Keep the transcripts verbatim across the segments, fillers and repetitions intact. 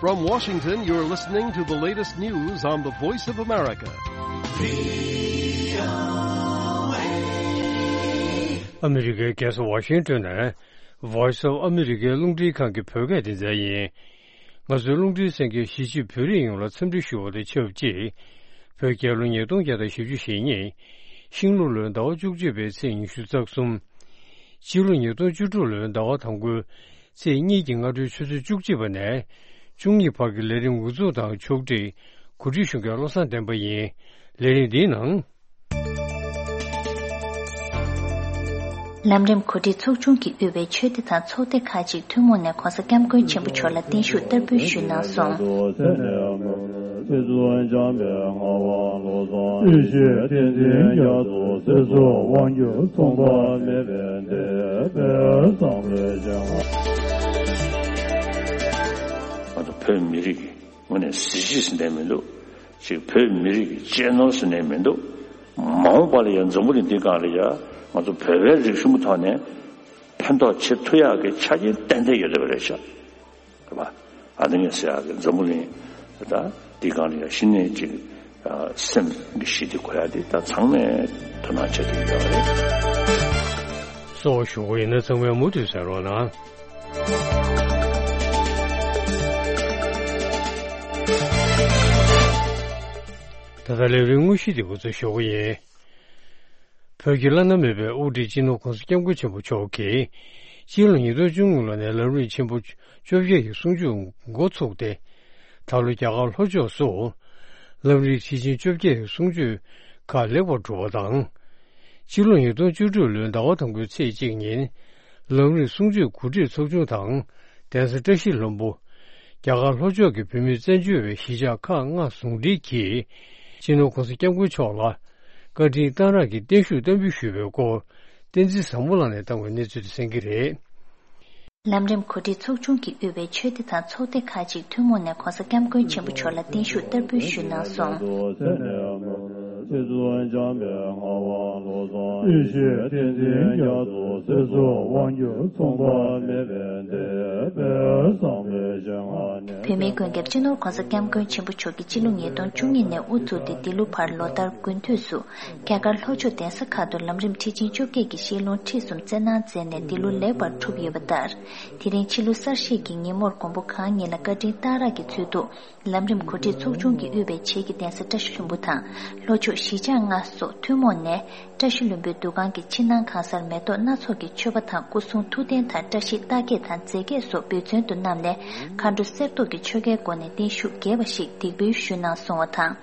From Washington, you're listening to the latest news on the Voice of America. ཨ་མི་རི་ཀའི་རྒྱལ་ས་ཝ་ཤིང་ཏོན་ནས་Voice of America རླུང་འཕྲིན་ཁང་གི་བོད་སྐད་སྡེ་ཚན་ཡིན། ང་ཚོའི་རླུང་འཕྲིན་གསན་མཁན་གཞིས་བྱེས་བོད་རིགས་ཡོངས་ལ་འཚམས་འདྲི་ཞུ་བ་དང་ཆབས་ཅིག་བོད་རྒྱལ་ལོ་ཉིས་སྟོང་བརྒྱ་དང་བཞི་བཅུ་ཞེ་གཉིས། ཤིང་ལུག་ལོའི་ཟླ་བ་བཅུ་གཅིག་པའི་ཚེས་ཉི་ཤུ་རྩ་གསུམ། སྤྱི་ལོ་ཉིས་སྟོང་བཅུ་དྲུག་ལོའི་ཟླ་བ་དང་པོའི་ཚེས་གཉིས་ཀྱི་སྔ་དྲོའི་ཆུ་ཚོད་བཅུ་གཅིག་པ་ནས་བཅུ་གཉིས་བར་གྱི་ལས་རིམ་འགོ་འཛུགས་དང་ཕྱོགས་སྒྲིག་གོ་སྒྲིག་ཞུ་མཁན་བློ་བཟང་བསྟན་པ་ཡིན། ལས་རིམ་འདིའི་ནང་། ལམ་རིམ་གོ་སྒྲིག་ཚོགས་ཆུང་གིས་དབུས་པའི་ཆོས་སྡེ་དང་ཚོགས་སྡེ་ཁག་ཅིག་ཐུན་མོང་ནས་༸གོང་ས་༸སྐྱབས་མགོན་ཆེན་པོ་མཆོག་ལ་བརྟན་བཞུགས་བསྟར་འབུལ་ཞུས་གནང་སོང་། ང་ཚོ་བོད་མི་རིགས་ངོས་ནས་གཟི་བརྗིད་ཟེར་ནས་མི་འདུག་ཅིག་བོད་མི་རིགས་གཅེས་ནོར་ཟེར་ནས་མི་འདུག་མ་འོངས་པ་ལ་ཡང་འཛམ་བུ་གླིང་འདི་སྒང་ལ་ཡང་ང་ཚོ་བོད་པའི་རིག་གཞུང་གི་ཐོག་ནས་ཕན་ཐོགས་བྱེད་ཐུབ་ཡག་གི་ཆ་རྐྱེན་ཏན་ཏན་ཡོད་བསྡད་པ་རེད་ཤག་རེད་པ། ཨ་ནི་ངས་ཟེར་ཡག་གི་འཛམ་བུ་གླིང་ད་འདི་སྒང་ལ་ཡང་གཞི་ནས་ཅིག་ཨ་སེམས་ཀྱི་ཞི་བདེ་དགོས་ཡག་འདི་ད་ཚང་མས་དོ་སྣང་བྱེད་ཐུབ་ཡག་རེད། གསོ་བ་ཞུ་གི་ཡིན་ན་ཚང་མས་མུ་མཐུད་གསན་རོགས་གནང་། ད་ལྟ་ལས་རིམ་དངོས་གཞི་དེ་འགོ་འཛུགས་ཞུ་གི་ཡིན། བོད་ཀྱི་བླ་ན་མེད་པའི་དབུ་ཁྲིད་སྤྱི་ནོར་༸གོང་ས་༸སྐྱབས་མགོན་ཆེན་པོ་མཆོག་གིས་སྤྱི་ལོ་ཉིས་སྟོང་བཅུ་གཉིས་ལོ་ནས་ལམ་རིམ་ཆེན་པོ་བཅོ་བརྒྱད་ཀྱི་གསུང་ཆོས་འགོ་ཚུགས་ཏེ། ད་ལོ་རྒྱ་གར་ལྷོ་ཕྱོགས་སུ་ལམ་རིམ་ཁྲིད་ཆེན་བཅོ་བརྒྱད་ཀྱི་གསུང་ཆོས་ཁག་ལེགས་པར་གྲུབ་པ་དང་། སྤྱི་ལོ་ཉིས་སྟོང་བཅུ་དྲུག་ལོའི་ཟླ་བ་དང་པོའི་ཚེས་གཅིག་ཉིན་ལམ་རིམ་གསུང་ཆོས་གོ་སྒྲིག་ཚོགས་ཆུང་དང་གདན་ས་བཀྲ་ཤིས་ལྷུན་པོ། རྒྱ་གར་ལྷོ་ཕྱོགས་ཀྱི་བོད་མིའི་བཙན་བྱོལ་བའི་གཞིས་ཆགས་ཁག་ལྔ་ཟུང་འབྲེལ་གྱིས་སྤྱི་ནོར་༸གོང་ས་༸སྐྱབས་མགོན་མཆོག་ལ་བཀའ་དྲིན་གཏང་རག་གི་བརྟན་བཞུགས་བསྟར་འབུལ་ཞུས་པའི་སྐོར་བསྟན་འཛིན་བཟང་མོ་ལགས་ནས་བཏང་བའི་གནས་ཚུལ་དེ་གསན་གྱི་རེད། ལམ་རིམ་གོ་སྒྲིག་ཚོགས་ཆུང་གིས་དབུས་པའི་ཆོས་སྡེ་དང་ཚོགས་སྡེ་ཁག་ཅིག་ཐུན་མོང་ནས་༸གོང་ས་༸སྐྱབས་མགོན་ཆེན་པོ་མཆོག་ལ་བརྟན་བཞུགས་བསྟར་འབུལ་ཞུས་གནང་སོང་། བོད་མིའི་མགོན་སྐྱབས་སྤྱི་ནོར་༸གོང་ས་༸སྐྱབས་མགོན་ཆེན་པོ་མཆོག་གིས་སྤྱི་ལོ་ཉིས་སྟོང་བཅུ་གཉིས་ནས་དབུ་ཚུགས་ཏེ་འདི་ལོ་བར་ལོ་ལྟར་དགུན་དུས་སུ་རྒྱ་གར་ལྷོ་ཕྱོགས་གདན་ས་ཁག་ཏུ་ལམ་རིམ་ཁྲིད་ཆེན་བཅོ་བརྒྱད་ཀྱི་བཤད་ལུང་ཁྲིད་གསུམ་སྩལ་གནང་མཛད་ནས་འདི་ལོ་ལེགས་པར་གྲུབ་ཡོད་པ་ལྟར། དེ་རིང་ཕྱི་ལོ་གསར་བཞད་ཀྱི་ཉིན་མོར་མགོན་པོ་གང་ཉིད་ལ་བཀའ་དྲིན་གཏང་རག་གི་ཚུལ་དུ། ལམ་རིམ་གོ་སྒྲིག་ཚོགས་ཆུང་གིས་དབུས་པའི་བྱེས་ཀྱི་གདན་ས་བཀྲ་ཤིས་ལྷུན་པོ་དང་ལྷོ་ཕྱོགས་གཞིས་ཆགས་ལྔ་སོགས་ཐུན་མོང་ནས་བཀྲ་ཤིས་ལྷུན་པོའི་འདུ་ཁང་གི་ཕྱི་ནང་གང་སར་མེ་ཏོག་སྣ་ཚོགས་ཀྱི་མཆོད་པ་དང་སྐུ་གསུང་ཐུགས་རྟེན་དང་བཀྲ་ཤིས་རྟགས་བརྒྱད་དང་རྫས་བརྒྱད་སོགས་འབུལ་ཚན་དུ་བསྣམས་ནས་མཁའ་འགྲོ་གསེར་མདོག་གི་ཆོ་གའི་སྒོ་ནས་བརྟན་བཞུགས་རྒྱས་པ་ཞིག་འདེགས་འབུལ་ཞུས་གནང་སོང་བ་དང་།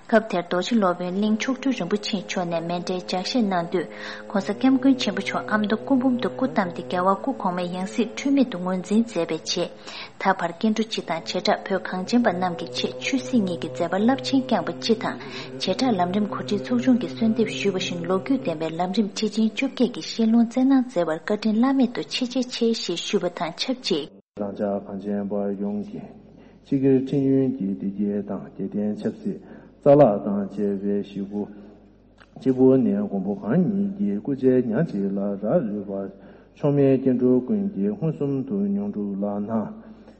སྐབས་དེར་རྡོ་རྗེ་སློབ་དཔོན་གླིང་མཆོག་སྤྲུལ་རིན་པོ་ཆེ་མཆོག་ནས་མཎྜལ་ལྗགས་བཤད་གནང་དུས་༸གོང་ས་༸སྐྱབས་མགོན་ཆེན་པོ་མཆོག་ཨ་མདོ་སྐུ་འབུམ་དུ་སྐུ་བལྟམས་ཏེ་རྒྱལ་བ་སྐུ་གོང་མའི་ཡང་སྲིད་འཁྲུལ་མེད་དུ་ངོས་འཛིན་མཛད་པའི་རྗེས། ད་བར་སྐྱེ་འགྲོ་སྤྱི་དང་བྱེ་བྲག་བོད་གངས་ཅན་པ་རྣམས་ཀྱི་ཆེད་ཆོས་སྲིད་གཉིས་ཀྱི་མཛད་པ་རླབས་ཆེན་བསྐྱངས་པ་སྤྱི་དང་། བྱེ་བྲག་ལམ་རིམ་གོ་སྒྲིག་ཚོགས་ཆུང་གིས་གསོལ་འདེབས་ཞུས་པ་བཞིན་ལོ་རྒྱུས་ལྡན་པའི་ལམ་རིམ་ཁྲིད་ཆེན་བཅོ་བརྒྱད་ཀྱི་བཤད་ལུང་སྩལ་གནང་མཛད་པར་བཀའ་དྲིན་བླ་མེད་དུ་ཆེ་ཆེ་ཆེ་ཞེས་ཞུས་པ་དང་ཆབས་ཅིག་རང་ཅག་གངས་ཅན་པ་ཡོངས་ཀྱི་སྤྱི་སྒེར་ཁྲིམས་ཡོན་གྱི་བདེ་སྐྱིད་དང་རྒྱལ་བསྟན་ཆབ་སྲིད་རྩ་བརླག་དང་བཅས་པའི་ཞེ་དགུ། གཅིག་པུ་ནས་མགོན་པོ་གང་ཉིད་ཀྱི་སྐུ་ཕྱྭའི་ཉག་གཅིག་ལ་རག་ལུས་པ། མཆོག་དམན་སྐྱེ་འགྲོ་ཀུན་གྱི་མངོན་སུམ་དུ་མྱོང་གྲུབ་ལགས་ན།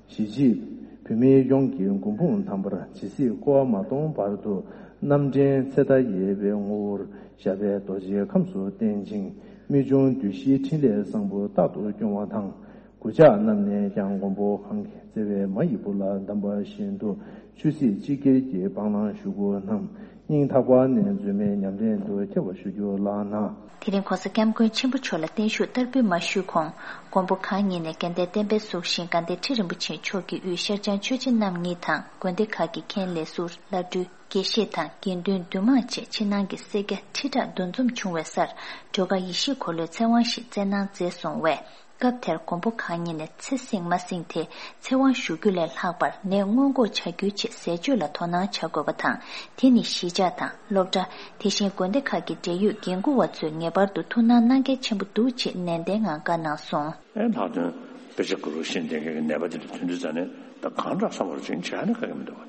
གཞིས་བྱེས་བོད་མི་ཡོངས་ཀྱི་མགོན་དཔུང་དམ་པར་ཇི་སྲིད་འཁོར་བ་མ་སྟོངས་བར་དུ་རྣམ་འདྲེན་ཚེ་མཐའ་ཡས་པའི་ངོ་བོར་ཞབས་པད་རྡོ་རྗེའི་ཁམས་སུ་བརྟན་ཅིང་རྨད་བྱུང་གདུལ་བྱའི་འཕྲིན་ལས་བཟང་པོ་རྟག་ཏུ་སྐྱོང་བ་དང་། གུས་ཕྱག་རྣམས་ནས་ཀྱང་མགོན་པོ་གང་གི་བརྩེ་བའི་མ་ཡི་བུ་ལ་གདམས་པ་བཞིན་དུ་ཆོས་སྲིད་སྤྱི་སྒེར་གྱི་སྤང་བླང་ཞུ་དགོས་རྣམས་སྙིང་ཐག་པ་ནས་རྩོད་མེད་ཉམས་ལེན་དུ་འཁྱེར་བར་ཞུ་རྒྱུ་ལགས་ན། དེ་རིང་༸གོང་ས་༸སྐྱབས་མགོན་ཆེན་པོ་མཆོག་ལ་བརྟན་བཞུགས་བསྟར་འབུལ་མ་ཞུས་གོང་། མགོན་པོ་གང་ཉིད་ནས་དགའ་ལྡན་བསྟན་པའི་གཟུགས་བཞིན་དགའ་ལྡན་ཁྲི་རིན་པོ་ཆེ་མཆོག་གི་དབུས་ཤར་བྱང་ཆོས་རྗེ་རྣམ་གཉིས་དང་དགོན་སྡེ་ཁག་གི་མཁན་ལས་ཟུར་བླ་སྤྲུལ་དགེ་བཤེས་དང་དགེ་འདུན་འདུས་མང་བཅས་ཕྱི་ནང་གི་སེར་སྐྱ་ཁྲི་ཕྲག་འདུ་འཛོམས་བྱུང་བའི་སར་སྒྲོལ་དཀར་ཡེ་ཤེས་འཁོར་ལོའི་ཚེ་དབང་ཞིག་སྩལ་གནང་མཛད་སོང་བས། སྐབས་དེར་མགོན་པོ་གང་ཉིད་ནས་ཚེ་བསྲིང་མ་བསྲིང་དེ་ཚེ་དབང་ཞུ་རྒྱུ་ལས་ལྷག་པར་ནད་སྔོན་འགོག་བྱ་རྒྱུའི་ཆེད་ཟས་སྤྱོད་ལ་དོ་སྣང་བྱ་དགོས་པ་དང་། དེ་ནི་གཞིས་ཆགས་དང་སློབ་གྲྭ། དེ་བཞིན་དགོན་སྡེ་ཁག་གི་འབྲེལ་ཡོད་འགན་འཁུར་བ་ཚོས་ངེས་པར་དུ་ཐུགས་སྣང་གནང་གལ་ཆེན་པོ་འདུག་ཅེས་ནན་ཏན་ངང་བཀའ་གནང་སོང་། ཨེ་ལྷག་དོན་དཔེ་ཆ་དགུ་རུ་ཤེས་ལྡན་མཁན་གྱི་ནད་པ་དེ་འདྲ་ཐོན་དུས་ཙང་ནས་ད་གང་དྲག་བསམ་བློ་ཅིག་བྱས་ནས་ག་གེ་མི་འདུག་བ།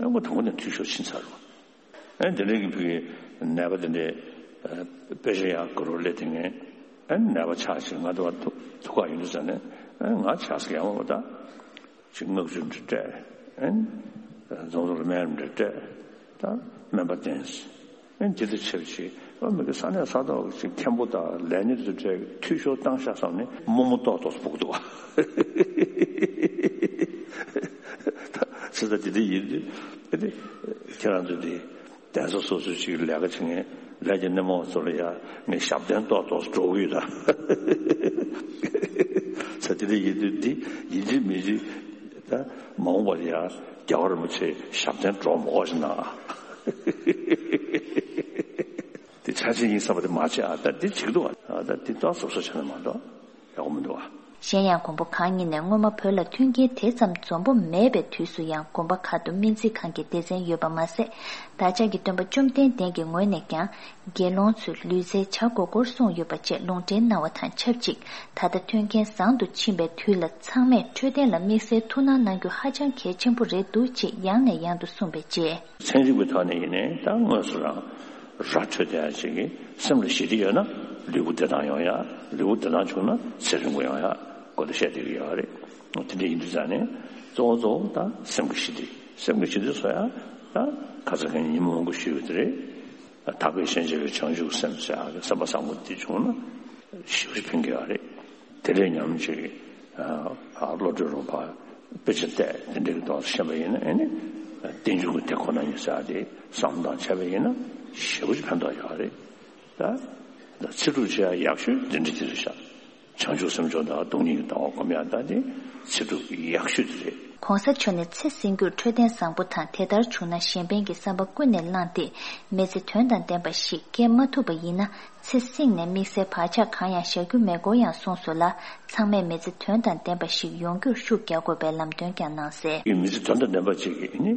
ཨེ་ཁོ་དང་པོ་ནས་འཐུས་ཤོར་ཕྱིན་ཚར་རོ། ཨེ་དེ་འདྲའི་གི་ཕ་གི་ནད་པ་དེ་འདྲའི་ཨེ་དཔེ་ཆ་ཡག་དགུ་རུ་སླེབས་དེ་ངས་ཨེ་ནད་པ་ཆགས་ཤིག་ང་དུ་བ་ཐུག་ཐུག་ག་ཡོང་དུས་ཙང་ནས་ཨེ་ང་ཆགས་སི་ཡག་མ་བ་ད། ཅིག་མངགས་བཅོལ་འདྲ་སྤྲད། ཨན། རྫོང་སར་སྨན་རམ་འདྲ་སྤྲད། ད་སྨན་པ་བསྟེན། ཨན། དེ་དང་ཆབས་ཅིག་ཨ་མི་གི་ས་གནས་ས་ཐོག་ཅིག་མཁན་པོ་དང་ལས་སྣེ་དེ་ཚོ་སྤྲད། འཐུས་ཤོར་བཏང་ཤག་བསམ་ནས་རྨོ་མོ་ཏོག་ཏོག་སྦུག་འདུག་བ། ད་ཚེ་ད་དེ་འདྲ་ཡིན་དུས། ཨ་དེ་ཁྱེད་རང་ཚོ་དེ། གདན་ས་སོ་སོའི་ཅིག་ལས་ཀ་བྱེད་མཁན་ལས་ཀྱི་སྣེ་མོ་ཚོ་ལ་ཡ་ངས་ཞབས་བརྟན་ཏོག་ཏོག་འགྲོ་གི་ཡོད་ད། ས་དེ་འདྲ་ཡིན་དུས་འདི་ཡིན་གཅིག་མིན་གཅིག་ད་མ་འོངས་པར་ཡ་རྒྱལ་བ་རིན་པོ་ཆེ་ཞབས་བརྟན་འགྲོ་མ་དགོས་ཤིག་ན། དེ་ཆ་ཆེན་ཡིན་བསམ་པ་དེ་མ་བྱེད་ཨ། ད་འདི་བྱེད་ཀྱི་འདུག་ཨ། ད་འདི་ཏོག་ཙམ་བཟོ་བྱས་ན་མ་གཏོགས། ཡག་པོ་མི་འདུག་བ། གཞན་ཡང་མགོན་པོ་གང་ཉིད་ནས་སྔོན་མ་བོད་ལ་མཐུན་རྐྱེན་དེ་ཙམ་འཛོམས་པོ་མེད་པའི་དུས་སུ་ཡང་དགོན་པ་ཁག་ཏུ་སྨན་རྩིས་ཁང་གི་སྡེ་ཚན་ཡོད་པ་མ་ཟད། བདག་ཅག་གི་སྟོན་པ་བཅོམ་ལྡན་འདས་ཀྱི་ངོས་ནས་ཀྱང་དགེ་སློང་ཚོས་ལུས་རྩལ་བྱ་དགོས་སྐོར་གསུངས་ཡོད་པ་བཅས་ལུང་འདྲེན་གནང་བ་དང་ཆབས་ཅིག་ད་ལྟ་མཐུན་རྐྱེན་བཟང་དུ་ཕྱིན་པའི་དུས་ལ་ཚང་མས་འཕྲོད་བསྟེན་ལ་དམིགས་བསལ་ཐུགས་སྣང་གནང་རྒྱུ་ཧ་ཅང་གལ་ཆེན་པོ་རེད་འདུག་ཅེས་ཡང་ནས་ཡང་དུ་གསུངས་པའི་རྗེས། ཚན་རིག་པའི་ཐོག་ནས་ཡིན་ནའི་ད་དངོས་སུ་རང་ར་འཕྲོད་བསྟེན་ཡ་ཅིག་གིས་སེམས་ལ་ཞི་བདེ་ཡོད་ན་ལུས་པོ་བདེ་ཐང་ཡོང་ཡ། ལུས་པོ་བདེ་ཐང་བྱུང་ན་ཚེ་རིང་པོ་ཡོང་ཡ་སྐོར་ལ་བཤད་བསྡད་ཀྱི་ཡོད་རེད། དེ་འདྲ་ཡིན་དུས་ཙང་ནས་གཙོ་བོ་གཙོ་བོ་ད་སེམས་ཀྱི་ཞི་བདེ། སེམས་ཀྱི་ཞི་བདེ་བཟོ་ཡ་ད་ཁ་ས་ཁ་ཉིན་ཉིན་མོ་མང་པོ་ཞུས་ཡོད་དེ་རེད། ད་དག་པའི་ཞེན་བྱ་བའི་བྱང་ཆུབ་སེམས་ཟེར་ཡ་གི་སེམས་པ་བཟང་པོ་འདི་བྱུང་ན་ཞེ་པོ་ཕན་གྱི་ཡོད་རེད། དེ་ལས་ཉམས་ཅིག་ཨ་བློ་གྲོས་རོང་པ་དཔེ་ཆ་བལྟས་དེ་འདྲ་གི་ཐོག་ཤེས་པ་ཡིན་ན་ཨེ་ནི་རྟེན་འབྱུང་གི་དེ་ཁོ་ན་ཉིད་ཟེར་ཡ་དེ་བསམ་བློ་བཏང་བྱས་པ་ཡིན་ན་ཞེ་པོ་ཅིག་ཕན་ཐོགས་ཡོད་རེད། ད་ད་ཚེ་སྒྲུབ་བྱེད་ཡ་ཡག་ཤོས་འདི་འདྲ་ཅིག་རེད་ཤག་བྱང་ཆུབ་སེམས་མཆོག་དང་སྟོང་ཉིད་ཀྱི་ལྟ་བ་སྒོམ་ཡག་ད་དེ་ཚེ་སྒྲུབ་ཡག་ཤོས་དེ་རེད། གོང་ས་མཆོག་ནས་ཚེ་སྲིང་རྒྱུར་འཕྲོད་བསྟེན་བཟང་པོ་དང་དེ་ལྟར་བྱུང་ན་གཞན་ཕན་གྱི་བསམ་པ་ཀུན་ནས་བསླངས་ཏེ་མི་ཚེ་དོན་དང་ལྡན་པ་ཞིག་སྐྱེལ་མ་ཐུབ་པ་ཡིན་ན་ཚེ་སྲིང་ནས་དམིགས་བསལ་བག་ཆགས་གང་ཡང་བཞག་རྒྱུ་མེད་སྐོར་ཡང་གསུངས་སོང་ལ། ཚང་མས་མི་ཚེ་དོན་དང་ལྡན་པ་ཞིག་ཡོང་རྒྱུར་ཤུགས་རྒྱག་དགོས་པའི་ལམ་སྟོན་ཀྱང་གནང་གསལ། མི་ཚེ་དོན་དང་ལྡན་པ་ཅིག་ནི་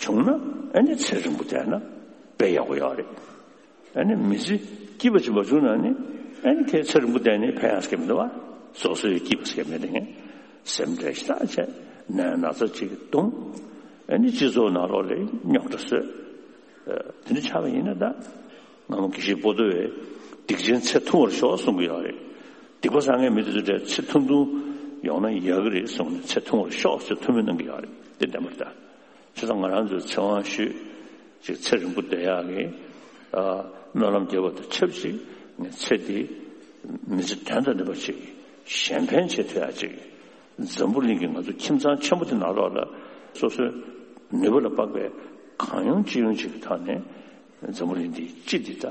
བྱུང་ན་ཨ་ནི་ཚེ་རིང་པོ་བསྡད་ན་དཔེ་ཡག་པོ་ཡོད་རེད། ཨ་ནི་མི་ཚེ་སྐྱིད་པ་ཅིག་མ་བྱུང་ན་ནི་ཨ་ནི་ཁྱེད་ཚེ་རིང་པོ་བསྡད་ནས་ཕན་ཡག་ཟེར་གྱི་མི་འདུག་བ། སོ་སོའི་སྐྱིད་པ་ཟེར་གྱི་མེད་དེ་ངས་སེམས་ཁྲལ་ཞེ་དྲག་བྱས་ནད་ན་ཚ་ཅིག་གདོང་། ཨ་ནི་སྤྱི་ཚོགས་ནང་ལོགས་ལ་རྙོག་དྲ་བཟོས། དེ་འདྲ་ཆགས་པ་ཡིན་ན་ད་སྔ་མོ་དགེ་བཤེས་པོ་ཏོ་བས་སྡིག་ཅན་ཚེ་ཐུང་བར་ཤོག་གསུང་གི་ཡོད་རེད། སྡིག་པ་བསགས་མཁན་མི་དེ་ཚོ་འདྲ་ཚེ་ཐུང་ཐུང་ཡོང་ན་ཡག་གི་རེད་གསུངས་ནས་ཚེ་ཐུང་བར་ཤོག་ཅེས་ཐུགས་སྨོན་གནང་གི་ཡོད་རེད། དེ་བདེན་པ་རེད་ད། བྱས་ཙང་ང་རང་ཚོའི་ཚེ་དབང་ཞུས་ཅིག་ཚེ་རིང་པོ་བསྡད་ཡག་གི་ཨ་སྨོན་ལམ་རྒྱབ་པ་དང་ཆབས་ཅིག་ངས་ཚེ་འདི་མི་ཚེ་དོན་དང་ལྡན་པ་ཅིག་གཞན་ཕན་བྱེད་ཐུབ་ཡག་ཅིག་འཛམ་བུ་གླིང་གི་ང་ཚོ་ཁྱིམ་ཚང་ཆེན་པོ་དེ་ནང་ལོགས་ལ་སོ་སོའི་ནུས་པ་ལ་དཔག་པའི་གང་ཡོང་ཅི་ཡོང་ཅིག་གི་ཐོག་ནས་འཛམ་བུ་གླིང་འདི་སྤྱི་འདི་ད་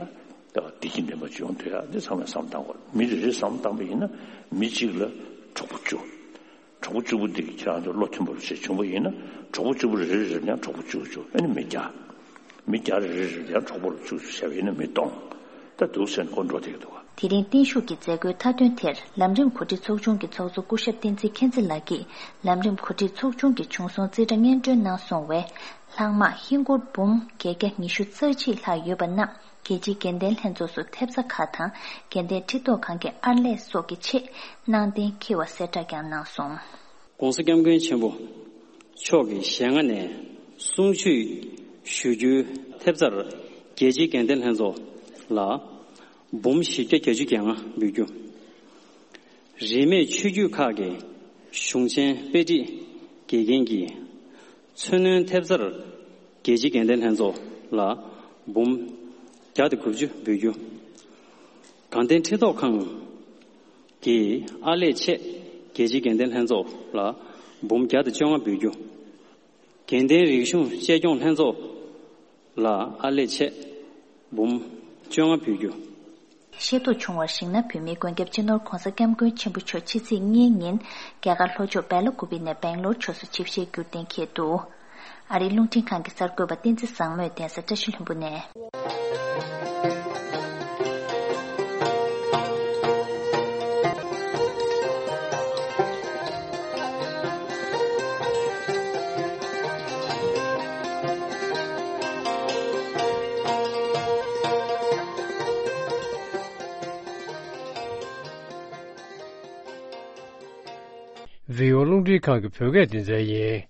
བདེ་སྐྱིད་ལྡན་པ་ཅིག་ཡོང་ཐུབ་ཡག་འདི་ཚང་མས་བསམ་བཏང་དགོས། མི་རེ་རེས་བསམ་བཏང་པ་ཡིན་ན་མི་གཅིག་ལ་གྲོགས་པོ་བཅུ། གྲོགས་པོ་བཅུ་པོ་འདི་གིས་ཁྱེད་རང་ཚོ་བློ་མཐུན་པོ་ཞིག་བྱུང་པ་ཡིན་ན་གྲོགས་པོ་བཅུ་པོ་རེ་རེ་རེ་ཡང་གྲོགས་པོ་བཅུ་བཅུ་ཨ་ནི་མི་བརྒྱ། མི་བརྒྱ་རེ་རེ་རེ་ཡང་གྲོགས་པོ་བཅུ་བཅུ་བྱས་པ་ཡིན་ན་མི་སྟོང་། ད་འདུག་ཟེར་ནས་ཁོ་འགྲོ་བསྡད་ཀྱི་འདུག་ག། དེ་རིང་བརྟན་བཞུགས་ཀྱི་མཛད་སྒོའི་མཐའ་དོན་དེར་ལམ་རིམ་གོ་སྒྲིག་ཚོགས་ཆུང་གི་ཚོགས་གཙོ་སྐུ་ཞབས་བསྟན་འཛིན་མཁྱེན་བརྩེ་ལགས་ཀྱིས་ལམ་རིམ་གོ་སྒྲིག་ཚོགས་ཆུང་གི་བྱུང་སོང་རྩིས་ཁྲ་སྙན་སྒྲོན་གནང་སོང་བས། ལྷག་མ་ཧིན་སྒོར་འབུམ་བརྒྱད་བརྒྱ་ཉི་ཤུ་རྩ་གཅིག་ལྷག་ཡོད་པ་རྣམས་རྒྱལ་སྤྱིའི་དགེ་ལྡན་ལྷན་ཚོགས་སུ་ཐེབས་རྩ་ཁག་དང་དགེ་ལྡན་ཁྲི་ཐོག་ཁང་གི་ཨར་ལས་སོགས་ཀྱི་ཆེད་གནང་གཏན་འཁེལ་བ་གསལ་བསྒྲགས་ཀྱང་གནང་སོང་། ༸གོང་ས་༸སྐྱབས་མགོན་ཆེན་པོ་མཆོག་གི་ཞལ་སྔ་ནས་གསུང་ཆོས་ཞུ་རྒྱུའི་ཐེབས་རྩར་རྒྱལ་སྤྱིའི་དགེ་ལྡན་ལྷན་ཚོགས་ལ་འབུམ་བཞི་བརྒྱ་བརྒྱད་ཅུ་གྱ་ལྔ་འབུལ་རྒྱུ། རིས་མེད་ཆོས་བརྒྱུད་ཁག་གི་གཞུང་ཆེན་དཔེ་ཁྲིད་དགེ་རྒན་གྱི་མཚོན་རྣོན་ཐེབས་རྩར་རྒྱལ་སྤྱིའི་དགེ་ལྡན་ལྷན་ཚོགས་ལ་འབུམ་བརྒྱ་དང་དགུ་བཅུ་འབུལ་རྒྱུ། དགའ་ལྡན་ཁྲི་ཐོག་ཁང་གི་ཨར་ལས་ཆེད་རྒྱལ་སྤྱིའི་དགེ་ལྡན་ལྷན་ཚོགས་ལ་འབུམ་བརྒྱ་དང་བཅོ་ལྔ་འབུལ་རྒྱུ། དགེ་ལྡན་རིག་གཞུང་གཅེས་སྐྱོང་ལྷན་ཚོགས་ལ་ཨར་ལས་ཆེད་འབུམ་བཅོ་ལྔ་འབུལ་རྒྱུ། ཤེས་རྟོགས་བྱུང་བར་གཞིགས་ན། བོད་མིའི་མགོན་སྐྱབས་སྤྱི་ནོར་ྋགོང་ས་ྋསྐྱབས་མགོན་ཆེན་པོ་མཆོག་ཕྱི་ཚེས་གཉིས་ཉིན་རྒྱ་གར་ལྷོ་ཕྱོགས་སྦེ་ལ་ཀུ་པི་ནས་སྦེང་ལོར་ཕྱོགས་སུ་ཆིབས་ཞལ་བསྒྱུར་གཏན་འཁེལ་འདུག་ཨ་རིའི་རླུང་འཕྲིན་ཁང་གི་གསར་འགོད་པ་བསྟན་འཛིན་བཟང་མོས་གདན་ས་བཀྲ་ཤིས་ལྷུན་པོ་ནས། བྷི་ཨོ་རླུང་འཕྲིན་ཁང་གི་བོད་སྐད་སྡེ་ཚན་ཡིན།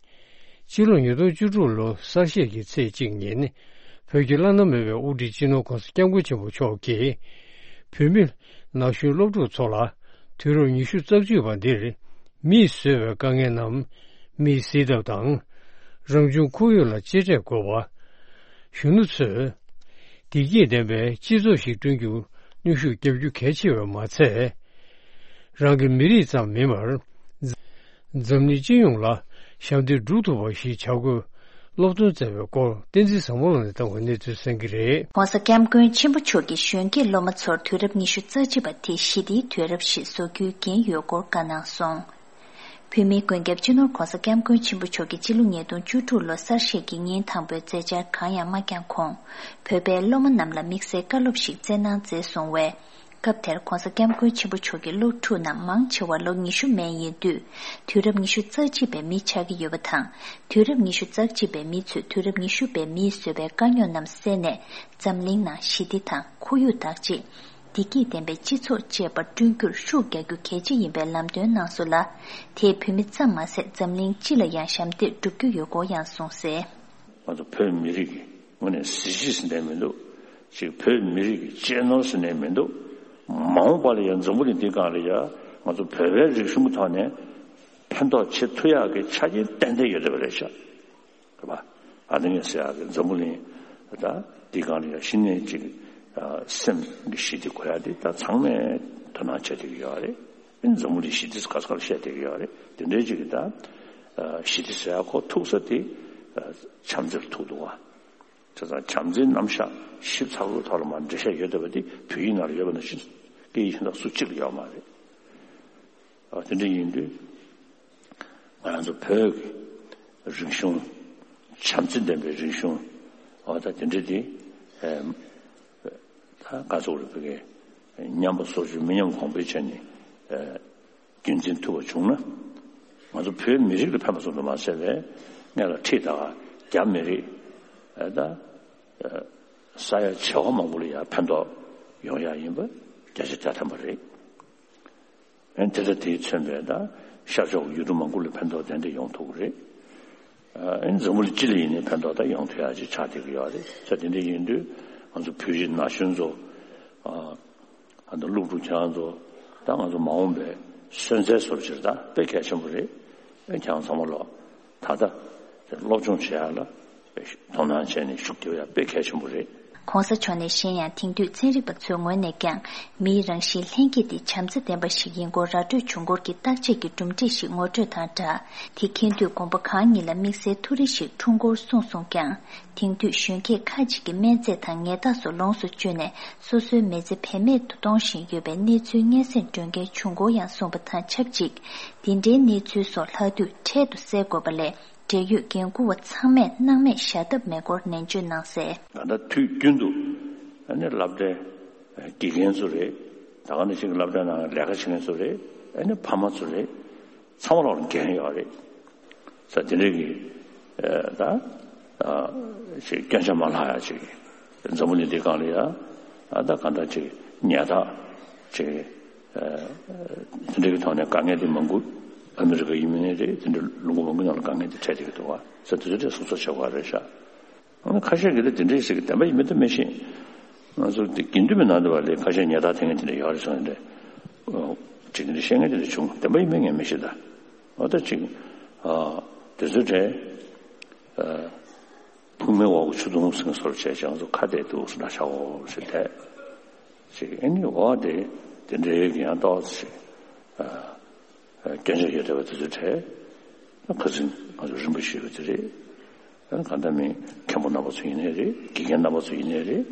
ཕྱི་ལོ་ཉིས་སྟོང་བཅུ་དྲུག་ལོ་གསར་བཞད་ཀྱི་ཚེས་གཅིག་ཉིན། བོད་ཀྱི་བླ་ན་མེད་པའི་དབུ་ཁྲིད་སྤྱི་ནོར་ྋགོང་ས་ྋསྐྱབས་མགོན་ཆེན་པོ་མཆོག་གིས། བོད་མི་ན་གཞོན་སློབ་ཕྲུག་ཚོ་ལ་དུས་རབས་ཉི་ཤུ་རྩ་གཅིག་པ་འདིར། མིས་བཟོས་པའི་དཀའ་ངལ་རྣམས་མིས་སེལ་ཐབས་དང་། རང་བྱུང་ཁོར་ཡུག་ལ་གཅེས་སྤྲས་དགོས་པ། གཞོན་ནུ་ཚོས་བདེ་སྐྱིད་ལྡན་པའི་སྤྱི་ཚོགས་ཤིག་བསྐྲུན་རྒྱུར་ནུས་ཤུགས་བརྒྱབ་རྒྱུ་གལ་ཆེ་བས་མ་ཚད། རང་གི་མི་རིགས་ཙམ་མིན་པར། འཛམ་གླིང་སྤྱི་ཡོངས་ལ་ཞབས་འདེགས་སྒྲུབ་ཐུབ་པ་ཞིག་བྱ་དགོས། སློབ་སྟོན་སྩལ་བའི་སྐོར་བསྟན་འཛིན་བཟང་མོ་ལགས་ནས་བཏང་བའི་གནས་ཚུལ་གསན་གྱི་རེད། ྋགོང་ས་ྋསྐྱབས་མགོན་ཆེན་པོ་མཆོག་གིས་གཞོན་སྐྱེས་སློབ་མ་ཚོར་དུས་རབས་ཉི་ཤུ་རྩ་གཅིག་པ་དེ་ཞི་བདེའི་དུས་རབས་ཤིག་བཟོ་རྒྱུའི་འགན་ཡོད་སྐོར་བཀའ་གནང་སོང་། བོད་མིའི་མགོན་སྐྱབས་སྤྱི་ནོར་༧གོང་ས་༧སྐྱབས་མགོན་ཆེན་པོ་མཆོག་གིས་སྤྱི་ལོ་ཉིས་སྟོང་བཅུ་དྲུག་ལོ་གསར་བཞད་ཀྱི་ཉིན་དང་པོའི་མཛད་འཆར་གང་ཡང་མ་བསྐྱངས་གོང་། བོད་པའི་སློབ་མ་རྣམས་ལ་དམིགས་བསལ་བཀའ་སློབ་ཞིག་སྩལ་གནང་མཛད་སོང་བས། སྐབས་དེར་༧གོང་ས་༧སྐྱབས་མགོན་ཆེན་པོ་མཆོག་གི་སློབ་ཕྲུག་རྣམས་མང་ཆེ་བ་ལོ་ཉི་ཤུ་མན་ཡིན་དུས། དུས་རབས་ཉི་ཤུ་རྩ་གཅིག་པའི་མི་ཆགས་ཀྱི་ཡོད་པ་དང་། དུས་རབས་ཉི་ཤུ་རྩ་གཅིག་པའི་མི་ཚོས་དུས་རབས་ཉི་ཤུ་པའི་མིས་བཟོས་པའི་དཀའ་རྙོག་རྣམས་སེལ་ནས། འཛམ་གླིང་ནང་ཞི་བདེ་དང་ཁོར་ཡུག་བདག་གཅེས། བདེ་སྐྱིད་ལྡན་པའི་སྤྱི་ཚོགས་བཅས་པ་བསྐྲུན་རྒྱུར་ཤུགས་རྒྱག་རྒྱུ་གལ་ཆེ་ཡིན་པའི་ལམ་སྟོན་གནང་སོང་ལ། དེས་བོད་མི་ཙམ་མ་ཟད་འཛམ་གླིང་སྤྱི་ལ་ཡང་ཞབས་འདེགས་སྒྲུབ་རྒྱུ་ཡོད་སྐོར་ཡང་གསུངས་གསལ། ང་ཚོ་བོད་མི་རིགས་ཀྱི་ངོས་ནས་གཟི་བརྗིད་ཟེར་ནས་མི་འདུག་ཅིག་བོད་མི་རིགས་ཀྱི་གཅེས་ནོར་ཟེར་ནས་མི་འདུག་མ་འོངས་པ་ལ་ཡང་འཛམ་བུ་གླིང་འདིའི་སྒང་ལ་ཡང་ང་ཚོ་བོད་པའི་རིག་གཞུང་གི་ཐོག་ནས་ཕན་ཐོགས་བྱེད་ཐུབ་ཡག་གི་ཆ་རྐྱེན་ཏན་ཏན་ཡོད་བསྡད་པ་རེད་ཤག་རེད་པ། ཨ་ནི་ངས་ཟེར་ཡག་གི་འཛམ་བུ་གླིང་ད་འདིའི་སྒང་ལ་ཡང་གཞི་ནས་ཅིག་སེམས་ཀྱི་ཞི་བདེ་དགོས་ཡག་དེ་ད་ཚང་མས་དོ་སྣང་བྱེད་བསྡད་ཀྱི་ཡོད་རེད། འཛམ་བུ་གླིང་ཞི་བདེ་ག་ས་ག་ལ་བཤད་བསྡད་ཀྱི་ཡོད་རེད། དེ་འདྲའི་ཅིག་གི་ད་ཞི་བདེ་ཟེར་ཡག་ཁོ་ཐུག་ས་དེ་བྱམས་བརྩེར་ཐུག་འདུག་བ། བྱས་ཙང་བྱམས་བརྩེའི་རྣམ་གཞག་ཞིབ་ཚགས་པོའི་ཐོག་ལ་མར་འགྲེལ་བཤད་ཡོད་བསྡད་པ་དེ་བོད་ཡིག་ནང་ལ་ཡོད་པ་ནང་བཞིན་སྐད་ཡིག་གཞན་དག་སུ་གཅིག་ལ་ཡོད་མ་རེད། ཨ་དེ་འདྲ་ཡིན་དུས་ང་རང་ཚོ་བོད་ཀྱི་རིག་གཞུང་། བྱམས་བརྩེ་ལྡན་པའི་རིག་གཞུང་། འོ་ད་དེ་འདྲ་དེ་ཨེ་ད་ག་ཚོད་རེད་བོད་སྐད་མཉམ་པ་སོར་ཆུད་མི་ཉམས་གོང་འཕེལ་བྱས་ནས་ཨེ་རྒྱུན་འཛིན་ཐུབ་པ་བྱུང་ན། ང་ཚོ་བོད་མི་རིགས་ལ་ཕན་པ་ཙམ་དུ་མ་ཟད་པའི་སྔོན་ལ་ཁྲིད་ད་རྒྱ་མི་རིགས་ཨེ་ད་ཨེ་ས་ཡ་བྱེ་བ་མང་པོ་ལ་ཡང་ཕན་ཐོགས་ཡོང་ཡག་ཡིན་པ་བརྒྱ་ཆ་བརྒྱ་ཐམ་པ་རེད། ཨེ་དེ་ལྟར་དེས་མཚོན་པའི་ད་ཤར་ཕྱོགས་ཡུལ་གྲུ་མང་པོ་ལ་ཕན་ཐོགས་ཏན་ཏན་ཡོང་ཐུབ་ཀྱི་རེད། ཨེ་འཛམ་བུ་གླིང་སྤྱི་ལ་ཡིན་ནའི་ཕན་ཐོགས་ད་ཡོང་ཐུབ་ཡག་ཅིག་ཆགས་བསྡད་ཀྱི་ཡོད་རེད། ས་དེ་འདྲ་ཡིན་དུས་ང་ཚོ་བོད་རིགས་ན་གཞོན་ཚོ། ཨ་ད་སློབ་ཕྲུག་ཁྱེད་རང་ཚོ་ད་ང་ཚོ་མ་འོངས་པའི་སོན་རྩའི་བཟོ་འདྲ་ཅིག་རེད། ད་དཔེ་གལ་ཆེན་པོ་རེད། ཨེ་ཁྱེད་རང་ཚང་མ་ལོ་ད་ལྟ་སློབ་སྦྱོང་བྱེད་ཡག་ལ་དོ་སྣང་བྱས་ནས་ཤུགས་རྒྱབ་ཡག་དཔེ་གལ་ཆེན་པོ་རེད། ྋགོང་ས་མཆོག་ནས་གཞན་ཡང་དེང་དུས་ཚན་རིག་པ་ཚོའི་ངོས་ནས་ཀྱང་མིའི་རང་བཞིན་ལྷན་སྐྱེས་དེ་བྱམས་བརྩེ་ལྡན་པ་ཞིག་ཡིན་སྐོར་ར་སྤྲོད་བྱུང་སྐོར་གྱི་བརྟག་དཔྱད་ཀྱི་གྲུབ་འབྲས་ཤིག་ངོ་སྤྲོད་དང་སྦྲགས། དེ་མཁྱེན་དུས་དགོངས་པ་གང་ཉིད་ལ་དམིགས་བསལ་ཐུགས་རེ་ཞིག་འཁྲུངས་སྐོར་གསུངས་སོང་ཀྱང་། དེང་དུས་གཞོན་སྐྱེས་ཁ་ཅིག་གིས་སྨན་རྫས་དང་ཉལ་ཐ་སོགས་ལོངས་སུ་སྤྱོད་ནས་སོ་སོའི་མི་ཚེ་བེད་མེད་དུ་གཏོང་བཞིན་ཡོད་པའི་གནས་ཚུལ་སྙན་སེང་སྒྲོན་མཁན་བྱུང་སྐོར་ཡང་གསུངས་པ་དང་ཆབས་ཅིག་འདི་འདྲའི་གནས་ཚུལ་སོགས་ལྷག་དུས་འཕྲལ་དུ་སེལ་དགོས་པ་ལས། འབྲེལ་ཡོད་འགན་འཁུར་བ་ཚང་མས་སྣང་མེད་བཞག་ཐབས་མེད་སྐོར་ནན་བརྗོད་གནང་གསལ། ད་ལྟ་དུས་རྒྱུན་དུ་ཨ་ནི་སློབ་གྲྭའི་དགེ་རྒན་ཚོ་རེད། ད་ག་ནང་བཞིན་གྱི་སློབ་གྲྭའི་ནང་ལས་ཀ་བྱེད་མཁན་ཚོ་རེད། ཨ་ནི་ཕ་མ་ཚོ་རེད། ཚང་མ་ལ་འགན་ཡོད་རེད། ས་དེ་འདྲའི་གི་ཨ་ད་ཨ་ཅིག་སྐྱོན་ཆ་མ་ལྷག་ཡ་ཅིག་འཛམ་བུ་གླིང་འདིའི་སྒང་ལ་ཡ་ཨ་ད་ག་འདྲ་ཅིག་ཉལ་ཐ་ཅིག་དེ་འདྲ་གི་ཐོག་ནས་དཀའ་ངལ་དེ་མང་པོ་ཨ་མི་རི་ཀ་ཡིན་མིན་རེད། དེ་འདྲ་ལུང་པ་མང་པོའི་ནང་ལ་དཀའ་ངལ་དེ་འཕྲད་བསྡད་ཀྱི་འདུག་བ། ས་དེ་ཚོ་དེ་སོ་སོ་བྱེད་དགོས་རེད་ཤག་ཁ་ཤས་ཀྱིས་ད་དེ་འདྲ་ཟེར་གི་བདེན་པ་ཡིན་མིན་ད་མི་ཤེས། ང་ཚོ་དེ་དགེ་འདུན་པའི་ནང་དུ་བ་ལས་ཁ་ཤས་ཉལ་ཐ་འཐེན་མཁན་དེ་འདྲ་ཡོད་རེད་སོང་དེ་འདྲ་ཅིག་དེ་འདྲ་བཤད་མཁན་དེ་འདྲ་བྱུང་། བདེན་པ་ཡིན་མིན་ངས་མི་ཤེས་ད། འོ་ད་ཅིག་ཨ་དེ་ཚོ་གྲས་ཨ། ཕུང་མའི་འོག་གི་ཆུ་དུང་ཟེར་བཟོ་འདྲ་བྱས་ཀྱང་ཚོ་ཁ་གཏད་འདུག་སུ་འདྲ་ཤག་འོ་ཟེར་བསྡད་ཅིག་ཨ་ནི་འོ་དེ་དེ་འདྲའི་གི་ཡང་ཏོག་ཙམ་ཞིག་ཨ་སྐྱོན་ཆ་ཡོད་བསྡད་པ་དེ་ཚོའི་གྲས་ཁ་སང་ང་ཚོ་རིན་པོ་ཆེ་ཡོད་དེ་རེད། ཨ་ནི་གང་ལྟར་མིན་མཁན་པོ་རྣམ་པ་ཚོ་ཡིན་ནའི་རེད། དགེ་རྒན་རྣམ་པ་ཚོ་ཡིན་ནའི་རེད།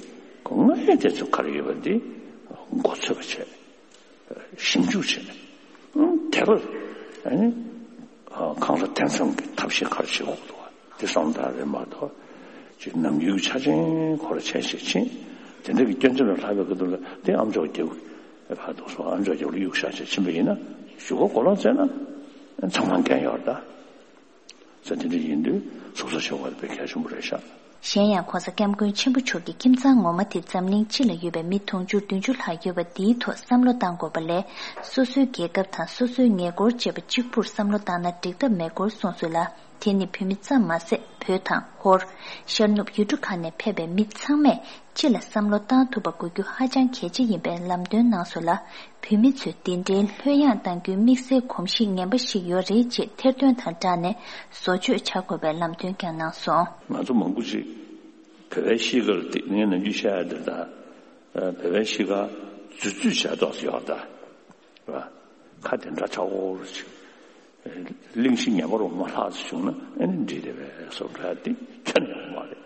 ཁོ་ང་ཡི་དེ་ཚོ་ག་རེ་ཡོད་པ་འདི་མགོ་ཚོད་པ་བྱས། ཞིབ་འཇུག་བྱས། དེ་ལ་ཨ་ནི་གང་ལ་དེ་མཚུངས་ཀྱི་ཐབས་ཤེས་ག་རེ་བྱེད་དགོས་འདུག་བ་དེ་བསམ་བློ་བཏང་རེད་མ་གཏོགས་ཅིག་ནམ་རྒྱུན་གྱི་ཆ་ཅན་ཁོ་ལ་བྱས་ཤིག་ཕྱིན་དེ་འདྲ་གི་སྐྱོན་ཅན་ལ་ལྷག་པའི་སྐབས་དུ་ལ་དེ་ཨམ་ཅོག་རྒྱབ་ཕར་འདུག་སོང་། ཨམ་ཅོག་རྒྱབ་ལ་གཡུག་བཞག་བྱས་ཕྱིན་པ་ཡིན་ན་གཞུག་གུ་གོ་ལོག་བཙལ་ན་ཚང་མ་འགན་ཡོད་རེད་ད། ས་དེ་འདྲ་ཡིན་དུས་སོ་སོ་ཤོག་ཁ་དཔེ་གལ་ཆེན་པོ་རེད་ཤག་གཞན་ཡང་༧གོང་ས་༧སྐྱབས་མགོན་ཆེན་པོ་མཆོག་གི་ཁྱིམ་ཚང་ངོ་མ་དེ་འཛམ་གླིང་སྤྱི་ལ་ཡོད་པའི་མི་དུང་ཕྱུར་བདུན་ཅུ་ལྷག་ཡོད་པ་འདིའི་ཐོག་བསམ་བློ་བཏང་དགོས་པ་ལས། སོ་སོའི་རྒྱལ་ཁབ་དང་སོ་སོའི་ཉེ་འཁོར་བཅས་པ་གཅིག་པུར་བསམ་བློ་བཏང་ན་འགྲིག་ཐབས་མེད་སྐོར་གསུངས་སོང་ལ། དེ་ནི་བོད་མི་ཙམ་མ་ཟད། བོད་དང་། ཧོར། ཤར་ནུབ་ཡུལ་གྲུ་ཁག་ནས་ཕེབས་པའི་མི་ཚང་མས་སྤྱི་ལ་བསམ་བློ་བཏང་ཐུབ་པ་དགོས་རྒྱུ་ཧ་ཅང་གལ་ཆེ་ཡིན་པའི་ལམ་སྟོན་གནང་སོང་ལ། བོད་མི་ཚོས་འདི་འདྲའི་ལྷོད་ཡངས་གཏང་རྒྱུའི་དམིགས་བསལ་གོམས་གཤིས་ངན་པ་ཞིག་ཡོད་རེད་ཅེས་ཐེར་འདོན་དང་སྦྲགས་ནས་བཟོ་བཅོས་བྱ་དགོས་པའི་ལམ་སྟོན་ཀྱང་གནང་སོང་། ང་ཚོ་མང་པོ་ཅིག་བོད་པའི་གཤིས་ཀ་ལ་དེ་ངས་ནམ་རྒྱུན་བཤད་ཡ་འདི་ལྟར། བོད་པའི་གཤིས་ཀ་རྫུ་འཕྲུལ་བྱས་ཏོག་ཙམ་ཡོད་ད། རེད་བ། ཁ་དེ་འདྲ་ཆགས་འོར་ཅིག་གླེང་གཞི་ངན་པ་རུ་མ་ལྷག་ཙམ་བྱུང་ན་ཨེ་ནི་འགྲིག་རེད་པས་བཟོ་འདྲ་དེ་ཁྱོན་ནས་ཡོང་མ་རེད།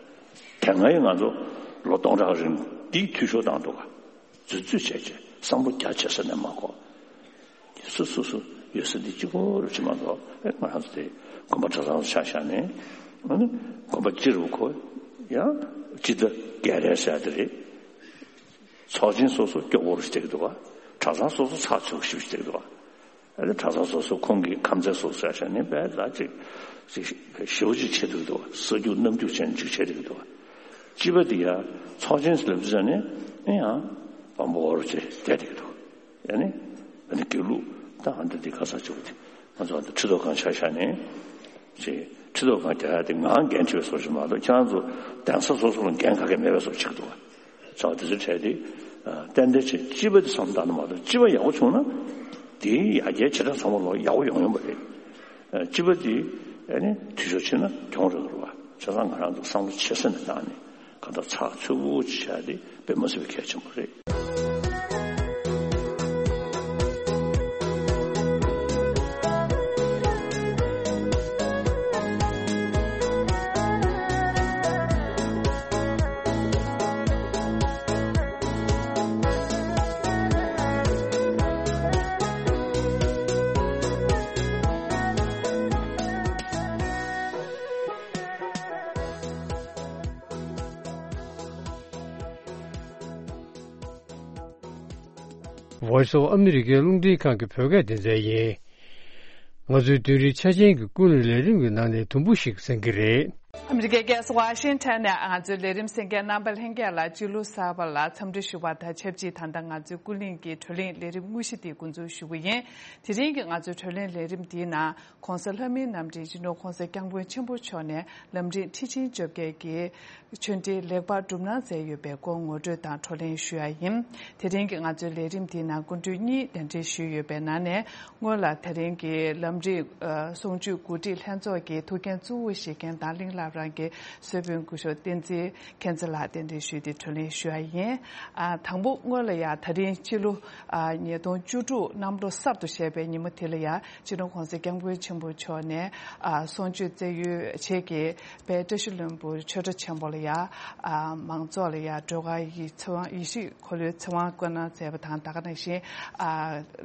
དེ་སྔ་ཡི་ང་ཚོ་ལོ་སྟོང་ཕྲག་རིང་འདིའི་འཐུས་ཤོར་བཏང་འདུག་ག་རྫུ་འཕྲུལ་བྱས་བྱས་བསམ་བློ་རྒྱ་ཆེ་ས་ནས་མ་གོ། སོ་སོ་སོ་ཡོད་ས་འདི་གཅིག་པོ་རུ་ཕྱིན་མ་གཏོགས། ཨེ་ང་རང་ཚོ་དེ་དགོན་པ་གྲྭ་ཚང་ཆ་བཞག་ནས། ཨ་ནི་དགོན་པ་སྤྱི་རུ་གོ། ཡང་སྤྱི་ཟླ་བརྒྱད་རེ་ཟེར་དེ་རེད། ཚོགས་ཆེན་སོ་སོ་སྐྱོ་བོ་རུ་བསྡད་འདུག་ག་གྲྭ་ཚང་སོ་སོ་ཚགས་ཚུད་ཞིག་བསྡད་འདུག་ག་ཨ་ནི་གྲྭ་ཚང་སོ་སོ་ཁོང་གི་ཁམས་ཚན་སོ་སོ་ཆ་བཞག་ནས་དཔེ་ལ་ཅིག་ཅིག་ཞེ་པོ་ཅིག་བྱེད་འདུག་འདུག་ས་རྒྱུག་གནམ་རྒྱུག་བྱས་ནས་ཅིག་བྱེད་འདུག་འདུག་སྤྱི་པ་འདི་ཡང་ཚོགས་ཆེན་ལབ་དུས་ཙམ་ནས་ཨེ་ཡང་དཔང་པོ་འོར་ཅིག་བསྡད་འདུག་འདུག་ཡ་ནི། ཨ་ནི་དགེ་ལུགས་ད་ཨ་འདི་འདི་ག་ས་བྱུང་སྟེ། ང་ཚོ་ཨ་འདི་ཁྲི་ཐོག་ཁང་ཆ་བཞག་ནས། ཅེས་ཁྲི་ཐོག་ཁང་རྒྱག་ཡ་དེ་ང་འགན་ཆེ་བའི་བཟོ་ཞིག་མ་གཏོགས། ཁྱེད་རང་ཚོ་གདན་ས་སོ་སོ་ལ་འགན་ག་གེ་མེད་པའི་བཟོ་བྱེད་ཀྱི་འདུག་བ། བྱ་བ་དེ་ཚོའི་གྲས་དེ་ཏན་ཏན་བྱེད། སྤྱི་པ་དེ་བསམ་བཏང་ན་མ་གཏོགས། སྤྱི་པ་ཡག་པོ་བྱུང་ན་དེའི་ཡར་རྒྱས་བྱེ་བྲག་ཚང་མ་ལོག་ཡག་པོ་ཡོང་ཡོང་པ་རེད། སྤྱི་པ་དེ་ཨ་ནི་འཐུས་ཤོར་ཕྱིན་ན་གྱོང་རག་གི་རེད་བ། བྱས་ཙང་ང་རང་ཚོ་བསམ་བློ་ཆེ་ས་ནས་བཏང་ནས། གང་ལྟར་ཚགས་ཚུད་པོ་ཅིག་བྱ་དེ་དཔེ་མ་སྲིད་པའི་གལ་ཆེན་པོ་རེད། Voice of America རླུང་འཕྲིན་ཁང་གི་བོད་སྐད་སྡེ་ཚན་ཡིན། ང་ཚོའི་བདུན་རེའི་ཆ་ཆེན་གྱི་ཀུན་གླེང་ལས་རིམ་གྱི་ནང་ནས་དུམ་བུ་ཞིག་གསན་གྱི་རེད། ཨ་མི་རི་ཀའི་རྒྱལ་ས་ཝ་ཤིང་ཊོན་ནས་ང་ཚོའི་ལས་རིམ་གསན་མཁན་རྣམ་པ་ལྷན་རྒྱས་ལ་སྤྱི་ལོ་གསར་པ་ལ་འཚམས་འདྲི་ཞུ་བ་དང་ཆབས་ཅིག་ད་ལྟ་ང་ཚོའི་ཀུན་གླེང་གི་བགྲོ་གླེང་ལས་རིམ་དངོས་གཞི་དེ་འགོ་འཛུགས་ཞུ་གི་ཡིན། དེ་རིང་གི་ང་ཚོའི་བགྲོ་གླེང་ལས་རིམ་འདིའི་ནང་། ༸གོང་ས་ལྷ་མིའི་རྣམ་འདྲེན་སྤྱི་ནོར་༸གོང་ས་༸སྐྱབས་མགོན་ཆེན་པོ་མཆོག་ནས་ལམ་རིམ་ཁྲི་ཆེན་བཅོ་བརྒྱད་ཀྱི་ཆོས་འབྲེལ་ལེགས་པར་གྲུབ་གནང་མཛད་ཡོད་པའི་སྐོར་ངོ་སྤྲོད་དང་བགྲོ་གླེང་ཞུ་ཡ་ཡིན། དེ་རིང་གི་ང་ཚོའི་ལས་རིམ་འདིའི་ནང་སྐུ་མགྲོན་གཉིས་གདན་འདྲེན་ཞུས་ཡོད་པའི་ནང་ནས། སྔོན་ལ་དེ་རིང་གི་ལམ་རིམ་གསུང་ཆོས་གོ་སྒྲིག་ལྷན་ཚོགས་ཀྱི་ཐུགས་འགན་གཙོ་བོ་བཞེས་མཁན་དང་གླིང་བླ་བྲང་གི་གསོལ་དཔོན་སྐུ་ཞབས་བསྟན་འཛིན་མཁྱེན་བརྩེ་ལགས་གདན་འདྲེན་ཞུས་ཏེ་བགྲོ་གླེང་ཞུ་ཡ་ཡིན། ཨ། དང་པོ་སྔོན་ལ་ཡ་དེ་རིང་ཕྱི་ལོ་ཉིས་སྟོང་བཅུ་དྲུག་གནམ་ལོ་གསར་དུ་བཞད་པའི་ཉིན་མོ་དེ་ལ་ཡ། སྤྱི་ནོར་༸གོང་ས་༸སྐྱབས་མགོན་ཆེན་པོ་མཆོག་ནས་ཨ་གསུང་ཆོས་སྩལ་ཡུལ་བྱེས་ཀྱི་དཔལ་བཀྲ་ཤིས་ལྷུན་པོ་ཆོས་གྲྭ་ཆེན་པོ་ལ་ཡ། ཨ་མང་ཚོགས་ལ་ཡ་སྒྲོལ་དཀར་ཡིད་ཚེ་དབང་ཡེ་ཤེས་འཁོར་ལོའི་ཚེ་དབང་བསྐུར་གནང་མཛད་པ་དང་། ད་ག་ནང་བཞིན་ཨ་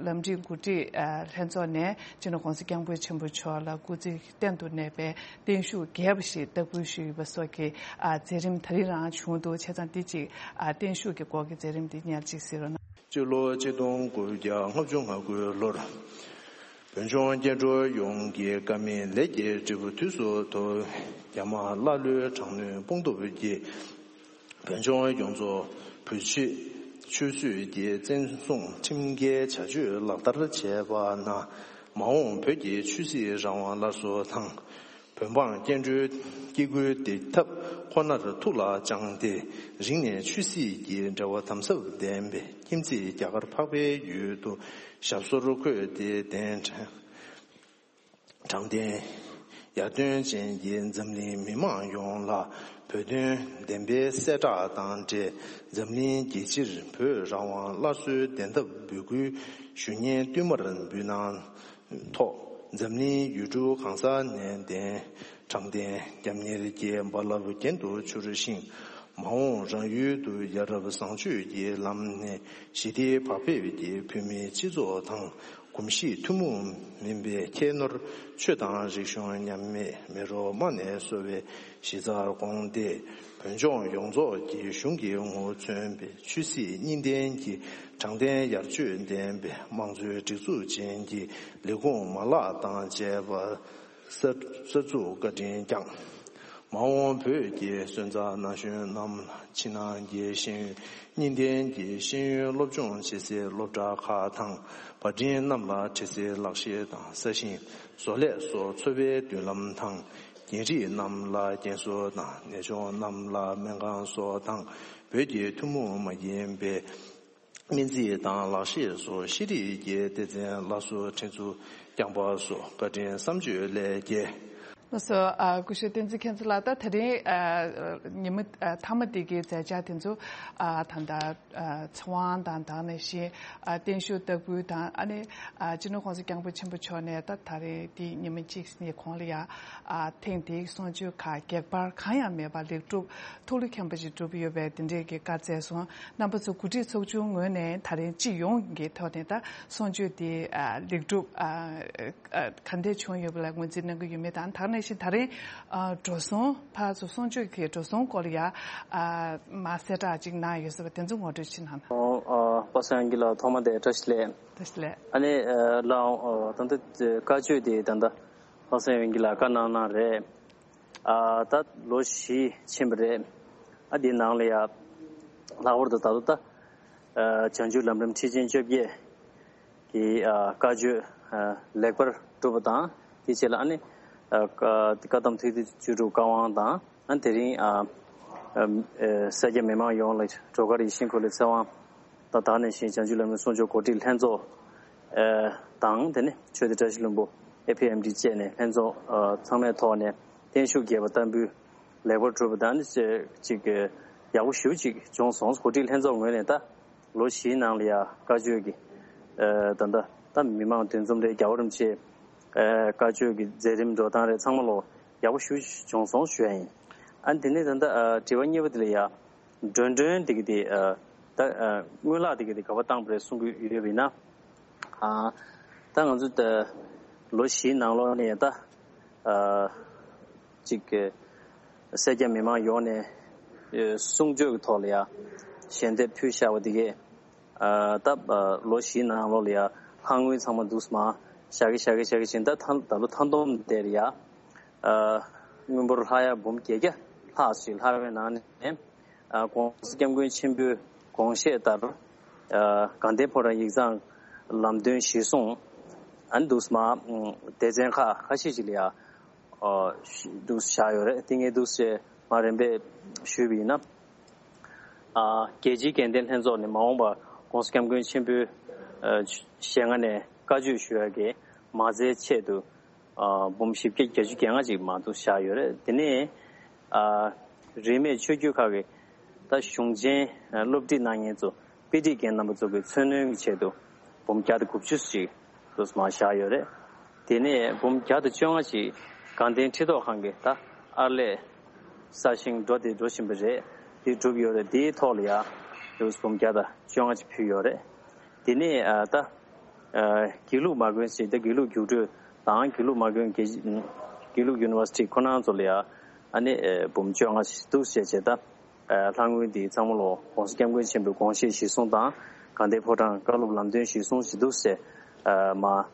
ལམ་རིམ་གོ་སྒྲིག་ཨ་ལྷན་ཚོགས་ནས་སྤྱི་ནོར་༸གོང་ས་༸སྐྱབས་མགོན་ཆེན་པོ་མཆོག་ལ་སྐུ་ཚེ་གཏན་དུ་གནས་པའི་བརྟན་བཞུགས་རྒྱས་པ་ཞིག་བསྟར་འབུལ་ཞུས་ཡོད་པ་སོགས་ཀྱི་ཨ་མཛད་རིམ་ད་རིང་རང་བྱུང་འདུག་བྱས་ཙང་འདི་གཅིག་ཨ་བརྟན་བཞུགས་ཀྱི་སྐོར་གྱི་མཛད་རིམ་འདི་སྙན་ཅིག་གཟིགས་རོགས་གནང་། སྤྱི་ལོ་ཆིག་སྟོང་དགུ་བརྒྱ་ལྔ་བཅུ་ང་དགུའི་ལོར། བོད་ལྗོངས་སྐྱེ་འགྲོ་ཡོངས་ཀྱི་དཀའ་མེད་ལས་ཀྱི་འབྲས་བུ་དུས་སུ་ཐོབ། རྒྱ་དམག་ཀླ་ཀློའི་དྲག་གནོན་དཔུང་སྟོབས་ཀྱིས། བོད་ལྗོངས་ཡོངས་རྫོགས་བོད་ཆས་ཆུད་ཟོས་ཀྱི་བཙན་བཟུང་ཁྲིམས་འགལ་བྱ་སྤྱོད་ལག་བསྟར་བྱས་པ་ན། མ་འོངས་བོད་ཀྱི་ཆོས་སྲིད་རང་དབང་སླར་གསོ་དང་། བོད་འབངས་སྐྱེ་འགྲོའི་སྐྱེ་དགུའི་བདེ་ཐབས་ཁོ་ནར་ཐུགས་ལ་བཅངས་ཏེ། རིང་ནས་ཆོས་སྲིད་ཀྱི་འབྲེལ་བ་དམ་ཟབ་ལྡན་པའི་ཁྱིམ་མཚེས་རྒྱ་གར་འཕགས་པའི་ཡུལ་དུ་ཞབས་སོར་འཁོད་དེ་གདན་དྲངས། དྲང་བདེན། ཡར་ཐོན་ཅན་གྱི་འཛམ་གླིང་མི་མང་ཡོངས་ལ་བོད་དོན་བདེན་པའི་གསལ་བསྒྲགས་དང་འབྲེལ། འཛམ་གླིང་རྒྱལ་སྤྱིར་བོད་རང་དབང་སླར་གསོའི་བདེན་ཐབས་འབོད་སྐུལ་ཞུ་སྙན་བསྟུད་མར་འབུལ་གནང་ཐོག་འཛམ་གླིང་ཡུལ་གྲུ་གང་ས་ནས་གདན་དྲངས་ཏེ། རྒྱབ་གཉེར་གྱི་རྦ་རླབས་རྒྱུན་དུ་འཕྱུར་ཞིང་། མ་འོངས་རང་ཡུལ་དུ་ཡ་རབས་བཟང་སྤྱོད་ཀྱི་ལམ་ནས་ཞི་བདེའི་བག་ཕེབས་ཀྱིས་བོད་མིའི་སྤྱི་ཚོགས་དང་། གོམས་གཤིས་ཐུན་མོང་མིན་པའི་ཁྱད་ནོར་ཆོས་དང་རིག་གཞུང་མཉམ་མེད་མེ་རོ་མ་ནས་གསོ་བའི་གཞི་རྩར་དགོངས་ཏེ། བོད་ལྗོངས་ཡོངས་རྫོགས་ཀྱི་གཞུང་གི་ངོ་བོ་མཚོན་པའི་ཆོས་སྲིད་གཉིས་ལྡན་གྱི་དྲང་བདེན་ཡར་ཆོད་ལྡན་པའི་དམངས་གཙོའི་སྒྲིག་འཛུགས་ཅན་གྱི་ལས་ཁུངས་མ་ལག་དང་བཅས་པ་གསར་གསར་འཛུགས་བཀའ་དྲིན་བསྐྱངས། མ་འོངས་བོད་ཀྱི་སོན་རྩ་ན་གཞོན་རྣམས་ལ་ཕྱི་ནང་གི་ཤེས་ཡོན་གཉིས་ལྡན་གྱི་ཤེས་ཡོན་སློབ་སྦྱོང་བྱེད་སའི་སློབ་གྲྭ་ཁག་དང་། པར་འཕྲིན་རྣམས་ལ་འཕྲི་སའི་ལག་ཤེས་དང་། ས་ཞིང་བཟོ་ལས་སོགས་འཚོ་བའི་མདུན་ལམ་དང་། རྒན་རིགས་རྣམས་ལ་རྒན་གསོ་དང་། ནད་གཅོང་རྣམས་ལ་སྨན་ཁང་སོགས་དང་། བོད་ཀྱི་ཐུན་མོང་མ་ཡིན་པའི་སྨན་རྩིས་དང་ལག་ཤེས་སོགས་ཤེས་རིག་གི་སྡེ་ཚན་སླར་གསོ་སྒྲིག་འཛུགས་རྐྱང་པ་སོགས་བཀའ་དྲིན་བསམ་བརྗོད་ལས་བརྒལ། ལགས་སོ། ཨ། སྐུ་ཞབས་བསྟན་འཛིན་མཁྱེན་བརྩེ་ལགས། ད་དེ་རིང་ཨ་ཉི་མ་ཨ་མཐའ་མ་འདི་གི་མཛད་འཆར་དེ་ཚོ་ཨ་ད་ལྟ་ཨ་ཚེ་དབང་དང་དེ་ནང་བཞིན་ཨ་བརྟན་བཞུགས་ལྟ་སྐུལ་དང་། ཨ་ནི་ཨ་སྤྱི་ནོར་༸གོང་ས་༸སྐྱབས་མགོན་ཆེན་པོ་མཆོག་ནས་ད་ད་རེས་འདི་ཉི་མ་གཅིག་ནས་གོང་ལ་ཡ་ཨ་ཐེངས་འདིའི་གསུང་ཆོས་ཁག་གེགས་བར་གང་ཡང་མེད་པར་ལེགས་གྲུབ་ཐུགས་ལ་མཁྱེན་པ་ཞིག་གྲུབ་ཡོད་པའི་དེ་འདྲའི་གི་བཀའ་སྩལ་སོང་། རྣམ་པ་ཚོ་གོ་སྒྲིག་ཚོགས་ཆུང་ངོས་ནས་ད་རེས་སྤྱི་ཡོངས་ཀྱི་ཐོག་ནས་ད་གསུང་ཆོས་འདི་ཨ་ལེགས་གྲུབ་ཨ་ཨ་ག་འདྲས་བྱུང་ཡོད་པ་ལ་ངོས་འཛིན་གནང་གི་ཡོད་མེད་དང་། དེ་ནང་བཞིན་ད་རེས་ཨ་འགྲོ་སོང་ཕར་ཚུར་གསུང་ཆོས་ཀྱི་འགྲོ་སོང་སྐོར་ལ་ཡ་ཨ་མ་གསལ་བསྒྲགས་ཅིག་གནང་ཡོད་ཟེར་བ་དེ་ཚོ་ངོ་སྤྲོད་ཅིག་གནང་དང་། ཨོ། ཨ། པ་སངས་དབྱངས་སྐྱིད་ལགས་ཐོག་མ་དེ་བཀྲ་ཤིས་བདེ་ལེགས། བཀྲ་ཤིས་བདེ་ལེགས། ཨ་ནི་ཨ་ལགས་འོང་། ཨ་ད་ལྟ་བཀའ་ཆོས་དེ་ད་ལྟ་པ་སངས་དབྱངས་སྐྱིད་ལགས་བཀའ་གནང་གནང་རེད། ཨ་ད་ལོ་བཞི་ཕྱིན་པ་རེད། ཨ་དེའི་ནང་ལ་ཡ་ལྷག་པར་དུ་ད་ལྟ་ད་ཨ་བྱང་ཆུབ་ལམ་རིམ་ཁྲིད་ཆེན་བཅོ་བརྒྱད་ཀྱི་ཨ་བཀའ་ཆོས་ཨ་ལེགས་པར་གྲུབ་པ་དང་། དེའི་རྗེས་ལ་ཨ་ནི་ཨ་བཀའ་བཀའ་གདམས་ཐུགས་ཐིག་བཅུ་དྲུག་བཀའ་དབང་དང་། ཨ་དེ་རིང་ཨ་ཨ་ཨ་སེར་སྐྱ་མི་མང་ཡོངས་ལ་སྒྲོལ་དཀར་ཡིད་བཞིན་འཁོར་ལོའི་ཚེ་དབང་། ད་ད་ནང་བཞིན་བྱང་ཆུབ་ལམ་རིམ་གསུང་ཆོས་གོ་སྒྲིག་ལྷན་ཚོགས་ཨ་དང་། དེ་ནས་ཆོས་སྡེ་བཀྲ་ཤིས་ལྷུན་པོ་ཨེ་ཕི་ཨེམ་ཌི་བཅས་ནས་ལྷན་ཚོགས་ཨ་ཚང་མའི་ཐོག་ནས་བརྟན་བཞུགས་རྒྱས་པ་བསྟར་འབུལ་ལེགས་པར་གྲུབ་པ་དང་། ཨ་ནི་ཅིག་ཡག་པོ་ཞེ་པོ་ཅིག་བྱུང་སོང་། གོ་སྒྲིག་ལྷན་ཚོགས་ངོས་ནས་ད་ལོ་བཞིའི་ནང་ལ་ཡ་བཀའ་ཆོས་ཀྱི་ཨ་ད་ད་ད་མི་མང་འདུ་འཛོམས་རེད། རྒྱལ་བ་རིན་པོ་ཆེ་ཨ་བཀའ་ཆོས་ཀྱི་མཛད་རིམ་འགྲོ་སྟངས་རེད། ཚང་མ་ལོ་ཡག་པོ་ཞེ་པོ་བྱུང་སོང་ཞུ་ཡ་ཡིན། ཨ་ནི་དེ་ནས་ད་ད་ཨ་དྲི་བ་གཉིས་པ་དེ་ལ་ཡ། མགྲོན་མགྲོན་དེ་གི་དེ་ཨ་ད་ཨ་སྔོན་ལག་དེ་གི་དེ་ག་པར་བཏང་པ་རེད་གསུང་གི་ཡོད་པ་ཡིན་ན། ཨ་ད་ང་ཚོ་ད་ལོ་བཞིའི་ནང་ལོགས་ནས་ད་ཨ་ཅིག་གི་སེར་སྐྱ་མི་མང་ཡོངས་ནས་ཨ་གསུང་ཆོས་ཀྱི་ཐོག་ལ་ཡ་ཞལ་འདེབས་ཕུལ་བཞག་པ་དེ་གས་ཨ་ད་ཨ་ལོ་བཞིའི་ནང་ལོགས་ལ་ཡ་ལྷག་དངུལ་ཚང་མ་འདུག་སེ་མར་བཞག་གི་བཞག་གི་བཞག་གི་བྱས། ད་ད་ད་ལོ་མཐའ་བསྡོམས་དེར་ཡ་ཨ་དངུལ་འབོར་ལྷག་ཡ་འབུམ་བརྒྱད་བརྒྱ་ལྷག་ཞིག་ལྷག་པའི་ནང་ནས། ཨ་༸གོང་ས་༸སྐྱབས་མགོན་ཆེན་པོའི་དགོངས་བཞེད་ལྟར། ཨ་དགའ་ལྡན་ཕོ་བྲང་ཡིག་ཚང་ལམ་སྟོན་གཞིར་བཟུང་ཨ་ནི་འདུག་སེ་མར་སྡེ་ཚན་ཁག་ཁ་ཤས་ཤིག་ལ་ཡ་ཨ་འདུག་སེ་བཞག་ཡོད་རེད། དེ་ངས་འདུག་སེ་མར་རིམ་པས་ཞུས་པ་ཡིན་ན། ཨ་རྒྱལ་སྤྱིའི་དགའ་ལྡན་ལྷན་ཚོགས་ནས་མ་འོངས་པར་༸གོང་ས་༸སྐྱབས་མགོན་ཆེན་པོའི་ཨ་ཞལ་སྔ་ནས་བཀའ་ཆོས་ཞུ་ཡ་གི་མ་རྩའི་ཆེད་དུ། ཨ་འབུམ་བཞི་བརྒྱ་བརྒྱད་ཅུ་གྱ་ལྔ་ཅིག་མར་འདུག་སེ་བཞག་ཡོད་རེད། དེ་ནས་ཨ་རིས་མེད་ཆོས་བརྒྱུད་ཁག་གི་ད་གཞུང་ཆེན་ཨ་སློབ་ཁྲིད་གནང་མཁན་ཚོ་དཔེ་ཁྲིད་མཁན་རྣམ་པ་ཚོ་གི་འཚོ་སྣོན་གྱི་ཆེད་དུ་འབུམ་བརྒྱ་དང་དགུ་བཅུ་ཅིག་འདུག་སེ་མར་བཞག་ཡོད་རེད། དེ་ནས་འབུམ་བརྒྱ་དང་བཅོ་ལྔ་ཅིག་དགའ་ལྡན་ཁྲི་ཐོག་ཁང་གི་ད་ཨར་ལས་གསར་བཞེངས་འགྲོ་དེ་འགྲོ་བཞིན་པ་རེད། དེ་གྲུབ་ཡོད་རེད། དེའི་ཐོག་ལ་ཡ་འདུག་སེ་འབུམ་བརྒྱ་དང་བཅོ་ལྔ་ཅིག་ཕུལ་ཡོད་རེད། དེ་ནས་ཨ་ད་ཨ་དགེ་ལུགས་མ་དགོན་ཟེར་ཏེ་དགེ་ལུགས་རྒྱུགས་སྤྲོད་དང་དགེ་ལུགས་མ་དགོན་དགེ་དགེ་ལུགས་ཡུ་ནི་ཝར་སི་ཊི་ཁོ་རང་ཚོ་ལ་ཡ་ཨ་ནི་ཨ་འབུམ་བཅོ་ལྔ་ཞིག་འདུག་སེ་བྱས་བྱས། ད་ཨ་ལྷག་དངུལ་འདི་ཚང་མ་ལོ་༸གོང་ས་༸སྐྱབས་མགོན་ཆེན་པོའི་དགོངས་བཞེད་གཞིར་བཟུང་དང་དགའ་ལྡན་ཕོ་བྲང་བཀའ་སློབ་ལམ་སྟོན་གཞིར་བཟུང་ཞིག་འདུག་སེ་ཨ་མར་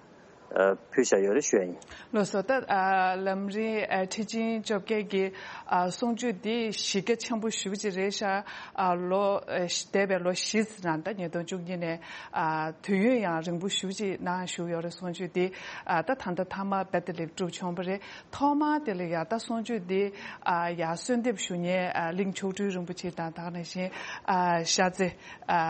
ཨ་ཕུལ་བཞག་ཡོད་རེད་ཞུ་ཡ་ཡིན། ལགས་སོ། ད་ཨ་ལམ་རིམ་ཨ་ཁྲིད་ཆེན་བཅོ་བརྒྱད་ཀྱི་ཨ་གསུང་ཆོས་འདི་གཞི་རྒྱ་ཆེན་པོ་ཞེ་པོ་ཅིག་རེད་ཤག་ཨ་ལོ་ཨ་འདས་པའི་ལོ་བཞི་ཙམ་རིང་། ད་ཉིས་སྟོང་བཅུ་གཉིས་ནས་ཨ་དུས་ཡུན་ཡང་རིང་པོ་ཞེ་པོ་ཅིག་ནང་བཞུགས་ཡོད་རེད། གསུང་ཆོས་འདི་ཨ་ད་ད་ལྟ་མཐའ་མ་རྦད་དེ་ལེགས་གྲུབ་བྱུང་བ་རེད། ཐོག་མར་དེ་ལ་ཡ་ད་གསུང་ཆོས་འདི་ཨ་ཡ་གསོལ་འདེབས་ཞུ་མཁན་ཨ་གླིང་མཆོག་སྤྲུལ་རིན་པོ་ཆེ་དང་། དེ་ནང་བཞིན་ཨ་ཤར་རྩེ་ཨ་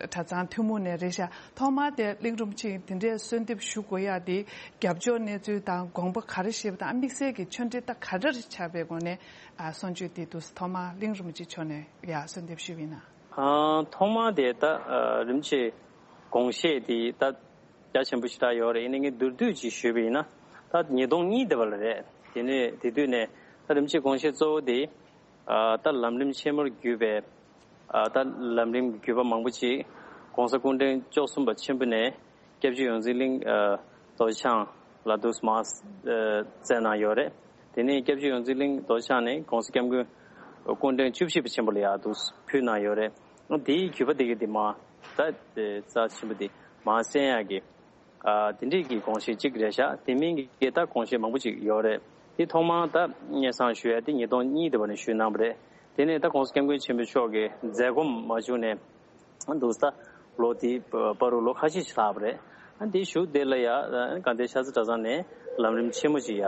གྲྭ་ཚང་ཐུན་མོང་ནས་རེད་ཤག་ཐོག་མར་དེ་གླིང་རིན་པོ་ཆེ་དེ་འདྲའི་གསོལ་འདེབས་ཞུ་དགོས་ཡ་དེ་རྒྱབ་ཕྱོགས་གནས་ཚུལ་དང་དགོངས་པ་ག་རེ་བཞེས་པ་དང་། དམིགས་བསལ་གྱི་ཆོས་འབྲེལ་ད་ག་འདྲ་ཆགས་པའི་སྒོ་ནས་ཨ་གསུང་ཆོས་དེ་འདུག་སེ་ཐོག་མར་གླིང་རིན་པོ་ཆེ་མཆོག་ནས་ཡ་གསོལ་འདེབས་ཞུས་པ་ཡིན་ན། ཨ་ཐོག་མར་དེ་ད་ཨ་རིན་པོ་ཆེ་དགོངས་བཞེད་དེ་ད་རྒྱ་ཆེན་པོ་ཞེ་དྲག་ཡོད་རེད། ཡིན་ནའི་ངས་མདོར་བསྡུས་ཅིག་ཞུས་པ་ཡིན་ན། ད་ཉིས་སྟོང་གཉིས་དེ་བ་ལ་རེད། དེ་ནས་དེ་དུས་ནས་ད་རིན་པོ་ཆེ་དགོངས་བཞེད་གཙོ་བོ་དེ་ཨ་ད་ལམ་རིམ་ཆེན་མོར་གྱུར་པའི་ཨ་ད་ལམ་རིམ་གྱི་བརྒྱུད་པ་མང་པོ་ཅིག་༸གོང་ས་སྐུ་ཕྲེང་བཅུ་གསུམ་པ་ཆེན་པོ་ནས་སྐྱབས་རྗེ་ཡོངས་འཛིན་གླིང་ཨ་རྡོ་རྗེ་འཆང་ལ་འདུག་སེ་མར་ཨ་བསྩལ་གནང་ཡོད་རེད། དེ་ནས་སྐྱབས་རྗེ་ཡོངས་འཛིན་གླིང་རྡོ་རྗེ་འཆང་ནས་༸གོང་ས་༸སྐྱབས་མགོན་སྐུ་ཕྲེང་བཅུ་བཞི་པ་ཆེན་པོ་ལ་ཡང་འདུག་སེ་ཕུལ་གནང་ཡོད་རེད། དེའི་བརྒྱུད་པ་དེ་གི་དེ་མར་ད་རྩ་ཆེན་པོ་དེ་མར་གསན་ཡག་གི་ཨ་དེ་འདྲས་ཀྱི་དགོངས་བཞེད་ཅིག་རེད་ཤག་དེ་མིན་གྱི་ད་དགོངས་བཞེད་མང་པོ་ཅིག་ཡོད་རེད། དེ་ཐོག་མར་ད་སྙན་སེང་ཞུ་ཡ་དེ་ཉིས་སྟོང་གཉིས་དེ་བ་ནས་ཞུས་གནང་བ་རེད། དེ་ནས་ད་༸གོང་ས་༸སྐྱབས་མགོན་ཆེན་པོ་མཆོག་གི་མཛད་སྒོ་མ་བྱུང་ནས་འདུག་ད་ལོ་དེའི་བར་དུ་ལོ་ཁ་ཤས་ཤིག་ལྷག་པ་རེད། ཨ་དེའི་གཞུག་དེ་ལ་ཡ་དགའ་ལྡན་ཤར་རྩེ་གྲྭ་ཚང་ནས་ལམ་རིམ་ཆེན་མོ་ཅིག་ཡ་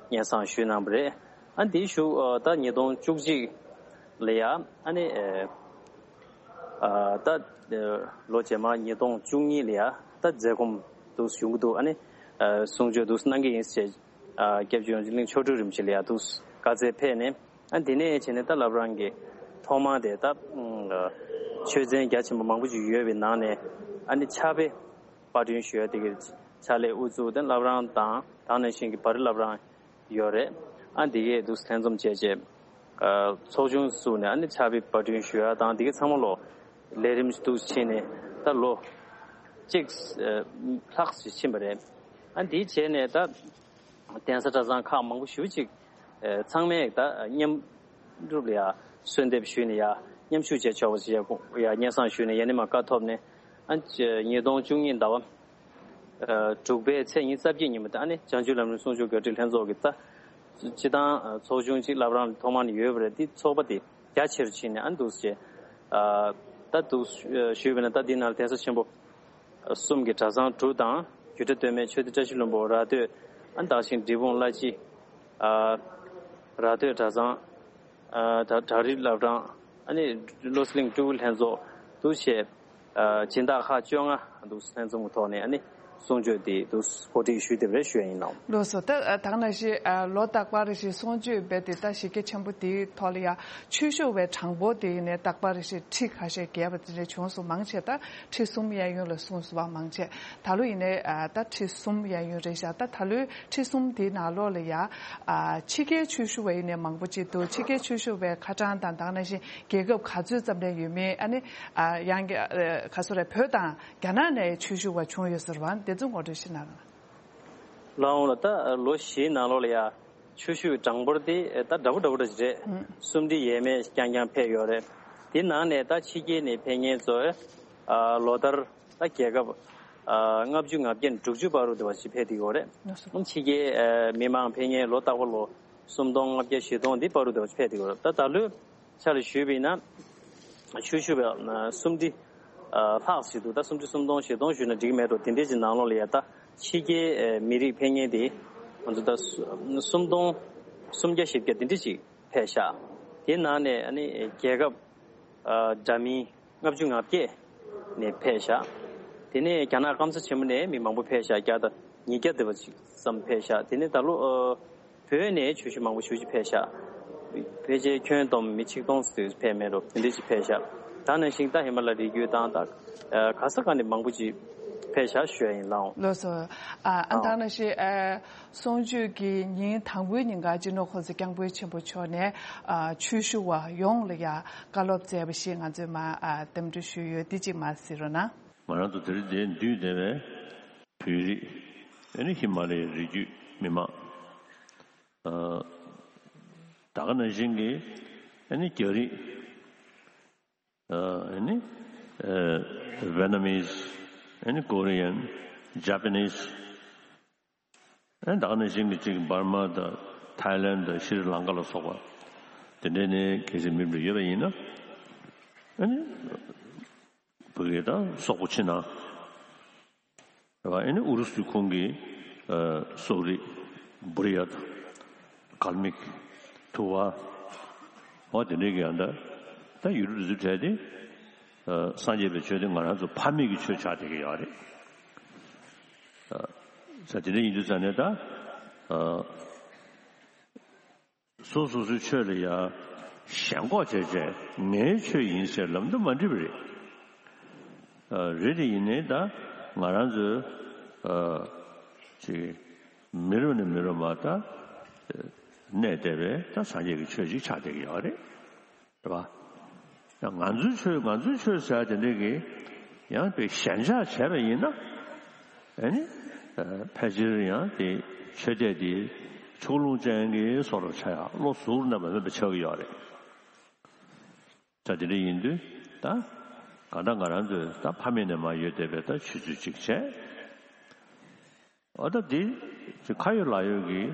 སྙན་སེང་ཞུས་གནང་བ་རེད། ཨ་དེའི་གཞུག་ད་ཉིས་སྟོང་བཅུ་གཅིག་ལ་ཡ་ཨ་ནི་ད་ལོ་རྗེས་མ་ཉིས་སྟོང་བཅུ་གཉིས་ལ་ཡ་ད་མཛད་སྒོ་འདུག་ཡོང་གི་འདུག་ཨ་ནི་གསུང་ཆོས་འདུག་གནང་གི་ཡིན་ཞེས་སྐྱབས་རྗེ་ཡོངས་འཛིན་གླིང་ཆོ་འཕྲུལ་རིན་པོ་ཆེ་ལ་ཡ་འདུག་བཀའ་སྩལ་ཕེབས་ནས། ཨ་འདི་ནས་བྱས་ནས་ད་བླ་བྲང་གི་ཐོག་མ་དེ་ད་ཆོས་ཚན་རྒྱ་ཆེན་པོ་མང་པོ་ཅིག་ཡོད་པའི་ནང་ནས་ཨ་ནི་ཕྱག་དཔེ་པར་སྐྲུན་ཞུ་ཡ་དེ་གའི་ཕྱག་ལས་དབུ་བཙུགས་ཏེ་བླ་བྲང་དང་དེ་ནང་བཞིན་གྱི་བར་བླ་བྲང་ཡོད་རེད། ཨ་འདི་གའི་འདུག་ལྷན་འཛོམས་བྱས་རྗེས་ཚོགས་ཆུང་བཙུགས་ནས་ཨ་ནི་ཕྱག་དཔེ་པར་སྐྲུན་ཞུ་ཡ་དང་འདི་གའི་ཚང་མ་ལོ་ལས་རིམ་འདུག་ཕྱིན་ནས་ད་ལོ་གཅིག་ལྷག་ཙམ་ཕྱིན་པ་རེད། ཨ་འདི་བྱས་ནས་ད། གདན་ས་གྲྭ་ཚང་ཁག་མང་པོ་ཞེ་པོ་ཅིག་ཚང་མས་ད་མཉམ་རུབ་ལ་ཡ་གསོལ་འདེབས་ཞུས་ནས་ཡ་མཉམ་ཞུགས་བྱས་ཆོག་པ་ཞིག་ཡ་སྙན་སེང་ཞུས་ནས་ཡ་ནི་མ་བཀའ་ཐོབ་ནས་ཨ་ཉིས་སྟོང་བཅུ་གཉིས་ཟླ་བ་དྲུག་པའི་ཚེས་ཉི་ཤུ་རྩ་བརྒྱད་ཉིན་མོ་ད་ཨ་ནི་བྱང་ཆུབ་ལམ་རིམ་གསུང་ཆོས་དགེ་ཕྲད་ལྷན་ཚོགས་ཀྱི་ད་སྤྱི་བཏང་ཚོགས་ཆུང་གཅིག་བླ་བྲང་ཐོག་མ་ནས་ཡོད་པ་རེད། དེ་ཚོགས་པ་དེ་རྒྱ་ཆེར་ཕྱིན་ནས་ཨ་ནི་འདུག་ཟེར་ད་འདུག་ཞུས་པ་ན་ད་འདི་ནང་ལ་གདན་ས་ཆེན་པོ། གསུམ་གྱི་གྲྭ་ཚང་དྲུག་དང་རྒྱུད་གྲྭ་སྟོད་སྨད་ཆོས་སྡེ་བཀྲ་ཤིས་ལྷུན་པོ་ར་སྟོད་ཨ་ནི་དེ་བཞིན་འབྲས་སྤུངས་བླ་སྤྱི་ཨ་ར་སྟོད་གྲྭ་ཚང་ཨ་ད་བྲག་རི་བླ་བྲང་ཨ་ནི་བློ་གླིང་སྤྲུལ་སྐུ་ལྷན་ཚོགས་འདུ་བྱས་ཨ་སྦྱིན་བདག་ཁག་བཅོ་ལྔ་འདུག་ལྷན་འཛོམས་ཀྱི་ཐོག་ནས་ཨ་ནི་གསུང་ཆོས་དེ་འདུག་གོ་སྒྲིག་ཞུས་དེ་རེད་ཞུ་ཡ་ཡིན་ནོ། ལགས་སོ། ད་ད་ག་ནང་བཞིན་ལོ་རྟག་པར་རེ་བཞིན་གསུང་ཆོས་འབད་དེ་ད་གཞི་རྒྱ་ཆེན་པོ་དེའི་ཐོག་ལ་ཡ་ཆོས་ཞུ་བའི་གྲངས་འབོར་དེ་ཡིན་ནས་རྟག་པར་རེ་བཞིན་ཁྲི་ཁ་ཤས་བརྒལ་བ་དེ་འདྲ་བྱུང་སོང་མང་ཆེ་ད། ཁྲི་གསུམ་གཡས་གཡོན་ལ་གསུངས་སོང་བ་མང་ཆེ། ད་ལོ་ཡིན་ནའི་ཨ་ད་ཁྲི་གསུམ་གཡས་གཡོན་རེད་ཤག་ད་ད་ལོའི་ཁྲི་གསུམ་དེའི་ནང་ལོགས་ལ་ཡ་ཨ་ཕྱི་རྒྱལ་ཆོས་ཞུ་བ་ཡིན་ནའི་མང་པོ་ཅིག་འདུག་ཕྱི་རྒྱལ་ཆོས་ཞུ་བའི་ཁ་གྲངས་དང་ད་ག་ནང་བཞིན་རྒྱལ་ཁབ་ག་ཚོད་ཙམ་ལས་ཡོད་མེད་ཨ་ནི་ཨ་ཡང་གི་ཨ་ག་སོ་རེད་བོད་དང་རྒྱ་ནག་ནས་ཆོས་ཞུ་བ་བྱུང་ཡོད་ཟེར་བ་དེ་ཚོ་ངོ་སྤྲོད་ཞུ་གནང་རོགས། ལགས་འོང་ལགས། ད་ལོ་བཞིའི་ནང་ལོགས་ལ་ཡ། ཆོས་ཞུ་བའི་གྲངས་འབོར་དེ་ད་འདྲ་པོ་འདྲ་པོ་འདྲ་ཅིག་རེད། ཨང་། སུམ་ཁྲི་ཡས་མས་རྐྱང་རྐྱང་ཕེབས་ཡོད་རེད། དེ་ནང་ནས་ད་ཕྱི་རྒྱལ་ནས་ཕེབས་མཁན་ཚོས་ཨ་ལོ་ལྟར་ད་རྒྱལ་ཁབ་ཨ་ལྔ་བཅུ་ང་བརྒྱད་ནས་དྲུག་ཅུ་བར་དུ་དེ་བ་ཞིག་ཕེབས་བསྡད་ཡོད་རེད། ལགས་སོ། ཕྱི་རྒྱལ་ཨ་མི་མང་ཕེབས་མཁན་ལོ་རྟག་པར་ལོ་སུམ་སྟོང་ལྔ་བརྒྱ་བཞི་སྟོང་འདི་བར་དུ་དེ་བ་ཞིག་ཕེབས་བསྡད་ཡོད་རེད། ད་ད་ལོའི་ཆ་ལ་ཞུས་པ་ཡིན་ན། ཆོས་ཞུ་བའི་སུམ་ཁྲི་ལྷག་ཞིག་འདུག་ད་སུམ་ཁྲི་སུམ་སྟོང་བཞི་སྟོང་ཞུས་ན་འགྲིག་གི་མེད་འགྲོ། དེ་འདྲས་ཀྱི་ནང་ལོགས་ལ་ཡ་ད་ཕྱི་རྒྱལ་མི་རིགས་ཕེབས་མཁན་དེ་ང་ཚོ་ད་སུམ་སྟོང་སུམ་བརྒྱ་བཞི་བརྒྱ་དེ་འདྲས་ཅིག་ཕེབས་ཤག་དེའི་ནང་ནས་ཨ་ནི་རྒྱལ་ཁབ་འདྲ་མིན་ལྔ་བཅུ་ང་བརྒྱད་ནས་ཕེབས་ཤག་དེ་ནས་རྒྱ་ནག་སྐམ་ས་ཆེན་མོ་ནས་མི་མང་པོ་ཕེབས་ཤག་བརྒྱ་དང་ཉིས་བརྒྱ་དེ་བ་ཅིག་ཙམ་ཕེབས་ཤག་དེ་ནས་ད་ལོ། བོད་ནས་ཆོས་ཞུ་མང་པོ་ཞེ་པོ་ཅིག་ཕེབས་ཤག་ཕལ་ཆེར་ཁྱོན་བསྡོམས་མི་ཆིག་སྟོང་ཙམ་ཕེབས་མེད་འགྲོ། དེ་འདྲ་ཅིག་ཕེབས་ཤག་ད་ནང་བཞིན་ད་ཧི་མ་ལ་རི་རྒྱུད་དང་ད་ག་ས་ག་ནས་མང་པོ་ཅིག་ཕེབས་ཤག་ཞུ་ཡ་ཡིན་ལགས་འོང་། ལགས་སོ། ཨ་ཨ་ད་ནང་བཞིན་ཨ་གསུང་ཆོས་ཀྱི་ཉིན་དང་པོའི་ཉིན་ཀ་སྤྱི་ནོར་༸གོང་ས་༸སྐྱབས་མགོན་ཆེན་པོ་མཆོག་ནས་ཨ་ཆོས་ཞུ་བ་ཡོངས་ལ་ཡ་བཀའ་སློབ་སྩལ་བ་ཞིག་ང་ཚོས་མ་ཨ་འདེམས་སྒྲུག་ཞུས་ཡོད། འདི་གཅིག་མ་གཟིགས་རོགས་གནང་། ང་རང་ཚོ་དེ་རིང་འདིར་འདུས་བསྡད་པའི་བོད་རིགས་ཨ་ནི་ཧི་མ་ལ་ཡའི་རི་རྒྱུད་མི་མང་། ད་ག་ནང་བཞིན་གྱི་ཨ་ནི་རྒྱ་རིགས། ཨ་ནི་Vietnamese། ཨ་ནི་Korean། Japanese། ཨ་ནི་ད་ག་ནང་བཞིན་གྱི་གཅིག་འབར་མ་དང་ཐའི་ལན་དང་ཤྲི་ལང་ཀ་ལ་སོགས་པ་དེ་འདྲའི་ནས་གལ་སྲིད་མི་འདྲ་ཡོད་པ་ཡིན་ན། ཨ་ནི། བོད་ཀྱི་ད་སོག་པོ་ཕྱི་ནང་རེད་བ། ཨ་ནི་ཨུ་རུ་སུའི་ཁོངས་ཀྱི་ཨ་སོག་རིགས་བུ་རི་ཡ་དང་ཀལ་མིག་ཐུ་བ་འོ་དེ་འདྲའི་གི་ཡང་ད་ད་ཡུལ་གྲུ་དེ་ཚོའི་གྲས་དེ་ཨ་སངས་རྒྱས་པའི་ཆོས་དེ་ང་རང་ཚོ་ཕ་མེས་ཀྱི་ཆོས་ཆགས་བསྡད་ཀྱི་ཡོད་རེད། ཨ་ས་དེ་འདྲ་ཡིན་དུས་ཙང་ནས་ད་ཨ། སོ་སོ་སོའི་ཆོས་ལ་ཡ་ཞེན་ཁོག་བྱས་བྱས་ངའི་ཆོས་ཡིན་ཟེར་ལབ་འདུག་མ་འགྲིག་པ་རེད། ཨ་རེད་དེ་ཡིན་ནའི་ད་ང་རང་ཚོའི་ཨ་ཅིག་མི་རུ་ནས་མི་རུ་མ་ད་གནས་བསྡད་པའི་ད་སངས་རྒྱས་ཀྱི་ཆོས་ཅིག་ཆགས་བསྡད་ཀྱི་ཡོད་རེད། རེད་པ། ཡང་ང་ཚོའི་ཆོས་ང་ཚོའི་ཆོས་ཟེར་དེ་འདྲས་ཀྱི་ཡང་དཔེ་ཞེན་ཆགས་བྱས་པ་ཡིན་ན། ཨ་ནི། ཕལ་ཆེར་ཡང་དེ་ཆོས་དད་དེ་ཕྱོགས་ལྷུང་ཅན་གྱི་བཟོ་འདྲ་ཆགས་ཡ་བློ་གཟུ་བོར་རྣམ་པ་མེད་པ་ཆགས་ཀྱི་ཡོད་རེད། ད་དེ་འདྲ་ཡིན་དུས་ད་གང་ལྟར་ང་རང་ཚོས་ད་ཕ་མེས་ནས་མར་ཡོད་བསྡད་པའི་ད་ཆོས་ཚུལ་ཅིག་བྱས། འོ་ད་འདི་ཁ་ཡོད་ལག་ཡོད་ཀྱི་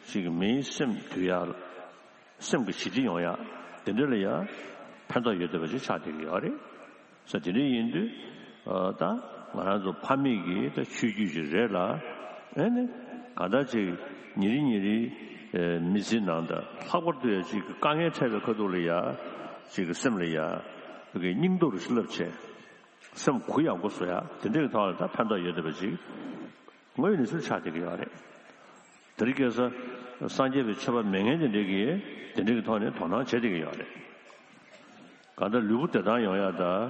ཅིག་མིའི་སེམས་དུལ་ཡག་སེམས་ཀྱི་ཞི་བདེ་ཡོང་ཡག་དེ་འདྲ་ལ་ཡང་ཕན་ཐོགས་ཡོད་བསྡད་པ་ཅིག་ཆགས་བསྡད་ཀྱི་ཡོད་རེད། ས་དེ་འདྲ་ཡིན་དུས་ཨ་ད་ང་རང་ཚོ་ཕ་མེས་ཀྱི་ད་ཆོས་བརྒྱུད་ཅིག་རེད་ལ། ཨེ་ནི་གང་ལྟར་ཅིག་ཉིན་རེ་ཉིན་རེའི་ཨེ་མི་ཚེའི་ནང་དང་ལྷག་པར་དུ་ཡང་ཅིག་དཀའ་ངལ་འཕྲད་པའི་ཁ་ཐུག་ལ་ཡ་ཅིག་གི་སེམས་ལ་ཡ་ཕ་གི་སྙིང་སྟོབས་རུ་བསླབ་བྱས། སེམས་གུ་ཡངས་པོ་བཟོ་ཡ་དེ་འདྲའི་ཐོག་ལ་ད་ཕན་ཐོགས་ཡོད་བསྡད་པ་ཅིག་དངོས་ཡོད་གནས་ཚུལ་ཆགས་བསྡད་ཀྱི་ཡོད་རེད། དེ་རིང་ཁ་སང་སངས་རྒྱས་པའི་ཆོས་པ་མེད་མཁན་དེ་འདྲའི་གིས་དེ་འདྲའི་གི་ཐོག་ནས་དོ་སྣང་བྱེད་བསྡད་ཀྱི་ཡོད་རེད། གང་ལྟར་ལུས་པོ་བདེ་ཐང་ཡོང་ཡ་དང་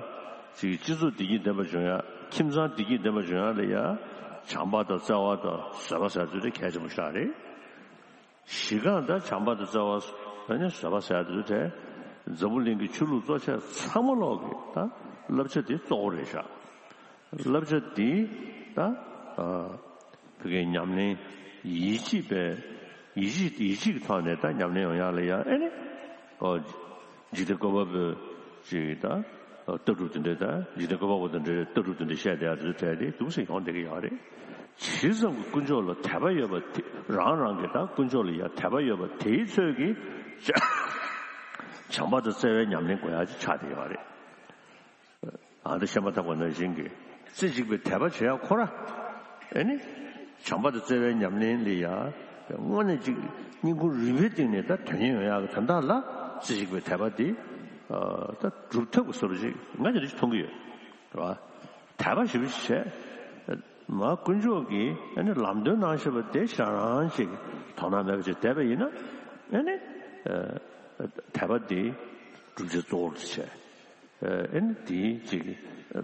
ཅིག་སྤྱི་ཚོགས་བདེ་སྐྱིད་ལྡན་པ་བྱུང་ཡ། ཁྱིམ་ཚང་བདེ་སྐྱིད་ལྡན་པ་བྱུང་ཡ་ལ་ཡ་བྱམས་པ་དང་བརྩེ་བ་དང་བཟོད་པ་ཟེར་ཚུལ་དེ་གལ་ཆེན་པོ་ཞིག་རེད། གཞི་རྐང་ད་བྱམས་པ་དང་བརྩེ་བ་ཨ་ནི་བཟོད་པ་ཟེར་དུས་དེ་འཛམ་བུ་གླིང་གི་ཆོས་ལུགས་གཙོ་ཆེ་ཚང་མ་ལོག་གི་ད་བསླབ་བྱ་དེ་གཙོ་བོ་རེད་ཤག་བསླབ་བྱ་དེ་ད་ཨ་ཕ་གིའི་ཉམས་ལེན་ཡིད་ཆེས་པའི་ཡིད་ཆེས་ཡིད་ཆེས་ཀྱི་ཐོག་ནས་ད་ཉམས་ལེན་ཡོང་ཡག་ལ་ཡ་ཨ་ནི་ཨོ་འཇིག་རྟེན་བཀོད་པ་པོའི་ཅིག་ད་ལྟ་གྲུབ་དེ་འདྲའི་ད་འཇིག་རྟེན་བཀོད་པ་པོ་དེ་འདྲའི་ལྟ་གྲུབ་དེ་འདྲ་བཤད་བསྡད་ཡ་དེ་ཚོ་གྲས་དེ་འདུག་སེ་ཡོང་བསྡད་ཀྱི་ཡོད་རེད། ཇི་ཙམ་གྱི་དཀོན་མཆོག་ལ་དད་པ་ཡོད་པ་དེ་རང་རང་གི་ད་དཀོན་མཆོག་ལ་ཡ་དད་པ་ཡོད་པ་དེའི་ཚོད་ཀྱིས་བྱམས་པ་དང་བརྩེ་བའི་ཉམས་ལེན་དགོས་ཡ་ཅིག་ཆགས་བསྡད་ཡོད་རེད། ཨ་ད་བཤད་མ་ཐག་པ་ནང་བཞིན་གྱི་རྩེ་གཅིག་པའི་དད་པ་བྱེད་ཡ་ཁོ་ར་ཨེ་ནི་བྱམས་པ་དང་བརྩེ་བའི་ཉམས་ལེན་ལ་ཡ་དངོས་གནས་ཅིག་སྙིང་ཁུང་རུས་པའི་གཏིང་ནས་ད་དོན་གཉེར་ཡོང་ཡག་གི་དོན་དག་ལ་རྩེ་གཅིག་པའི་དད་པ་དེ་ད་སྒྲུབ་ཐབས་ཀྱི་བཟོ་འདྲ་ཅིག་ང་དེ་འདྲ་ཅིག་མཐོང་གི་ཡོད་རེད་བ། དད་པ་ཞེ་པོ་ཅིག་བྱས། མ་དཀོན་མཆོག་གིས་ཨ་ནི་ལམ་སྟོན་གནང་བཞིན་པ་དེ་ཞེ་དྲག་ཅིག་དོ་སྣང་མེད་པ་ཅིག་བསྡད་པ་ཡིན་ན་ཨ་ནི་དད་པ་དེ་སྒྲུབ་བྱེད་གཙོ་བོར་བྱས། ཨ་ནི་དེའི་ཅིག་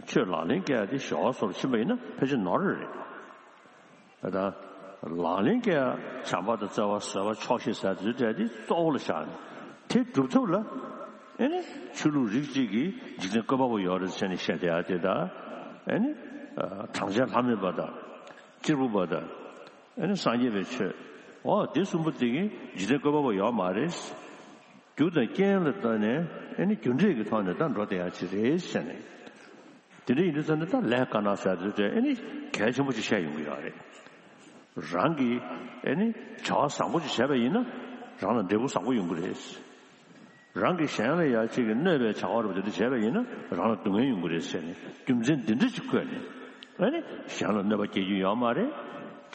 ཆོས་ལག་ལེན་བཀལ་ཡ་དེ་ཞོག་སོར་ཕྱིན་པ་ཡིན་ན་ཕལ་ཆེར་ནོར་རེད། ད་ལག་ལེན་བཀལ་ཡ་བྱམས་པ་དང་བརྩེ་བ་བཟོད་པ་ཆོག་ཤེས་ཟེར་དེ་འདྲ་དེ་གཙོ་བོ་ལ་བཞག་ནས་དེ་སྒྲུབ་ཐབས་ལ་ཨེ་ནི་ཆོས་ལུགས་རིགས་གཅིག་གིས་འཇིག་རྟེན་བཀོད་པ་པོ་ཡོད་རེད་ཟེར་ནས་བཤད་བསྡད་ཡ་དེ་ད་ཨེ་ནི་གྲངས་ཅན་ལྷ་མེད་པ་དང་གཅེར་བུ་པ་དང་ཨེ་ནི་སངས་རྒྱས་པའི་ཆོས་འོ་དེ་གསུམ་པོ་དེ་གིས་འཇིག་རྟེན་བཀོད་པ་པོ་ཡོད་མ་རེད། རྒྱུ་དང་རྐྱེན་ལ་བརྟེན་ནས་ཨེ་ནི་རྒྱུ་འབྲས་ཀྱི་ཐོག་ནས་ད་འགྲོ་བསྡད་ཡ་ཅིག་རེད་ཟེར་ནས། དེ་འདྲ་ཡིན་དུས་ཙམ་ནས་ད་ལས་དཀར་ནག་ཟེར་དུས་དེ་ཨེ་ནི་གལ་ཆེན་པོ་ཅིག་བཤད་ཡོང་གི་ཡོད་རེད། རང་གིས་ཨེ་ནི་བྱ་བ་བཟང་པོ་ཅིག་བྱས་པ་ཡིན་ན་རང་ལ་འབྲས་བུ་བཟང་པོ་ཡོང་གི་རེད། རང་གིས་གཞན་ལ་ཡ་གཅིག་གི་གནོད་པའི་བྱ་བ་རུ་དེ་འདྲ་བྱས་པ་ཡིན་ན་རང་ལ་སྡུག་བསྔལ་ཡོང་གི་རེད་ཟེར་ནས་རྒྱུ་མཚན་འདི་འདྲ་ཅིག་བཀོད་ནས་ཨེ་ནི་གཞན་ལ་གནོད་པ་སྐྱེལ་རྒྱུ་ཡོད་མ་རེད།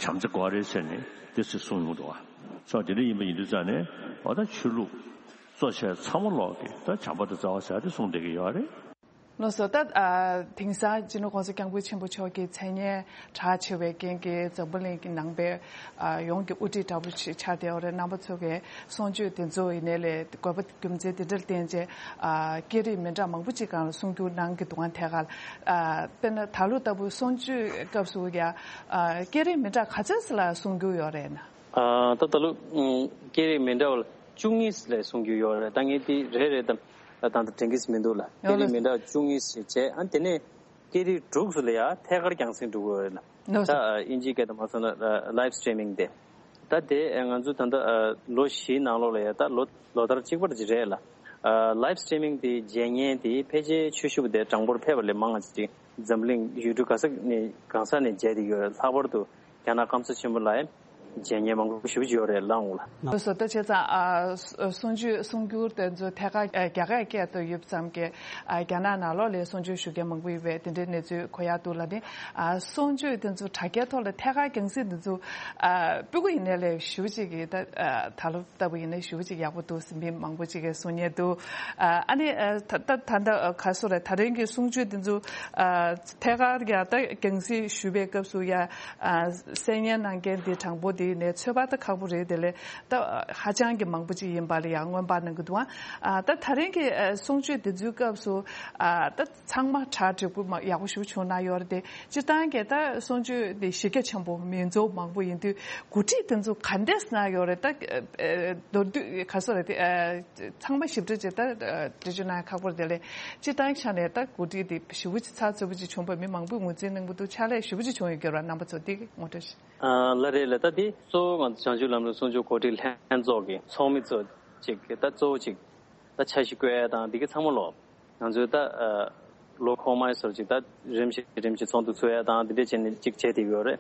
བྱམས་བརྩེ་དགོས་རེད་ཟེར་ནས་དེ་ཚོ་གསུངས་ཡོང་འདུག་བ། སོ་དེ་འདྲ་ཡིན་པ་ཡིན་དུས་ཙམ་ནས་འོ་ད་ཆོས་ལུགས་གཙོ་ཆེ་ཚང་མ་ལོག་གིས་ད་བྱམས་པ་དང་བརྩེ་བ་ཟེར་དེ་གསུངས་བསྡད་ཀྱི་ཡོད་རེད། ལགས་སོ། ད་ཨ་དེང་སང་སྤྱི་ནོར་༸གོང་ས་༸སྐྱབས་མགོན་ཆེན་པོ་མཆོག་གི་མཚན་སྙན་གྲགས་ཆེ་བའི་རྐྱེན་གྱིས་འཛམ་བུ་གླིང་གི་ནང་པའི་ཨ་ཡོངས་ཀྱི་དབུ་ཁྲིད་འདྲ་པོ་ཞིག་ཆགས་བསྡད་ཡོད་རེད། རྣམ་པ་ཚོ་གིས་གསུང་ཆོས་དེ་ཚོ་ཡིན་ནའི་ལས་དགོས་པ་རྒྱུ་མཚན་དེ་འདྲར་བརྟེན་བྱས་ཨ་སྐད་རིགས་མི་འདྲ་མང་པོ་ཅིག་སྒང་ལ་གསུང་བསྒྱུར་གནང་གི་འདུག་ག་ཐད་ཀར་ཨ་དཔེར་ན་ད་ལོ་ལྟ་བུ་གསུང་ཆོས་སྐབས་སུ་ཡ་ཨ་སྐད་རིགས་མི་འདྲ་ག་ཚོད་ཙམ་ལ་གསུང་རྒྱུ་ཡོད་རེད་ན། ཨ་ད་ད་ལོ་ཨུམ་སྐད་རིགས་མི་འདྲ་བ་ལ་བཅུ་གཉིས་ལས་གསུང་རྒྱུ་ཡོད་རེད། ད་ངས་དེ་རེ་རེ་དང་ད་ད་དྲན་གྱི་མི་འདུག་ལ། སྐད་ཡོད་རིགས་ལ། མི་འདྲ་བ་བཅུ་གཉིས་ཞིག་བྱས། ཨ་དེ་ནས་སྐད་རིགས་དྲུག་ཙམ་ལ་ཡ་ཐད་ཀར་རྒྱང་སྲིང་འགྲོ་གི་ཡོད་རེད་ལ། ནོ་ད་སོ། ཨ་དབྱིན་ཇིའི་སྐད་དུ་མ་སོང་ན་ལའིབ་སི་ཊི་རི་མིང་དེ། ད་དེ་ཨ་ང་ཚོ་ད་ལྟ་ཨ་ལོ་བཞིའི་ནང་ལོགས་ལ་ཡ་ད་ལོ་ལོ་ལྟར་གཅིག་པ་ཅིག་རེད་ལ། ཨ་ལའིབ་སི་ཊི་རི་མིང་དེ་མཇལ་མཁན་དེ་ཕལ་ཆེར་ཆོས་ཞུ་བ་དེ་གྲངས་འབོར་ཕལ་པ་ལས་མང་བ་ཅིག་འཛམ་གླིང་ཡུལ་གྲུ་ག་ས་ནས་གང་ས་ནས་མཇལ་བསྡད་ཡོད་རེད། ལྷག་པར་དུ་རྒྱ་ནག་སྐམ་ས་ཆེན་པོ་ལ་མཇལ་མཁན་མང་པོ་ཞེ་པོ་ཅིག་ཡོད་རེད་ལགས་འོང་ལ། ལགས་སོ། ད་བྱས་ཙང་ཨ་གསུང་ཆོས་གསུང་སྒྱུར་དེ་ཚོ་ཐད་ཀར་ཨ་རྒྱ་གར་སྐད་དུ་ཡོད་ཙམ་གྱི་ཨ་རྒྱ་ནག་ནང་ལོགས་ལ་གསུང་ཆོས་ཞུ་མཁན་མང་པོ་ཡོད་པའི་དེ་འདྲའི་གནས་ཚུལ་གོ་ཡག་འདུག་ལ། ནི་ཨ་གསུང་ཆོས་དེ་ཚོ་དྲ་རྒྱའི་ཐོག་ལ་ཐད་ཀར་རྒྱང་སྲིང་དེ་ཚོ་ཨ་སྤུ་གུ་ཡིན་ནའི་ལས་ཞེ་པོ་ཅིག་གི་ད་ཨ་ད་ལོ་ལྟ་བུ་ཡིན་ན་ཞེ་པོ་ཅིག་ཡག་པོ་འདུག་ཟེར་མི་མང་པོ་ཅིག་གིས་གསུང་མཁན་འདུག་ཨ་ཨ་ནི་ཨ་ད་ད་ད་ད་ག་སོ་རེད། ད་རིང་གི་གསུང་ཆོས་འདི་ཚོ་ཨ་ཐད་ཀར་ཡང་ད་རྒྱང་སྲིང་ཞུ་བའི་སྐབས་སུ་ཡང་ཨ་གསན་སྙན་གནང་མཁན་འདི་དྲང་པོ་འདི་ནས་ཚོད་དཔག་ད་ཁག་པོ་རེད། དེ་ལས་ད་ཧ་ཅང་གི་མང་པོ་ཅིག་ཡིན་པ་ལ་ཡང་སྔོན་དཔག་གནང་གི་འདུག་ཨ་ད་ད་རིང་གི་ཨ་གསུང་ཆོས་འདི་ཚོའི་སྐབས་སུ་ཨ་ད་ཚང་མ་གྲ་འགྲིག་པོ་མ་ཡག་པོ་ཞིག་བྱུང་གནང་ཡོད་རེད་དེ། སྤྱིར་བཏང་གི་ད་གསུང་ཆོས་འདི་གཞི་རྒྱ་ཆེན་པོ་མི་ཚོ་མང་པོ་ཡིན་དུས་གོ་སྒྲིག་དེ་ཚོ་ག་འདྲས་གནང་ཡོད་རེད། ད་མདོར་བསྡུས་ག་ཚོད་རེད་དེ་ཚང་མ་ཞིབ་ཕྲ་ཅིག་ད་འགྲེལ་བརྗོད་གནང་ཁག་པོ་རེད། དེ་ལས་སྤྱིར་བཏང་ཆ་ནས་ད་གོ་སྒྲིག་འདི་ཞེ་པོ་ཅིག་ཚགས་ཚུད་པོ་ཅིག་བྱུང་བ་མི་མང་པོས་ངོས་འཛིན་གནང་གི་འདུག་ཕྱག་ལས་ཞེ་པོ་ཅིག་བྱུང་ཡོད་ཀྱི་རེད། རྣམ་པ་ཚོ་འདི་ངོ་སྤྲོད་ཞུ། ཨ་ལགས་རེད་ལགས། ད་འདི་གཙོ་བོ་ང་ཚོ་བྱང་ཆུབ་ལམ་རིམ་གསུང་ཆོས་གོ་སྒྲིག་ལྷན་ཚོགས་ཀྱི་ཚོགས་མི་ཚོ་ཅིག་གི་ད་གཙོ་བོ་ཅིག་ད་འཆར་གཞི་བཀོད་ཡ་དང་འདི་གི་ཚང་མ་ལོ་ང་ཚོས་ད་ཨ་ལོ་འཁོར་མའི་སོར་ཅིག་ད་རིམ་བཞིན་རིམ་བཞིན་ཚོགས་འདུ་ཚོགས་ཡ་དང་འདི་འདྲས་བྱས་ནས་ཅིག་བྱས་བསྡད་ཡོད་རེད།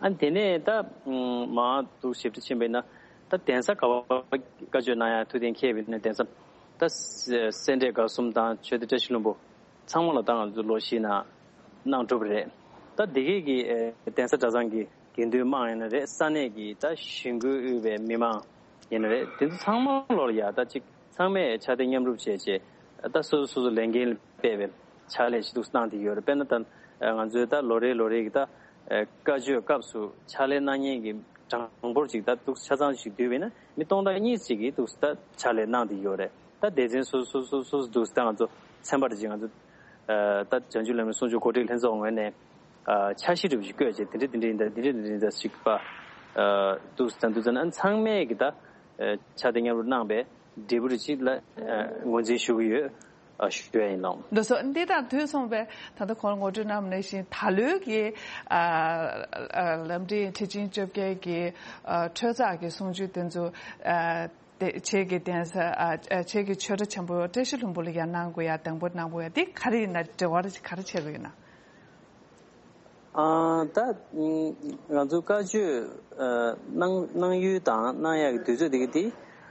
ཨ་དེ་ནས་ད་མང་འདུག་ཞིབ་ཕྲ་ཕྱིན་པ་ཡིན་ན་ ད་གདན་ས་ག་བ་བཀའ་ཆོས་གནང་ཡ་ཐུགས་གཏན་འཁེལ་བའི་ནས་གདན་ས་ད་སེ་འབྲས་དགའ་གསུམ་དང་ཆོས་སྡེ་བཀྲ་ཤིས་ལྷུན་པོ་ཚང་མ་ལ་ད་ང་ཚོ་ལོ་བཞི་ནང་གནང་གྲུབ་རེད། ད་འདི་གའི་གི་གདན་ས་གྲྭ་ཚང་གི་དགེ་འདུན་དམངས་ཡིན་ན་རེད། ས་གནས་ཀྱི་ད་གཞིས་འགོ་དབུས་པའི་མི་མང་ཡིན་ན་རེད། དེ་ཚོ་ཚང་མ་ལོ་ལ་ཡ་ད་ཅིག་ཚང་མས་ཕྱག་དེབ་མཉམ་རུབ་བྱས་བྱས་ད་སོ་སོ་སོ་སོ་ལས་འགན་སྤེལ་བའི་ཕྱག་ལས་ཅིག་འདུག་གནང་བསྡད་ཡོད་རེད། དཔེར་ན་ད་ང་ཚོའི་ད་ལོ་རེ་ལོ་རེ་གི་ད་བཀའ་ཆོས་སྐབས་སུ་ཕྱག་ལས་གནང་མཁན་གྱི་གྲངས་འབོར་ཅིག་ད་འདུག་ཆ་ཚང་ཞིག་བསྡུས་པས་ན་མི་སྟོང་ཕྲག་གཉིས་ཅིག་གིས་འདུག་ད་ཕྱག་ལས་གནང་བསྡད་ཡོད་རེད། ད་སྡེ་ཚན་སོ་སོ་སོ་སོ་འདུག་ད་ང་ཚོ་ཚན་པ་རེ་ཅིག་ང་ཚོ་ད་བྱང་ཆུབ་ལམ་རིམ་གསུང་ཆོས་གོ་སྒྲིག་ལྷན་ཚོགས་ངོས་ནས་འཆར་གཞི་འདྲ་པོ་ཞིག་བཀོད་བྱས་དེ་འདྲ་དེ་འདྲ་ཡིན་ད་དེ་འདྲ་དེ་འདྲ་ཡིན་ད་ཞིག་པ་འདུག་ད་འདུག་ད་ན་ཚང་མས་ཀྱི་ད་ཕྱག་དེབ་མཉམ་རུབ་གནང་བའི་འབྲས་བུ་རེ་ཅིག་ལ་ངོས་འཛིན་ཞུ་གི་ཡོད། ཨ་ཞུ་ཡ་ཡིན་ལགས། ལགས་སོ། འདི་དང་དུས་མཚུངས་པའི་ད་ལྟ་གོང་ལ་ངོ་སྤྲོད་གནང་བ་ནང་བཞིན་ད་ལོའི་གི་ཨ་ཨ་ལམ་འབྲས་ཁྲི་ཆེན་བཅོ་བརྒྱད་ཀྱི་ཨ་འཕྲོས་བརྟག་གི་གསུང་ཆོས་དེ་ཚོ་ཨ་དེ་ཁྱེད་ཀྱི་གདན་ས་ཨ་ཨ་ཁྱེད་ཀྱི་ཆོས་གྲྭ་ཆེན་པོ་བཀྲ་ཤིས་ལྷུན་པོ་ལ་ཡང་གནང་དགོས་ཡ་དང་པོ་གནང་དགོས་ཡ་འདི་ག་རེ་ཡིན་ན་འབྲེལ་བ་རེ་ག་རེ་བྱེད་དགོས་ཡིན་ན། ཨ་ད་ང་ཚོ་བཀའ་ཆོས་ཨ་གནང་གནང་ཡུལ་དང་གནང་ཡག་གི་དུས་ཚོད་དེ་ག་དེ་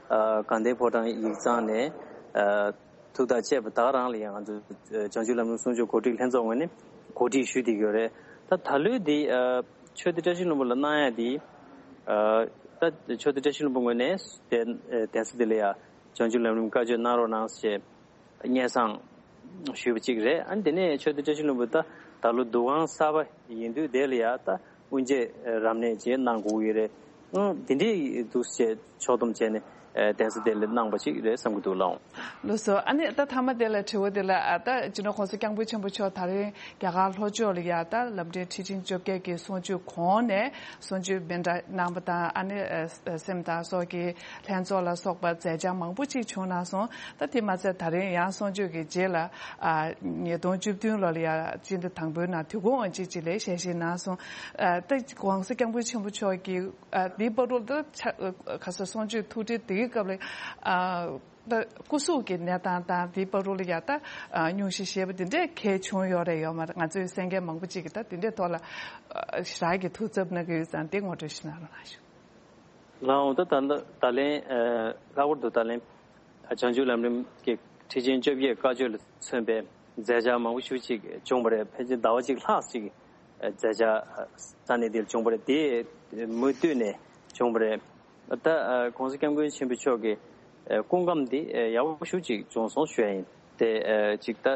ཨ་དགའ་ལྡན་ཕོ་བྲང་ཡིག་ཚང་ནས་ཨ་ཐུགས་ཐག་བཅད་པ་ད་ག་རང་ལ་ཡང་ང་ཚོ་བྱང་ཆུབ་ལམ་རིམ་གསུང་ཆོས་གོ་སྒྲིག་ལྷན་ཚོགས་ངོས་ནས་གོ་སྒྲིག་ཞུས་བསྡད་ཀྱི་ཡོད་རེད། ད་ད་ལོའི་དེ་ཨ་ཆོས་སྡེ་བཀྲ་ཤིས་ལྷུན་པོ་ལ་གནང་ཡག་དེ་ཨ་ད་ཆོས་སྡེ་བཀྲ་ཤིས་ལྷུན་པོ་ངོས་ནས་གདན་གདན་ས་དེ་ལ་ཡང་བྱང་ཆུབ་ལམ་རིམ་བཀའ་ཆོས་གནང་རོགས་གནང་ཞེས། སྙན་སེང་ཞུས་པ་གཅིག་རེད། ཨ་ནི་དེ་ནས་ཆོས་སྡེ་བཀྲ་ཤིས་ལྷུན་པོ་ད་ད་ལོ་འདུ་ཁང་གསར་པ་ཡིན་དུས་དེ་ལ་ཡ་ད་དབུ་འབྱེད་རབ་གནས་བཅས་གནང་དགོས་ཀྱི་རེད། ཨང་དེ་འདྲའི་འདུག་སེ་ཕྱོགས་བསྡོམས་བྱས་ནས་གདན་ས་དེ་ལ་གནང་པ་ཅིག་རེད་བསམ་གྱི་འདུག་ལགས། ལགས་སོ། ཨ་ནི་ད་མཐའ་མ་དེ་ལ་དྲི་བ་དེ་ལ་ཨ་ད་སྤྱི་ནོར་༸གོང་ས་༸སྐྱབས་མགོན་ཆེན་པོ་མཆོག་ད་རིང་རྒྱ་གར་ལྷོ་ཕྱོགས་ལ་ཡ་ད་ལམ་འབྲས་ཁྲི་ཆེན་བཅོ་བརྒྱད་ཀྱི་གསུང་ཆོས་གོང་ནས་གསུང་ཆོས་སྨིན་གྲྭ་གནང་པ་དང་ཨ་ནི་སེམས་དང་སྲོག་གི་ལྷན་ཚོགས་ལ་སོགས་པ་མཛད་འཆར་མང་པོ་ཅིག་བྱུང་གནང་སོང་། ད་དེ་མ་ཚད་ད་རིང་ཡང་གསུང་ཆོས་ཀྱི་རྗེས་ལ་ཨ་ཉིས་སྟོང་བཅུ་བདུན་ལོ་ལ་ཡ་སྤྱི་ཟླ་དང་པོའི་ནང་དུས་འཁོར་དབང་ཆེན་ཅིག་ལ་ཞལ་བཞེས་གནང་སོང་། ཨ་ད་༸གོང་ས་༸སྐྱབས་མགོན་ཆེན་པོ་མཆོག་གིས་ཨ་དེའི་བར་དུ་ད་ཆ་ཁ་སང་གསུང་ཆོས་ཐུགས་འཕྲད་དེའི་སྐབས་ལ་ཨ་ད་སྐུ་གཟུགས་ཀྱི་གནས་སྟངས་དང་དེའི་བར་དུ་ལ་ཡ་ད་ཨ་སྙུང་གཞི་ཞེས་པ་དེ་འདྲས་གལ་བྱུང་ཡོད་རེད་ཡོད་མ་རེད། ང་ཚོའི་གསན་མཁན་མང་པོ་ཅིག་གིས་ད་དེ་འདྲས་ཐོག་ལ་ཨ་ཞེ་དྲག་གི་ཐུགས་འཚབ་གནང་གི་ཡོད་ཙང་དེ་ངོ་སྤྲོད་ཞིག་གནང་རོགས་གནང་ཞུ། ལགས་འོང་། ད་ད་ད་ལན་ཨ་ལྷག་པར་དུ་ད་ལན་བྱང་ཆུབ་ལམ་རིམ་གྱི་ཁྲི་ཆེན་བཅོ་བརྒྱད་བཀའ་ཆོས་ལ་མཚོན་པའི་མཛད་འཆར་མང་པོ་ཞེ་ཅིག་བྱུང་བ་རེད། ཕལ་ཆེར་ཟླ་བ་གཅིག་ལྷག་ཅིག་མཛད་འཆར་ས་གནས་འདིར་བྱུང་བ་རེད། དེ་མུ་མཐུད་ནས་བྱུང་བ་རེད། ད་༸གོང་ས་༸སྐྱབས་མགོན་ཆེན་པོ་མཆོག་གི་སྐུ་ཁམས་འདི་ཡག་པོ་ཞེ་ཅིག་བྱུང་སོང་ཞུ་ཡ་ཡིན། དེ་ཅིག་ད་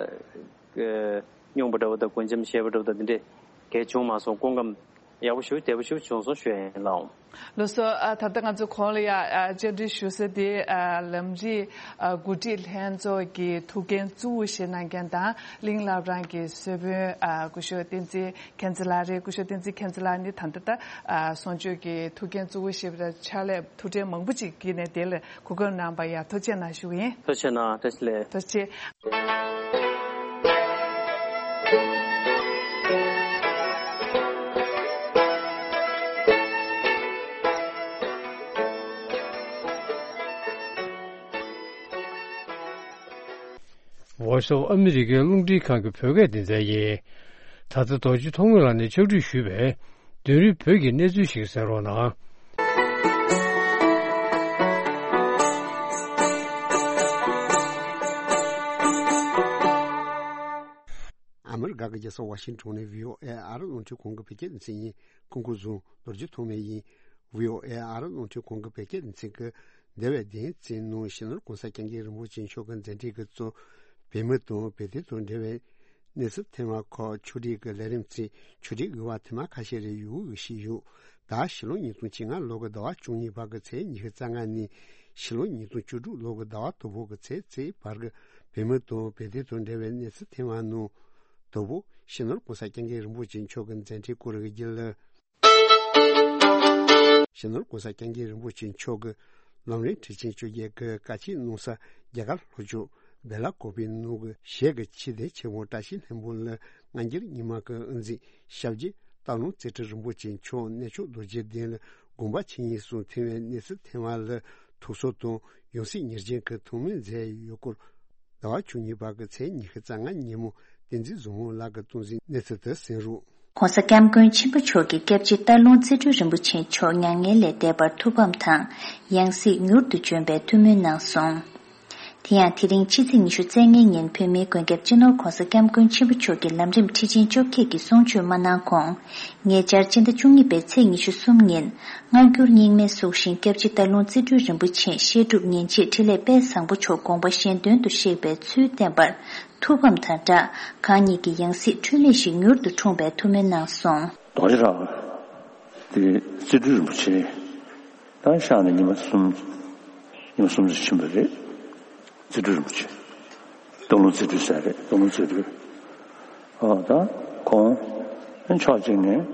སྙུང་པ་འདྲ་བོ་དང་གོས་འཆམ་བཞེས་པ་འདྲ་བོ་དང་འདི་འདྲས་གལ་བྱུང་མ་སོང་། སྐུ་ཁམས་ཡག་པོ་ཞེ་བདེ་པོ་ཞེ་བྱུང་སོང་ཞུ་ཡ་ཡིན་ལགས། ལགས་སོ། ཨ་ད་ལྟ་ང་ཚོ་གོང་ལ་ཡ་ཨ་བཅར་འདྲི་ཞུ་ས་དེ་ཨ་ལམ་རིམ་ཨ་གོ་སྒྲིག་ལྷན་ཚོགས་ཀྱི་ཐུགས་འགན་གཙོ་བོ་བཞེས་གནང་མཁན་དང་གླིང་བླ་བྲང་གི་གཙོ་དཔོན་ཨ་སྐུ་ཞབས་བསྟན་འཛིན་མཁྱེན་བརྩེ་ལགས་རེད། སྐུ་ཞབས་བསྟན་འཛིན་མཁྱེན་བརྩེ་ལགས་ནི་ད་ལྟ་ད་ཨ་གསུང་ཆོས་ཀྱི་ཐུགས་འགན་གཙོ་བོ་བཞེས་པ་དང་ཕྱག་ལས་ཐུགས་འཕྲད་མང་པོ་ཅིག་བགྱིས་ནས་དེ་ལ་གོ་སྐབས་གནང་བར་ཡ་ཐུགས་རྗེ་གནང་ཞུ་གི་ཡིན། ཐུགས་རྗེ་གནང་། བཀྲ་ཤིས་བདེ་ལེགས། ཐུགས་རྗེ་ཆེ། Voice of America རླུང་འཕྲིན་ཁང་གི་བོད་སྐད་སྡེ་ཚན་ཡིན། ད་ལྟ་རྡོ་རྗེ་ཐོགས་མེད་ལགས་ནས་ཕྱག་བྲིས་ཞུས་པའི་དུས་རིམ་བོད་ཀྱི་གནས་ཚུལ་ཞིག་གསན་རོགས་གནང་། ཨ་མི་རི་ཀ་གི་རྒྱལ་ས་ཝ་ཤིང་ཊོན་ནས་བྷི་ཨོ་ཨེ་ཨ་རི་རླུང་འཕྲིན་ཁང་གི་བོད་སྐད་སྡེ་ཚན་ཡིན། སྐུ་ཁམས་བཟང་། རྡོ་རྗེ་ཐོགས་མེད་ཡིན། བྷི་ཨོ་ཨེ་ཨ་རི་རླུང་འཕྲིན་ཁང་གི་བོད་སྐད་སྡེ་ཚན་གྱིས་འདས་པའི་བདུན་ཚིགས་ནང་སྤྱི་ནོར་༸གོང་ས་༸སྐྱབས་མགོན་རིན་པོ་ཆེ་མཆོག་གི་མཛད་འཕྲིན་གྱི་གཙོ་བོད་མི་དང་བོད་དོན་དང་འབྲེལ་བའི་གནས་ཚུལ་ཐེངས་མ་ཁག་ཕྱོགས་སྒྲིག་གི་ལས་རིམ་བརྩིས། ཕྱོགས་སྒྲིག་དབུ་མ་ཐེངས་མ་ཁ་ཤས་རེ་ཡོད་ཞུས་ཡོད། ད་ཕྱི་ལོ་ཉིས་སྟོང་བཅོ་ལྔ་ལོ་གི་ཟླ་བ་བཅུ་གཉིས་པ་གི་ཚེས་ཉི་ཤུ་རྩ་ལྔ་ནས་ཕྱི་ལོ་ཉིས་སྟོང་བཅུ་དྲུག་ལོ་གི་ཟླ་བ་དང་པོ་གི་ཚེས་གཅིག་བར་གྱི་བོད་མི་དང་བོད་དོན་དང་འབྲེལ་བའི་གནས་ཚུལ་ཐེངས་མ་ནང་དང་པོ་སྤྱི་ནོར་༸གོང་ས་༸སྐྱབས་མགོན་རིན་པོ་ཆེ་མཆོག་གི་མཛད་འཕྲིན་སྐོར་གྱི་རྒྱུན་ལས། སྤྱི་ནོར་༸གོང་ས་༸སྐྱབས་མགོན་རིན་པོ་ཆེ་མཆོག་གི་ལམ་རིམ་ཁྲི་ཆེན་བཅོ་བརྒྱད་ཀྱི་བཀའ་ཆོས་གནང་ས་རྒྱ་གར་ལྷོ་ཕྱོགས་བེ་ལ་ཀོ་པི་ནང་གི་གཞས་ཀྱི་མཆོད་རྟེན་ཆེན་མོ་བཀྲ་ཤིས་ལྷུན་པོ་ལ་སྔ་འགྱུར་རྙིང་མ་གི་དབུ་འཛིན་ཞབས་རྗེས་སྟག་ལུང་རྩེ་ཁྲི་རིན་པོ་ཆེ་མཆོག་གནས་མཆོག་རྡོ་རྗེ་གདན་ལ་དགོངས་པ་ཆེ་ཉིད་གསུང་ཐེངས་མའི་གནས་ཚུལ་ཐེངས་མ་ལ་ཐུགས་གསོ་དང་ཡང་སྲིད་ཉེར་བརྒྱད་ཀྱི་ཐུགས་སྨོན་མཛད་ཡོད་སྐོར། ཟླ་བ་བཅུ་གཉིས་པ་གི་ཚེས་ཉི་ཤུ་རྩ་ལྔ་ཉིན་མོ་བསྟན་འཛིན་བཟང་མོ་ལགས་ཀྱིས་གཏོང་ཟིན་གནས་ཚུལ་དེ་གསན་རོགས། ༸གོང་ས་༸སྐྱབས་མགོན་ཆེན་པོ་མཆོག་གིས་སྐྱབས་རྗེ་སྟག་ལུང་རྩེ་སྤྲུལ་རིན་པོ་ཆེ་མཆོག་མྱ་ངན་ལས་འདས་པར་ཐུགས་ཕམ་དང་ཡང་སྲིད་མྱུར་དུ་འབྱོན་པའི་ཐུགས་སྨོན་གནང་སོང་། དེ་ཡང་དེ་རིང་ཕྱི་ཚེས་ཉི་ཤུ་རྩ་ལྔའི་ཉིན་བོད་མིའི་མགོན་སྐྱབས་སྤྱི་ནོར་༸གོང་ས་༸སྐྱབས་མགོན་ཆེན་པོ་མཆོག་གི་ལམ་རིམ་ཁྲིད་ཆེན་བཅོ་བརྒྱད་ཀྱི་གསུང་ཆོས་མ་གནང་གོང་། ཉེ་ཆར་སྤྱི་ཟླ་བཅུ་གཉིས་པའི་ཚེས་ཉི་ཤུ་གསུམ་ཉིན་སྔ་འགྱུར་རྙིང་མའི་གཟུགས་ཤིང་སྐྱབས་རྗེ་སྟག་ལུང་རྩེ་སྤྲུལ་རིན་པོ་ཆེ་བཤད་སྒྲུབ་ཉིན་བྱེད་འཕྲིན་ལས་དཔལ་བཟང་པོ་མཆོག་དགོངས་པ་གཞན་དོན་དུ་གཤེགས་པའི་ཚུལ་བསྟན་པར་ཐུགས་ཕམ་དང་སྦྲགས་གང་ཉིད་ཀྱི་ཡང་སྲིད་འཁྲུལ་མེད་ཞིག་མྱུར་དུ་འཁྲུངས་པའི་ཐུགས་སྨོན་གནང་སོང་། རྡོ་རྗེ་བྲག་དེ་རྩེ་སྤྲུལ་རིན་པོ་ཆེ་ད་གཤེགས་ནས་ཉི་མ་གསུམ་ཉི་མ་གསུམ་ཙམ་ཕྱིན་པ་རེད། རྩེ་སྤྲུལ་རིན་པོ་ཆེ། སྟག་ལུང་རྩེ་སྤྲུལ་ཟེར་རེད། སྟག་ལུང་རྩེ་སྤྲུལ། ཨོ་ད་ཁོང་ཕྱོགས་གཅིག་ནས་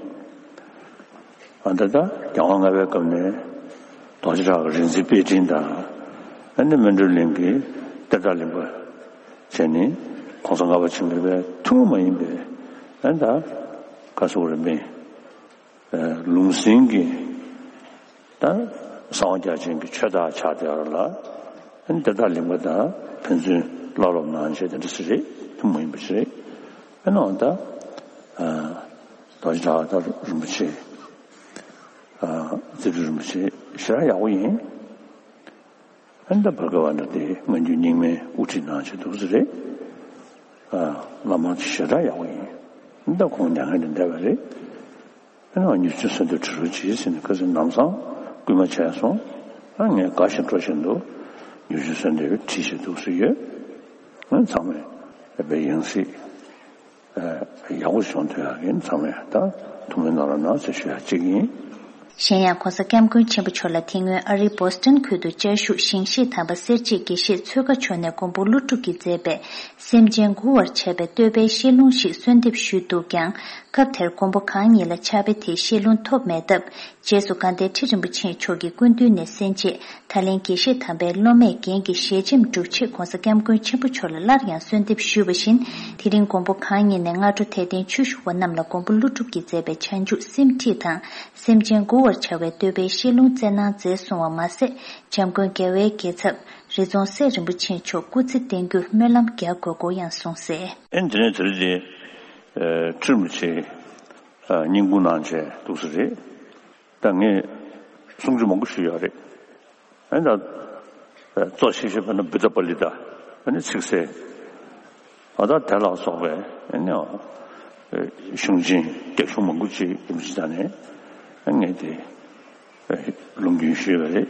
ཨ་ད་ད་རྒྱལ་དབང་ལྔ་པའི་སྐབས་ནས་རྡོ་རྗེ་བྲག་གི་རིག་འཛིན་དཔལ་སྤྲིན་དང་ཨ་ནི་སྨིན་གྲོལ་གླིང་གི་གཏེར་བདག་གླིང་པ་བྱས་ནས་༸གོང་ས་ལྔ་པ་ཆེན་པོའི་ཐུན་མོང་མ་ཡིན་པའི་ཨ་ད་ག་སོགས་རིམ་པས། ལུང་ཟིན་གྱི་ད་གསང་བ་རྒྱ་ཆེན་གྱི་ཆོས་བདག་ཆགས་བསྡད་པ་ལ་ཨ་ནི་དེ་དག་གླིང་པ་དང་ཕན་ཚུན་བློ་སློབ་གནང་བྱས་དེ་འདྲ་ཞིག་རེད། ཐུན་མོང་མ་ཡིན་པ་ཞིག་རེད། ཨ་ནི་འོ་ད་རྡོ་རྗེ་བྲག་ད་རིན་པོ་ཆེ་རྩེ་སྤྲུལ་རིན་པོ་ཆེ་ཞེ་དྲག་ཡག་པོ་ཡིན། ཨ་ནི་ད་བར་སྐབས་ཨ་འདྲ་དེ་སྔ་འགྱུར་རྙིང་མའི་དབུ་ཁྲིད་གནང་བྱས་འདུག་ཟེར་རེད། བླ་མ་ཞེ་དྲག་ཡག་པོ་ཡིན། ཨ་ནི་ད་ཁོང་མྱ་ངན་ལས་འདས་པ་རེད། ཨ་ནི་མྱུར་ཆེན་གསོལ་འདེབས་ཁྲིད་རོགས་གྱིས་ཟེར་ནས་ཁ་སང་ལམ་སང་སྐུལ་མ་བྱས་སོང་། ཨ་ངས་དགའ་བཞིན་སྤྲོ་བཞིན་དུ་མྱུར་ཆེན་གསོལ་འདེབས་ཁྲིད་བཞིན་འདུག་ཟེར་ཡོད། ཨ་ཚང་མས་དཔེ་ཡང་སྲིད་ཡག་པོ་བྱུང་ཐུབ་ཡག་གི་ཚང་མས་ད་ཐུགས་སྨོན་གནང་རོགས་གནང་ཟེར་ཞུ་ཡག་གཅིག་ཡིན། གཞན་ཡང་༸གོང་ས་༸སྐྱབས་མགོན་ཆེན་པོ་མཆོག་ལ་དེ་སྔོན་ཨ་རིའི་བོ་སི་ཊོན་ཁུལ་དུ་བཅའ་བཞུགས་ཞིང་གཤེགས་དམ་པ་སེར་བྱེས་དགེ་བཤེས་ཆོས་དགའ་མཆོག་ནས་མགོན་པོ་ཀླུ་སྒྲུབ་ཀྱིས་མཛད་པའི་སེམས་ཅན་མགུ་བར་བྱ་བའི་བསྟོད་པའི་བཤད་ལུང་ཞིག་གསོལ་འདེབས་ཞུས་འདུག་ཀྱང་། སྐབས་དེར་མགོན་པོ་གང་ཉིད་ལ་ཕྱག་དཔེ་དེའི་བཤད་ལུང་ཐོབ་མེད་སྟབས། རྗེས་སུ་དགའ་ལྡན་ཁྲི་རིན་པོ་ཆེ་མཆོག་གི་སྐུ་མདུན་ནས་གསན་རྗེས། ད་ལན་དགེ་བཤེས་དམ་པའི་སློབ་མས་རྒན་གྱི་ཞལ་ཆེམས་སྒྲུབ་ཆེད་༸གོང་ས་༸སྐྱབས་མགོན་ཆེན་པོ་མཆོག་ལ་སླར་ཡང་གསོལ་འདེབས་ཞུས་པ་བཞིན། དེ་རིང་མགོན་པོ་གང་ཉིད་ནས་སྔ་དྲོ་དད་ལྡན་ཆོས་ཞུ་བ་རྣམས་ལ་མགོན་པོ་ཀླུ་སྒྲུབ་ཀྱིས་མཛད་པའི་བྱང་ཆུབ་སེམས་ཁྲིད་དང་། སེམས་ཅན་མགུ་བར་བྱ་བའི་བསྟོད་པའི་བཤད་ལུང་སྩལ་གནང་མཛད་སོང་བ་མ་ཟད། འཇམ་མགོན་རྒྱལ་བའི་རྒྱལ་ཚབ་རི་རྫོང་སྲས་རིན་པོ་ཆེ་མཆོག་སྐུ་ཚེ་བརྟན་རྒྱུར་སྨོན་ལམ་རྒྱག་དགོས་སྐོར་ཡང་གསུངས་གསལ། ཨེ་འདི་ནས་དེ་རིང་འདི་ཁྲི་རིན་པོ་ཆེ་སྙན་སྐུ་གནང་བྱས་འདུག་ས་རེད། ད་ངས་གསུང་ཆོས་མང་པོ་ཞུས་ཡོད་རེད། ཨ་ནི་ད་གཙོ་ཆེ་ཤོས་དཔེར་ན་བུདྡྷ་པཱ་ལི་ཏ། ཨ་ནི་ཚིག་གསལ། ཨ་ད་དེ་ལ་སོགས་པའི་ཨ་ནི་གཞུང་ཆེན་རྒྱ་གཞུང་མང་པོ་ཅིག་ཡིན་པ་ཅིག་ད་ནས་ཨ་ངས་དེ་ལུང་རྒྱུན་ཞུས་པ་རེད།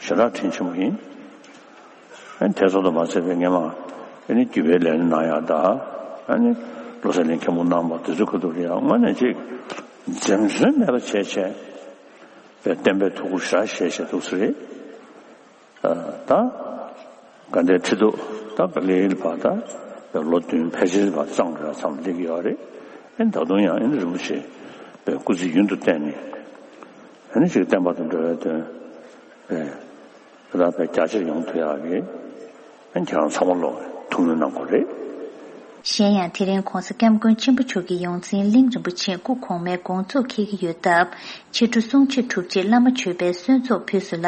ཞེ་དྲག་དྲིན་ཆེན་པོ་ཡིན། ཨ་ནི་དེ་ཚོ་དང་མ་ཚད་པའི་སྔས་མ་ཨ་ནི་རྒྱུད་པའི་ལས་སྣེ་གནང་ཡག་དང་། ཨ་ནི་བློ་གསལ་གླིང་མཁན་པོ་གནང་བ་དེ་ཚོའི་ཁ་ཐུག་ལ་ཡང་དངོས་གནས་ཅིག་འཛེམ་ཟོན་མེད་པ་བྱས་བྱས་པའི་བསྟན་པའི་ཐུགས་ཁུར་ཞེ་དྲག་བཞེས་བཞིན་འདུག་ས་རེད། ད་དགའ་ལྡན་ཁྲི་ཐོག་ད་ག་ལེ་ལ་བར་ད་ལོ་བདུན་ཕལ་ཆེར་བར་གཙང་ར་མཚམས་སླེབས་ཀྱི་ཡོད་རེད། ཨ་ནི་ད་དུང་ཡང་ཨ་ནི་རིན་པོ་ཆེ་པའི་སྐུ་ཚེ་ཡུན་དུ་བརྟན་ནས་ཨ་ནི་ཅིག་བསྟན་པ་དང་འབྲེལ་བའི་དོན་པའི་རབ་པའི་རྒྱ་ཆེར་ཡོང་ཐུབ་ཡག་གི་ཨ་ནི་ཁྱེད་རང་ཚང་མ་ལོག་ཐུགས་སྨོན་གནང་དགོས་རེད། གཞན་ཡང་དེ་རིང་༸གོང་ས་༸སྐྱབས་མགོན་ཆེན་པོ་མཆོག་གི་ཡོངས་འཛིན་གླིང་རིན་པོ་ཆེ་སྐུ་གོང་མའི་དགོངས་རྫོགས་འཁེལ་གྱི་ཡོད་སྟབས། ཕྱི་དྲོ་གསུང་ཆོས་གྲུབ་རྗེས་བླ་མ་མཆོད་པའི་གསོལ་ཚོགས་ཕུལ་སོང་ལ།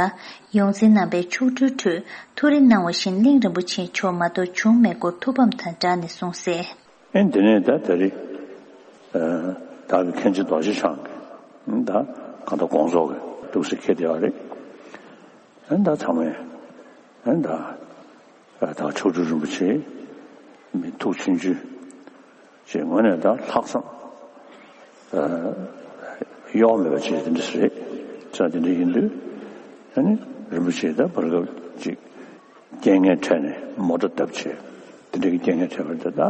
ཡོངས་འཛིན་རྣམ་པས་མཆོག་སྤྲུལ་ཁྲོད་ཐུགས་རེ་གནང་བ་བཞིན་གླིང་རིན་པོ་ཆེ་མཆོག་མ་གཏོགས་བྱུང་མེད་སྐོར་ཐུགས་ཕམ་དང་སྦྲགས་ནས་གསུངས་གསལ། ཨེ་འདི་ནས་ད་ད་རེས་བདག་གི་མཁན་ཆེན་རྡོ་རྗེ་འཆང་གིས་ད་གང་ལྟར་དགོངས་རྫོགས་ཀྱི་ཐུགས་སྲས་འཁེལ་བསྡད་པ་རེད། ཨེ་ད་ཚང་མས་ཨེ་ད་ད་མཆོག་སྤྲུལ་རིན་པོ་ཆེ་མི་ཐུགས་ཆུང་ཆུང་ཅེས་ངོས་ནས་ད་ལྷག་བསམ་གཡོ་བ་མེད་པ་ཅིག་དེ་འདྲ་ཞིག་རེད། ཙང་དེ་འདྲ་ཡིན་དུས་ཨ་ནི་རིན་པོ་ཆེ་ད་བར་སྐབས་ཅིག་རྐྱེན་ངན་འཕྲད་ནས་མོ་ཊ་བརྡབས་བྱས་དེ་འདྲ་གི་རྐྱེན་ངན་འཕྲད་པ་རེད། ད་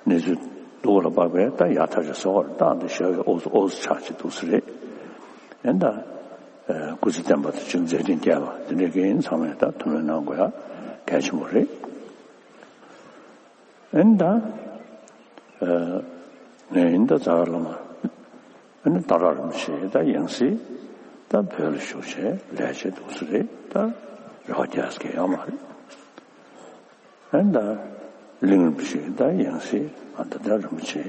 གནས་ཚུལ་སྡུག་པ་ལ་དཔག་པས་ད་ཡག་ཐག་ཆོད་སོང་བ་རེད། ད་འདི་ཞོགས་པའི་ཨོ་ཙི་ཨོ་ཙི་ཆགས་ཀྱི་འདུག་ས་རེད། ཨེ་ད་སྐུ་ཚེ་བརྟན་པ་དང་ཅིག་མཛད་འཕྲིན་རྒྱས་པ་དེ་འདྲ་གི་ཡིན། ཚང་མས་ད་ཐུགས་སྨོན་གནང་དགོས་ཡག་གལ་ཆེན་པོ་རེད། ཨེ་ད། ཨ་ངས་ཡིན་ད་ཛ་དྲག་བླ་མ་ཨ་ནི་སྟག་བྲག་རིན་པོ་ཆེ་ད་ཡང་སྲིད་ད་བོད་ལ་བཞུགས་བྱས་ལས་བྱེད་འདུག་ས་རེད། ད་རེ་བ་རྒྱག་ས་གང་ཡང་མ་རེད། ཨ་ནི་ད་གླིང་རིན་པོ་ཆེ་ད་ཡང་སྲིད་ཨ་ད་ད་རིན་པོ་ཆེ་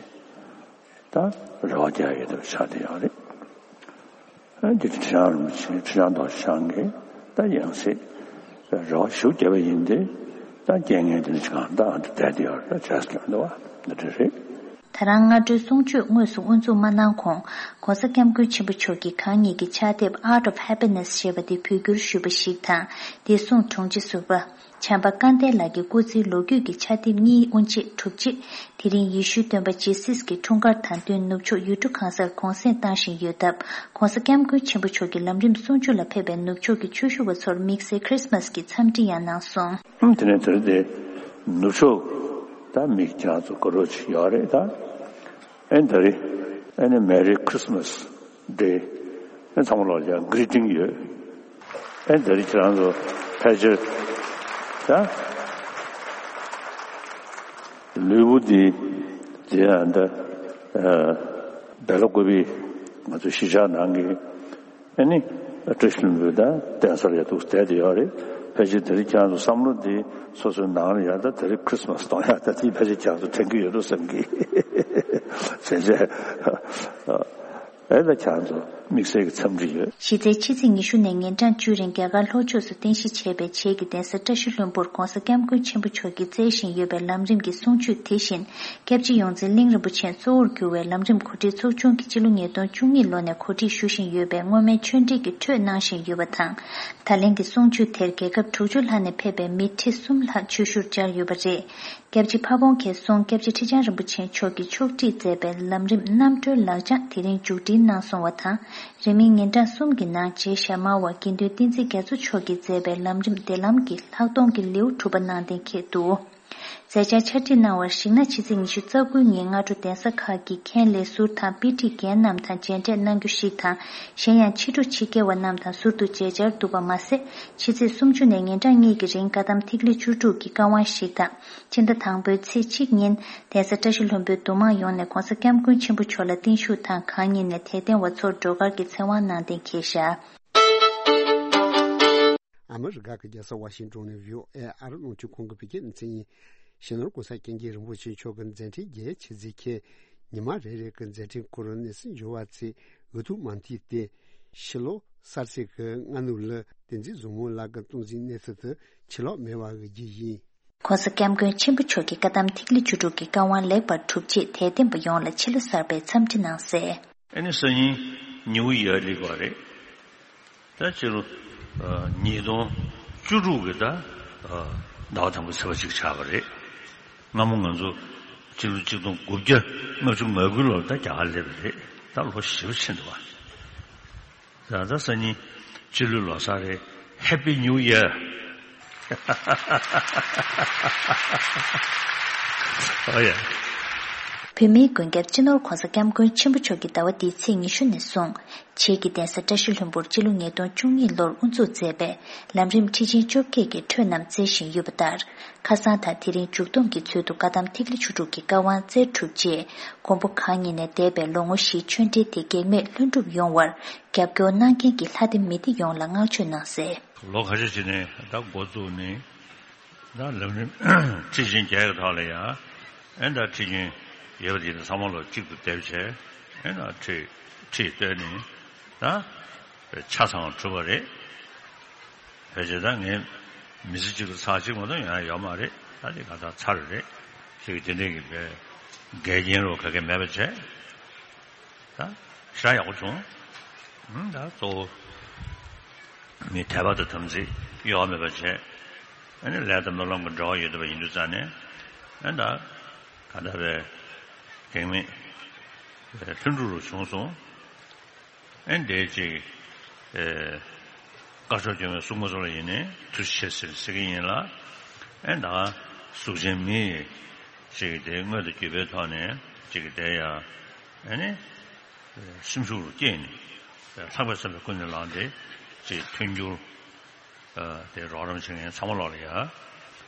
ད་རེ་བ་རྒྱག་ཡས་དེ་ཆགས་བསྡད་ཡོད་རེད། ཨ་འདི་ཁྲི་བྱང་རིན་པོ་ཆེ་ཁྲི་བྱང་རྡོ་རྗེ་འཆང་གིས་ད་ཡང་སྲིད་རེ་བ་ཞུ་བརྒྱབ་པ་ཡིན་ཏེ། ད་རྐྱེན་ངན་དེ་འདྲ་ཅིག་གང་ད་ཨ་འདི་བསྡད་དེ་ཡོད་རེད། ད་བྱས་ཀྱང་འདུག་བ་འདི་འདྲ་རེད། ད་ ད་རང་སྔ་དྲོའི་གསུང་ཆོས་དངོས་སུ་དབུ་འཛུགས་མ་གནང་གོང་། ྋགོང་ས་ྋསྐྱབས་མགོན་ཆེན་པོ་མཆོག་གིས་གང་ཉིད་ཀྱི་ཕྱག་དེབ་Art of Happiness ཞེས་པ་དེ་བོད་བསྒྱུར་ཞུས་པ་ཞིག་དང་། དེའི་གསུང་དྲུང་ཆེ་ཟུར་པ། བྱམས་པ་སྐལ་ལྡན་ལགས་ཀྱི་སྐུ་ཚེའི་ལོ་རྒྱུས་ཀྱི་ཕྱག་དེབ་གཉིས་དབུ་འབྱེད་གྲུབ་རྗེས། དེ་རིང་ཡེ་ཤུའི་སྟོན་པ་ཇི་སིས་ཀྱི་འཁྲུངས་སྐར་དང་བསྟུན་ནུབ་ཕྱོགས་ཡུལ་གྲུ་གང་སར་གུང་སེང་བཏང་བཞིན་ཡོད་སྟབས། ྋགོང་ས་ྋསྐྱབས་མགོན་ཆེན་པོ་མཆོག་གི་ལམ་རིམ་གསུང་ཆོས་ལ་ཕེབས་པའི་ནུབ་ཕྱོགས་ཀྱི་ཆོས་ཞུ་བ་ཚོར་དམིགས་བསལ་ཁྲི་སི་མཱས་ཀྱི་འཚམས་འདྲི་ཡང་གནང་སོང་། ཨུམ། དེ་ནས་དེར་དེ་ནུབ་ཕྱོགས་ད་མི་ཁྱེད་རང་ཚོ་དགའ་རོགས་ཅིག་ཡོད་རེད། ད་ཨེ་ད་རེད། ཨེ་ནི་Merry Christmas Day། ཨེ་ཚང་མ་ལོག་ཀྱང་གི་རི་ཊིང་ཡོད། ཨེ་ད་རེད། ཁྱེད་རང་ཚོ་ཕལ་ཆེར་ད་ལུས་པོ་འདི་དེ་ཡང་ད་ཨ་བེ་ལ་ཀོ་པི་ང་ཚོ་གཞིས་ཆགས་ནང་གི་ཨ་ནི་བཀྲ་ཤིས་ལྷུན་པོའི་ད་གདན་སར་ཡ་འདུག་བསྡད་དེ་ཡོད་རེད། ཕལ་ཆེར་དེ་རིང་ཁྱེད་རང་ཚོ་བསམ་བློ་འདི་སོ་སོའི་ནང་ལ་ཡ་ད་དེ་རིང་ཁྲི་སི་མ་སི་གཏོང་ཡ་ད་དེ་ཕལ་ཆེར་ཁྱེད་རང་ཚོ་དྲན་གྱི་ཡོད་འགྲོ་བསམ་གི། བྱས་བྱས་ཨེ་ད་ཁྱེད་རང་ཚོ་དམིགས་བསལ་གྱི་འཚམས་འདྲི་ཡོད། གཞི་རྩའི་ཕྱི་ཚེས་ཉི་ཤུ་ནས་ཉིན་གྲངས་བཅུ་རིང་རྒྱ་གར་ལྷོ་ཕྱོགས་སུ་རྟེན་གཞི་བྱས་པའི་བྱེས་ཀྱི་གདན་ས་བཀྲ་ཤིས་ལྷུན་པོར་ྋགོང་ས་ྋསྐྱབས་མགོན་ཆེན་པོ་མཆོག་གིས་སྩལ་བཞིན་ཡོད་པའི་ལམ་རིམ་གྱི་གསུང་ཆོས་དེ་བཞིན། སྐྱབས་རྗེ་ཡོངས་འཛིན་གླིང་རིན་པོ་ཆེས་གཙོ་བོར་གྱུར་བའི་ལམ་རིམ་གོ་སྒྲིག་ཚོགས་ཆུང་གིས་སྤྱི་ལོ་ཉིས་སྟོང་བཅུ་གཉིས་ལོ་ནས་གོ་སྒྲིག་ཞུ་བཞིན་ཡོད་པའི་སྔོན་མའི་ཆོས་འབྲེལ་གྱི་འཕྲོས་གནང་བཞིན་ཡོད་པ་དང་། ད་ལན་གྱི་གསུང་ཆོས་དེར་རྒྱལ་ཁབ་དྲུག་ཅུ་ལྷག་ནས་ཕེབས་པའི་མི་ཁྲི་གསུམ་ལྷག་ཆོས་ཞུར་བཅར་ཡོད་པ་རེད། སྐྱབས་རྗེ་ཕ་བོང་ཁའི་གསུང་སྐྱབས་རྗེ་ཁྲི་བྱང་རིན་པོ་ཆེ་མཆོག་གིས་ཕྱོགས་སྒྲིག་མཛད་པའི་ལམ་རིམ་རྣམ་གྲོལ་ལག་བཅངས་དེ་རིང་མཇུག་སྒྲིལ་གནང་སོང་བ་དང་། རིང་མིན་ཉིན་གྲངས་གསུམ་གྱི་ནང་རྗེ་ཞྭ་དམར་བ་དགེ་འདུན་བསྟན་འཛིན་རྒྱ་མཚོ་མཆོག་གིས་མཛད་པའི་ལམ་རིམ་བདེ་ལམ་གྱི་ལྷག་མཐོང་གི་ལེའུ་དྲུག་པ་གནང་གཏན་འཁེལ་འདུག་མཛད་འཆར་ཕྱག་བྲིས་གནང་བར་གཞིགས་ན། ཕྱི་ཚེས་ཉི་ཤུ་རྩ་དགུའི་ཉིན་སྔ་དྲོ་གདན་ས་ཁག་གི་མཁན་ལས་ཟུར་དང་དཔེ་ཁྲིད་རྒན་རྣམས་དང་མཇལ་འཕྲད་གནང་རྒྱུ་ཞིག་དང་། གཞན་ཡང་ཕྱི་དྲོ་ཕྱི་རྒྱལ་བ་རྣམས་དང་ཟུར་དུ་མཇལ་བཅར་འདུག་པ་མ་ཟད། ཕྱི་ཚེས་སུམ་ཅུ་ནས་ཉིན་གྲངས་གཉིས་ཀྱི་རིང་བཀའ་གདམས་ཐིག་ལེ་བཅུ་དྲུག་གི་བཀའ་དབང་ཞིག་དང་། ཕྱི་ཟླ་དང་པོའི་ཚེས་གཅིག་ཉིན་གདན་ས་བཀྲ་ཤིས་ལྷུན་པོའི་འདུ་མང་ཡོངས་ནས་ྋགོང་ས་ྋསྐྱབས་མགོན་ཆེན་པོ་མཆོག་ལ་བརྟན་བཞུགས་དང་། གང་ཉིད་ནས་དད་ལྡན་བ་ཚོར་སྒྲོལ་དཀར་གྱི་ཚེ་དབང་གནང་གཏན་འཁེལ་བཞག་ཨ་མི་རི་ཀ་གི་རྒྱལ་ས་ཝ་ཤིང་ཏོན་ནས་བྷི་ཨོ་ཨེ་ཨ་རིའི་རླུང་འཕྲིན་ཁང་གི་བོད་སྐད་སྡེ་ཚན་ཡིན། སྤྱི་ནོར་༸གོང་ས་༸སྐྱབས་མགོན་རིན་པོ་ཆེ་མཆོག་གི་མཛད་འཕྲིན་རྒྱལ་ཆེ་གཟིགས་ཁས། ཉི་མ་རེ་རེ་གི་མཛད་འཕྲིན་ཁོ་རང་གནས་ཚུལ་འབྱོར་བ་ཚེ་འུ་ཐུག་མ་མཐིལ་ཏེ། ཕྱི་ལོ་གསར་ཚེས་ཀྱི་སྔ་ནུབ་ལ་བསྟན་འཛིན་བཟང་མོ་ལགས་ཀྱི་སྟངས་འཛིན་གནས་ཚུལ་དུ་ཕྱི་ལོགས་མེད་པ་འོས་རྒྱུ་ཡིན། ྋགོང་ས་ྋསྐྱབས་མགོན་ཆེན་པོ་མཆོག་གི་བཀའ་གདམས་ཐིག་ལེ་བཅུ་དྲུག་གི་བཀའ་དབང་ལེགས་པར་གྲུབ་རྗེས་དད་ལྡན་པ་ཡོངས་ལ་ཕྱི་ལོ་གསར་པའི་འཚམས་འདྲི་གནང་གསལ། ཨེ་ནི་སང་ཉིན་ནིའུ་ཡར་སླེབས་པ་རེད། ད་ཕྱི་ལོ་ཨ་ཉིས་སྟོང་བཅུ་དྲུག་གི་ད་ཨ་ཟླ་བ་དང་པོའི་ཚེས་པ་གཅིག་ཆགས་པ་རེད། སྔ་མོ་ང་ཚོ་ཕྱི་ལོ་ཆིག་སྟོང་དགུ་བརྒྱ་ལྔ་བཅུ་ང་དགུ་ལོར་ད་རྒྱ་གར་སླེབས་པ་རེད། ད་ལོ་ཞེ་པོ་ཕྱིན་འདུག་བ། ད་ད་སང་ཉིན་ཕྱི་ལོའི་ལོ་གསར་རེད། Happy New Year. ཨོ་ཡ། བོད་མིའི་མགོན་སྐྱབས་སྤྱི་ནོར་ྋགོང་ས་ྋསྐྱབས་མགོན་ཆེན་པོ་མཆོག་གིས་ཟླ་བ་འདིའི་ཚེས་ཉི་ཤུ་ནས་བཟུང་། བྱེས་ཀྱི་གདན་ས་བཀྲ་ཤིས་ལྷུན་པོར་སྤྱི་ལོ་ཉིས་སྟོང་བཅུ་གཉིས་ལོར་དབུ་འཛུགས་མཛད་པའི་ལམ་རིམ་ཁྲིད་ཆེན་བཅོ་བརྒྱད་ཀྱི་འཕྲོས་རྣམས་སྩལ་བཞིན་ཡོད་པ་ལྟར། ཁ་སང་དང་དེ་རིང་མཇུག་བསྡོམས་ཀྱི་ཚུལ་དུ་བཀའ་གདམས་ཐིག་ལེ་བཅུ་དྲུག་གི་བཀའ་དབང་སྩལ་གྲུབ་རྗེས། མགོན་པོ་གང་ཉིད་ནས་འདས་པའི་ལོ་ངོ་བཞིའི་ཆོས་འབྲེལ་དེ་གེགས་མེད་ལྷུན་གྲུབ་ཡོང་བར་རྒྱབ་སྐྱོར་གནང་མཁན་གྱི་ལྷ་སྡེ་མི་སྡེ་ཡོངས་ལ་བསྔགས་བརྗོད་གནང་གསལ། ལོ་ཁ་ཤས་ཤིག་ནས་ད་འགོ་བཙུགས་ནས་ད་ལམ་རིམ་ཁྲིད་ཆེན་བརྒྱད་ཀྱི་ཐོག་ལ་ཡང་ཨེ་ད་ཁྲིད་ཆེན་ཡོད་པ་དེ་ཚང་མ་ལོ་གཅིག་ཏུ་སྡེབ་བྱས་ཨེ་ད་ཁྲིད་ཁྲིད་བཏོན་ནས་ད་ཆ་ཚང་བ་གྲུབ་པ་རེད། བྱས་ཙང་ད་ངས་མི་ཚེ་གཅིག་ཏུ་ཚར་གཅིག་མ་གཏོགས་ཡོང་ཡ་ཡོད་མ་རེད། ད་དེ་ག་ད་ཚར་རེད་ཞེས་དེ་འདྲའི་གི་བས་འགལ་རྐྱེན་རོ་ག་གེ་མེད་པ་བྱས། ད་ཞེ་དྲག་ཡག་པོ་བྱུང་། ཨང་། ད་གཙོ་བོ་མི་དད་པ་དང་དམ་ཚིག་གཡོ་བ་མེད་པ་བྱས། ཨ་ནི་ལས་དང་སྨོན་ལམ་གྱི་འབྲེལ་བ་ཡོད་བསྡད་པ་ཡིན་དུས་ཙང་ནས་ཨ་ད་ག་ད་བས་གེགས་མེད་ལྷུན་གྲུབ་རུ་བྱུང་སོང་། ཨེ་འདས་ཅིག་ཨེ་དཀར་ཕྱོགས་སྐྱོང་བའི་སྲུང་མ་ཚོ་ལ་ཡིན་ནའི་ཐུགས་རྗེ་ཆེ་ཟེར་ཟེར་གྱི་ཡིན་ལ། ཨེ་ད་གཟུགས་ཅན་མི་ཡིས་ཅིག་དེ་དངོས་དང་བརྒྱུད་པའི་ཐོག་ནས་ཅིག་དེ་ཡང་ཨེ་ནི་སེམས་ཤུགས་རུ་བསྐྱེད་ནས་ལྷག་པའི་བསམ་པའི་ཀུན་ནས་བསླངས་ཏེ་ཅིག་མཐུན་འགྱུར་ཨ་དེ་རོགས་རམ་བྱེད་མཁན་ཚང་མ་ལོག་ལ་ཡ་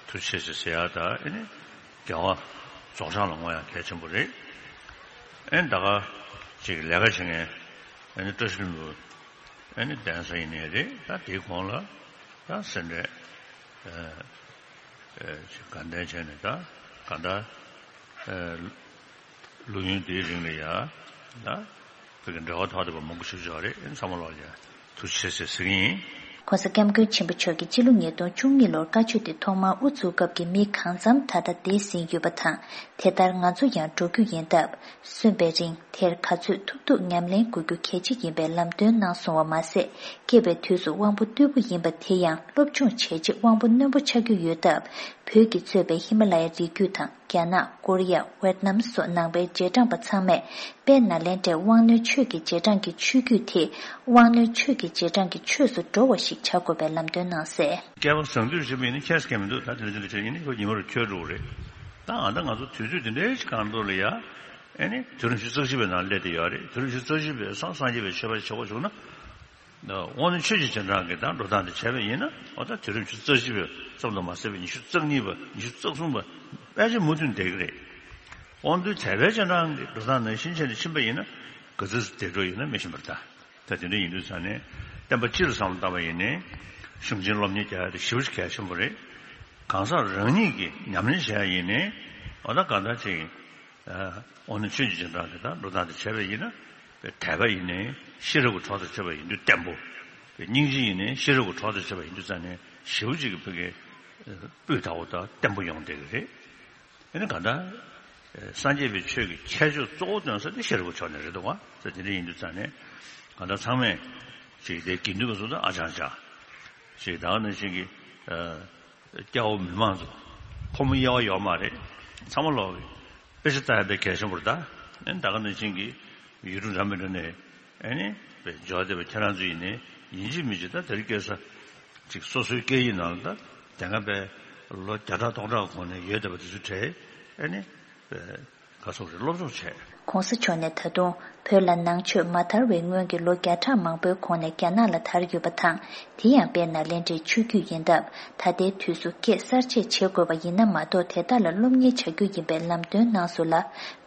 ཐུགས་རྗེ་ཆེ་ཟེར་ཟེར་ཡ་ད་ཨེ་ནི་དགེ་བ་རྫོགས་བྱང་ལ་བསྔོ་ཡ་གལ་ཆེན་པོ་རེད། ཨེ་ནི་ད་ག་ཅིག་ལས་ཀ་བྱེད་མཁན་ཨེ་ནི་བཀྲ་ཤིས་ལྷུན་པོ་ཨེ་ནི་གདན་ས་ཡིན་ནའི་རེད། ད་དེའི་གོང་ལ་ད་སེ་འབྲས་ཨ་ཨ་ཅིག་དགའ་ལྡན་བྱས་ནས་ད་ག་ད་ཨ་ལོ་ཡུན་དེའི་རིང་ལ་ཡ་ད་བོད་ཀྱི་འབྲེལ་བ་ཐོག་བསྡད་པ་མང་པོ་ཞིག་ཡོད་རེད། ཨེ་ཚང་མ་ལོག་ཡ་ཐུགས་རྗེ་ཆེ་ཟེར་ཟེར་གྱི་ཡིན། ༸གོང་ས་༸སྐྱབས་མགོན་ཆེན་པོ་མཆོག་གིས་ཕྱི་ལོ་ཉིས་སྟོང་བཅུ་གཉིས་ལོར་བཀའ་ཆོས་དེ་ཐོག་མར་དབུ་བཙུགས་སྐབས་ཀྱི་མི་གང་འཚམ་ད་ལྟ་འདས་ཟིན་ཡོད་པ་དང་། དེ་ལྟར་ང་ཚོ་ཡང་འགྲོ་རྒྱུ་ཡིན་སྟབས། སོན་པའི་རིང་དེར་ག་ཚོད་ཐུབ་ཐུབ་ཉམས་ལེན་དགོས་རྒྱུ་གལ་ཆེ་ཡིན་པའི་ལམ་སྟོན་གནང་སོང་བ་མ་ཟད། སྐྱེས་པའི་དུས་སུ་དབང་པོ་རྟུལ་པོ་ཡིན་པ་དེ་ཡང་སློབ་སྦྱོང་བྱས་རྗེས་དབང་པོ་རྣོན་པོ་ཆགས་རྒྱུ་ཡོད་སྟབས། བོད་ཀྱིས་གཙོས་པའི་ཧི་མ་ལ་ཡའི་རི་རྒྱུད་དང་། རྒྱ་ནག་ཀོ་རི་ཡ། ཝེད་ནམ་སོགས་ནང་པའི་རྗེས་འབྲང་པ་ཚང་མས་དཔལ་ནཱ་ལེནྡྲའི་དབང་རྣོན་ཆོས་ཀྱི་རྗེས་འབྲང་གི་ཆོས་བརྒྱུད་དེ། དབང་རྣོན་ཆོས་ཀྱི་རྗེས་འབྲང་གི་ཆོས་སུ་འགྲོ་བ་ཞིག་བྱ་དགོས་པའི་ལམ་སྟོན་གནང་གསལ། བསྐལ་པ་བཟང་དུས་བྱེད་པ་ཡིན་ན་ཁྱད་སྐད་མི་འདུག་ད་དེ་འདྲ་དེ་འདྲ་བྱས་ཡིན་ན་ཁོ་ཉི་མ་རུ་ཁྱོད་འགྲོ་གི་རེད། ད་ཨ་ད་ང་ཚོ་དུས་ཚོད་དེ་འདྲའི་ཞིག་གང་འགྲོ་ལ་ཡ། ཨེ་ནི་དུས་རབས་ཉི་ཤུ་རྩ་བཞི་པའི་ནང་སླེབས་བསྡད་ཡོད་རེད། དུས་རབས་ཉི་ཤུ་རྩ་བཞི་པའི་སང་སངས་རྒྱས་པའི་ཆོས་པ་བྱེད་དགོས་བྱུང་ན། དབང་རྣོན་ཆོས་ཀྱི་རྗེས་འབྲང་གི་དང་འགྲོ་སྟངས་དེ་བྱས་པ་ཡིན་ན། འོ་ད་དུས་རབས་ཉི་ཤུ་རྩ་བཞི་པའི་ཙམ་དུ་མ་ཟད་པའི་ཉི་ཤུ་རྩ་གཉིས་པ། ཉི་ཤུ་རྩ་གསུམ་པ་དཔེ་ཆ་མུ་མཐུད་བསྡད་ཀྱི་རེད། དབང་རྣོན་དད་པའི་རྗེས་འབྲང་གི་འགྲོ་སྟངས་ནང་བཞིན་བྱས་ནས་ཕྱིན་པ་ཡིན་ན་ག་ཚོད་ཙམ་བསྡད་འགྲོ་ཡོད་ན་མི་ཤེས་པར་ཐལ། ད་དེ་འདྲ་ཡིན་དུས་ཙང་ནས་བསྟན་པ་སྤྱི་ལ་བསམ་བློ་བཏང་བ་ཡིན་ནའི་གཞུང་ཆེན་སློབ་གཉེར་རྒྱག་ཡ་དེ་ཞེ་པོ་ཅིག་གལ་ཆེན་པོ་རེད། གང་ཟག་རང་ཉིད་ཀྱིས་ཉམས་ལེན་བྱས་ཡ་ཡིན་ནའི་འོ་ད་གང་ལྟར་ཅིག་དབང་རྣོན་ཆོས་ཀྱི་རྗེས་འབྲང་གི་དང་འགྲོ་སྟངས་དེ་བྱས་པ་ཡིན་ན། དད་པ་ཡིན་ནའི་ཤེས་རབ་ཀྱི་གྲོགས་དང་བཅས་པ་ཡིན་དུས་བརྟན་པོ། སྙིང་རྗེ་ཡིན་ནའི་ཤེས་རབ་ཀྱི་གྲོགས་དང་བཅས་པ་ཡིན་དུས་ཙང་ནས་ཞེ་པོ་ཅིག་གི་བོད་ཀྱི་སྤུས་དག་པོ་དང་བརྟན་པོ་ཡོང་བསྡད་ཀྱི་རེད། ཨ་ནི་གང་ལྟར་སངས་རྒྱས་པའི་ཆོས་ཀྱི་ཁྱད་ཆོས་གཙོ་བོ་སྟོན་ས་དེ་ཤེས་རབ་ཀྱི་ཕྱོགས་ནས་རེད་འདུག་བ། ད་དེ་འདྲ་ཡིན་དུས་ཙང་ནས་གང་ལྟར་ཚང་མས་ཅིག་དེ་དགེ་འདུན་པ་ཚོ་དང་ཨ་ཅང་ཅང་ཅིག་ད་ག་ནང་བཞིན་གྱི། སྐྱ་བོ་མི་མང་ཚོ་ཕོ་མོ་དབྱེ་བ་ཡོད་མ་རེད། ཚང་མ་ལོག་གི་དཔེ་ཆ་ལྟ་ཡ་དཔེ་གལ་ཆེན་པོ་རེད་ད། ཨེ་ད་ག་ནང་བཞིན་གྱི་ཡུལ་གྲུ་འདྲ་མི་འདྲ་ནས་ཨེ་ནི་དཔེ་འབྱོར་བསྡད་པ་ཁྱེད་རང་ཚོ་ཡིན་ནའི་ཡིན་གཅིག་མིན་གཅིག་ད་དེ་རིང་ཁ་སང་ཅིག་སོ་སོའི་སྐད་ཡིག་ནང་ལ་ད་དེ་སྔ་དཔེ་ལོ་བརྒྱ་ཕྲག་སྟོང་ཕྲག་གོང་ནས་ཡོད་བསྡད་པ་དེ་ཚོ་གྲས་ཨེ་ནི་དཔེ། ག་སོགས་རེ་སློབ་སྦྱོང་བྱས། ༸གོང་ས་མཆོག་ནས་ད་དུང་བོད་ལ་ནང་ཆོས་མ་དར་བའི་སྔོན་གྱི་ལོ་བརྒྱ་ཕྲག་མང་པོའི་གོང་ནས་རྒྱ་ནག་ལ་དར་ཡོད་པ་དང་། དེ་ཡང་དཔལ་ནཱ་ལེནྡྲའི་ཆོས་བརྒྱུད་ཡིན་སྟབས། ད་ལྟའི་དུས་སུ་སྐད་གསར་བཅད་བྱེད་དགོས་པ་ཡིན་ན་མ་གཏོགས་དེ་དག་ལ་སློབ་གཉེར་བྱ་རྒྱུ་ཡིན་པའི་ལམ་སྟོན་གནང་སོང་ལ།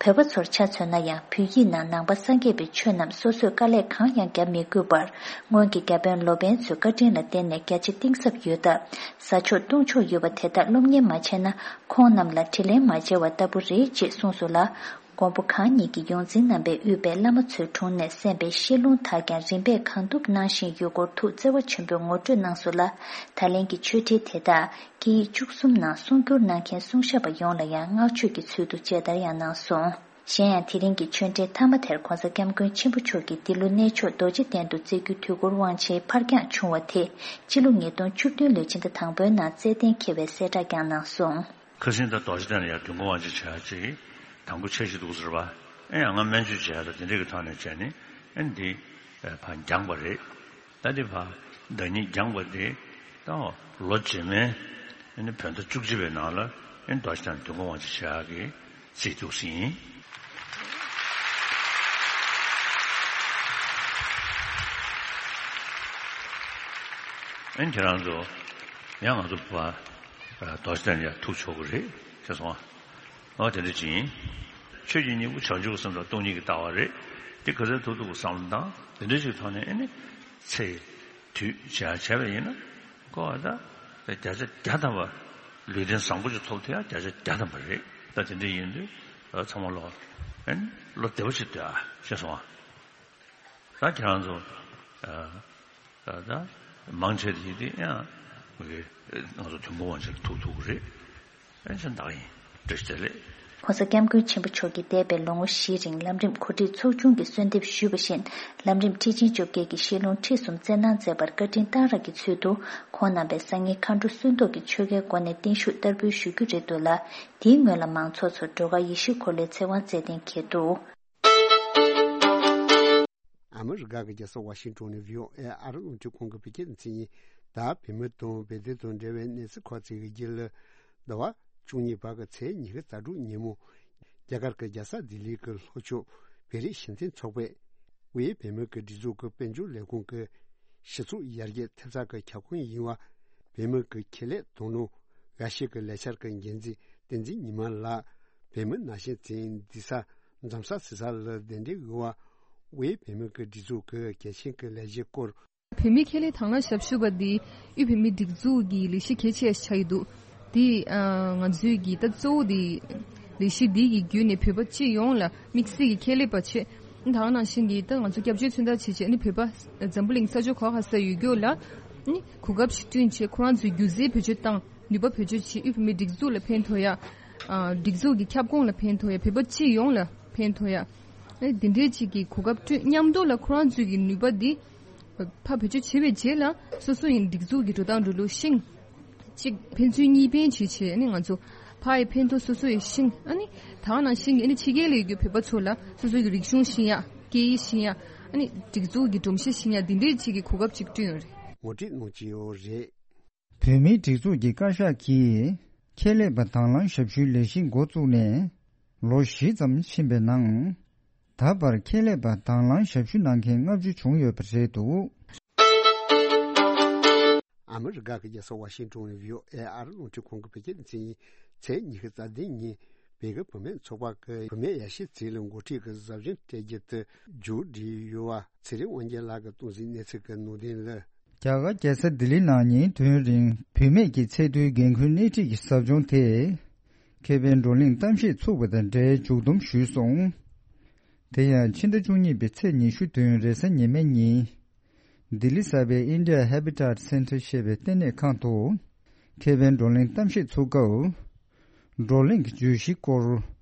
བོད་པ་ཚོར་ཆ་མཚོན་ན་ཡང་བོད་ཡིག་ནང་ནང་པ་སངས་རྒྱས་པའི་ཆོས་རྣམས་སོ་སོས་དཀའ་ལས་གང་ཡང་བརྒྱབ་མི་དགོས་པར། སྔོན་གྱི་བརྒྱ་དཔོན་ལོ་པཎ་ཚོའི་བཀའ་དྲིན་ལ་བརྟེན་ནས་རྒྱ་ཆེ་གཏིང་ཟབ་ཡོད་སྟབས། ཟ་ཆོག་བཏུང་ཆོག་ཡོད་པ་དེ་དག་སློབ་གཉེར་མ་བྱས་ན། ཁོང་རྣམས་ལ་དྲིན་ལན་མ་འཇལ་བ་ལྟ་བུ་རེད་ཅེས་གསུངས་སོང་ལ། མགོན་པོ་གང་ཉིད་ཀྱིས་ཡོངས་འཛིན་རྣམ་པས་དབུས་པའི་བླ་མ་ཚོའི་དྲུང་ནས་གསན་པའི་བཤད་ལུང་དག་ཀྱང་རིམ་པས་གང་ཐུབ་གནང་བཞིན་ཡོད་སྐོར་ཐུགས་བརྩེ་བ་ཆེན་པོས་ངོ་སྤྲོད་གནང་སོང་ལ། ད་ལན་གྱི་ཆོས་འབྲེལ་དེ་དག་སྐད་ཡིག་བཅུ་གསུམ་ནང་གསུང་སྒྱུར་གནང་མཁན་གསུང་ཞབས་པ་ཡོངས་ལ་ཡང་བསྔགས་བརྗོད་ཀྱི་ཚུལ་དུ་མཇལ་དར་ཡང་གནང་སོང་། གཞན་ཡང་དེ་རིང་གི་ཆོས་འབྲེལ་མཐའ་མ་དེར་༸གོང་ས་༸སྐྱབས་མགོན་ཆེན་པོ་མཆོག་གིས་འདི་ལོ་གནས་མཆོག་རྡོ་རྗེ་གདན་དུ་བསྩལ་རྒྱུ་དུས་འཁོར་དབང་ཆེན་ཕར་འགྱངས་བྱུང་བ་དེ་སྤྱི་ལོ་ཉིས་སྟོང་བཅུ་བདུན་ལོའི་ཕྱི་ཟླ་དང་པོའི་ནང་རྩེད་གཏན་འཁེལ་བའི་གསལ་བསྒྲགས་ཀྱང་གནང་སོང་། ཁ་སང་ད་རྡོ་རྗེ་གདན་ལ་ཡང་དུས་འཁོར་དབང་ཆེན་བྱ་ཡག་ཅིག་དང་པོ་འཆར་གཞི་འདུག་ཟེར་བ། ཨེ་ཡང་ང་སྨན་བཅོས་བྱས་ཡག་དང་དེ་འདྲས་ཀྱི་ཐོག་ནས་བྱས་ནས་ཨེ་འདི་ཕར་འགྱངས་པ་རེད། ད་འདི་ཕར་ཟླ་ཉིན་འགྱངས་པ་དེ་ད་ལོ་རྗེས་མའི་ཨེ་ནི་བོད་ཟླ་བཅུ་གཅིག་པའི་ནང་ལ་ཨེ་རྡོ་རྗེ་གདན་དུས་འཁོར་དབང་ཆེན་བྱ་ཡག་གི་རྩིས་འདུག་ཟིན། ཨེ་ཁྱེད་རང་ཚོ་ཡང་ང་ཚོ་བ་རྡོ་རྗེ་གདན་ཡར་ཐུག་ཆོག་གི་རེད་ཟེར་སོང་ཨ། ཨོ་དེ་འདྲ་ཅིག་ཡིན། ཆོས་ཀྱི་སྙིང་པོ་བྱང་ཆུབ་སེམས་དང་སྟོང་ཉིད་ཀྱི་ལྟ་བ་རེད། དེ་ག་ཚོད་ཐུབ་ཐུབ་ཀྱི་བསམ་བློ་བཏང་དེ་འདྲ་ཞིག་ཐོག་ནས་ཨེ་ནི་ཚེ་དུས་བྱ་བྱས་པ་ཡིན་ན་ཀོ་བ་ད་བརྒྱ་ཆ་བརྒྱ་ཐམ་པ་ལུས་རྟེན་བཟང་པོ་ཅིག་ཐོབ་ཐུབ་ཡ་བརྒྱ་ཆ་བརྒྱ་ཐམ་པ་རེད། ད་དེ་འདྲ་ཡིན་དུས་ཚང་མ་ལོ་ཨེ་ནི་བློ་བདེ་པོ་ཞིག་སྡོད་ཨ་ཤེས་སོང་ཨ། ད་ཁྱེད་རང་ཚོ་ད་ད་མང་ཆེ་དེ་དེ་ཡང་ང་ཚོ་དུས་འཁོར་དབང་ཆེན་ཐུག་ཐུག་གི་རེད། ཨེ་ཆ་འདག་ཡིན་བཀྲ་ཤིས་བདེ་ལེགས། ༸གོང་ས་༸སྐྱབས་མགོན་ཆེན་པོ་མཆོག་གིས་འདས་པའི་ལོ་ངོ་བཞི་རིང་ལམ་རིམ་གོ་སྒྲིག་ཚོགས་ཆུང་གིས་གསོལ་འདེབས་ཞུས་པ་བཞིན་ལམ་རིམ་ཁྲི་ཆེན་བཅོ་བརྒྱད་ཀྱི་བཤད་ལུང་ཁྲིད་གསུམ་སྩལ་གནང་མཛད་པར་བཀའ་དྲིན་གཏང་རག་གི་ཚུལ་དུ་ཁོང་རྣམ་པས་སང་ཉིན་མཁའ་འགྲོ་སུན་ཏོག་གི་ཆོ་གའི་སྒོ་ནས་བརྟན་བཞུགས་བསྟར་འབུལ་ཞུ་རྒྱུ་རེད་འདུག་ལ། དེའི་སྔོན་ལ་མང་ཚོགས་ཚོར་སྒྲོལ་དཀར་ཡེ་ཤེས་འཁོར་ལོའི་ཚེ་དབང་སྩལ་གཏན་འཁེལ་འདུག་ཨ་མི་རི་ཀ་གི་རྒྱལ་ས་ཝ་ཤིང་ཏོན་ནས་བྷི་ཨོ་ཨེ་ཨ་རི་རླུང་འཕྲིན་ཁང་གི་བོད་སྐད་སྡེ་ཚན་ཡིན། ད་བོད་མི་དང་བོད་དོན་དང་འབྲེལ་བའི་གནས་ཚུལ་ཁག་ཅིག་གི་རྒྱུད་ལ། ཟླ་བ་བཅུ་གཉིས་པ་གི་ཚེས་ཉི་ཤུ་རྩ་དྲུག་ཉིན་མོ། རྒྱ་གར་གྱི་རྒྱལ་ས་ལྡི་ལི་གི་ལྷོ་ཕྱོགས་བོད་རིགས་གཞིས་རྩེ་ཚོགས་པས། དབུས་བོད་མི་གི་སྒྲིག་འཛུགས་ཀྱི་དཔལ་འབྱོར་ལས་ཁུངས་ཀྱི་གཞི་ཚུགས་ཡར་རྒྱས་ཐེབས་རྩ་གི་ཁྱབ་ཁོངས་ཡིན་པ། བོད་མི་གི་ཁེ་ལས་དོ་ནོ་འགའ་ཤས་ཀྱི་ལས་འཆར་གྱི་འགན་འཛིན་བསྟན་འཛིན་ཉི་མ་ལགས་བོད་མི་ནང་བཞིན་འཛིན་འདི་ས་འཛོམས་ས་སི་ས་ལ་གདན་འདྲེན་ཡོད་པ། དབུས་བོད་མི་གི་སྒྲིག་འཛུགས་ཀྱི་གལ་ཆེན་གྱི་ལས་གཞིའི་སྐོར། བོད་མིའི་ཁེ་ལས་དང་བླངས་ཞབས་ཞུ་བ་འདི་དབུས་བོད་མིའི་སྒྲིག་འཛུགས་ཀྱི་ལས་གཞི་གལ་ཆེ་ཆགས་ཀྱི་འདུག་འདི་ང་ཚོའི་གི་ད་གཙོ་བོ་འདི་ལས་གཞི་འདི་གི་བརྒྱུད་ནས་བོད་པ་སྤྱི་ཡོངས་ལ་དམིགས་བསལ་གྱི་ཁེ་ལས་པ་བྱས། ད་ག་ནང་བཞིན་གྱི་ད་ང་ཚོ་སྐྱབས་བཅོལ་མཚོན་རྟགས་བྱས་བྱས་ནི་བོད་པ་འཛམ་བུ་གླིང་ས་ཕྱོགས་ག་ག་ས་ཡོད་རྒྱུ་ལ་ ནི་གོ་སྐབས་ཤིག་བསྐྲུན་བྱས། ཁོ་རང་ཚོའི་སྒྱུ་རྩལ་བེད་སྤྱོད་བཏང་། ནུས་པ་བེད་སྤྱོད་བྱས། དབུས་བོད་མིའི་སྒྲིག་འཛུགས་ལ་ཕན་ཐོགས་ཡ། ཨ། སྒྲིག་འཛུགས་ཀྱི་ཁྱབ་ཁོངས་ལ་ཕན་ཐོགས་ཡ། བོད་པ་སྤྱི་ཡོངས་ལ་ཕན་ཐོགས་ཡ། ཨ་ནི་འདི་འདྲའི་ཅིག་གི་གོ་སྐབས་བསྐྲུན། མཉམ་དུ་ལ་ཁོ་རང་ཚོའི་གི་ནུས་པ་འདི་ཕར་བེད་སྤྱོད་བྱས་པའི་རྗེས་ལ་སོ་སོ་ཡི་སྒྲིག་འཛུགས་ཀྱི་འགྲོ་སྟངས་འགྲོ་ལུགས་ཤེས། གཅིག་ཕན་ཚུན་གཉིས་ཕན་བྱེད་བྱས། ཨ་ནི་ང་ཚོ་ཕ་ཡི་ཕན་ཐོགས། སོ་སོ་ཡི་ཤེས། ཨ་ནི་ད་ག་ནང་བཞིན་གྱི་ཨ་ནི་ཕྱི་རྒྱལ་ལ་ཡོད་རྒྱུ་བོད་པ་ཚོ་ལ་སོ་སོ་གི་རིག་གཞུང་ཤེས་ཡ། སྐད་ཡིག་ཤེས་ཡ། ཨ་ནི་སྒྲིག་འཛུགས་ཀྱི་སྒྲོམ་གཞི་ཤེས་ཡ། འདི་འདྲའི་ཅིག་གི་གོ་སྐབས་ཅིག་བསྐྲུན་ཡོད་རེད། ངོ་སྤྲོད་གནང་གི་ཡོད་རེད། བོད་མིའི་སྒྲིག་འཛུགས་ཀྱི་བཀའ་ཤག་གིས་ཁྱད་ལས་པ་དྭང་བླངས་ཞབས་ཞུའི་ལས་གཞི་འགོ་བཙུགས་ནས་ལོ་བཞི་ཙམ་ཕྱིན་པའི་ནང་། ད་བར་ཁྱད་ལས་པ་དྭང་བླངས་ཞབས་ཞུ་གནང་མཁན་ལྔ་བཅུ་བྱུང་ཡོད་པ་རེད་འདུག། ཨ་མི་རི་ཀ་གི་རྒྱལ་ས་ཝ་ཤིང་ཏོན་ནས་བྷི་ཨོ་ཨེ་ཨར་རླུང་འཕྲིན་ཁང་གི་བོད་སྐད་སྡེ་ཚན་ཡིན། ཚེས་ཉི་ཤུ་རྩ་བདུན་ཉིན་བོད་ཀྱི་བུད་མེད་ཚོགས་པ་གི་བུད་མེད་ཡ་ཤས་ཚེ་རིང་འགོ་ཁྲིད་ཀྱི་ཟབ་སྦྱོང་སྤྲད་རྒྱུ་དེ་མཇུག་བསྒྲིལ་ཡོད་པ། ཚེ་རིང་དབང་རྒྱལ་ལགས་ཀྱིས་གཏོང་ཟིན་གནས་ཚུལ་གྱི་ནང་དོན་ལ། རྒྱ་གར་རྒྱལ་ས་ལྡི་ལི་ནང་ཉིན་དུས་ཡུན་རིང་བུད་མེད་ཀྱི་ཚད་མཐོའི་འགན་འཁུར་སྣེ་ཁྲིད་ཀྱི་ཟབ་སྦྱོང་དེ། མཁས་པའི་བགྲོ་གླེང་གཏམ་བཤད་ཚུགས་པ་དང་འབྲེལ་མཇུག་བསྡོམས་ཞུས་སོང་། དེ་ཡང་ཕྱི་ཟླ་བཅུ་གཉིས་པའི་ཚེས་ཉི་ཤུ་དུས་ཡུན་རེས་གཟའ་ཉི་མའི་ཉིན། ལྡི་ལི་གསར་པའི་India Habitat Centre ཞེས་པའི་ལྟེ་གནས་ཁང་དུ། མཁས་པའི་བགྲོ་གླེང་གཏམ་བཤད་ཚུགས་སྐབས། བགྲོ་གླེང་གི་བརྗོད་གཞིའི་སྐོར།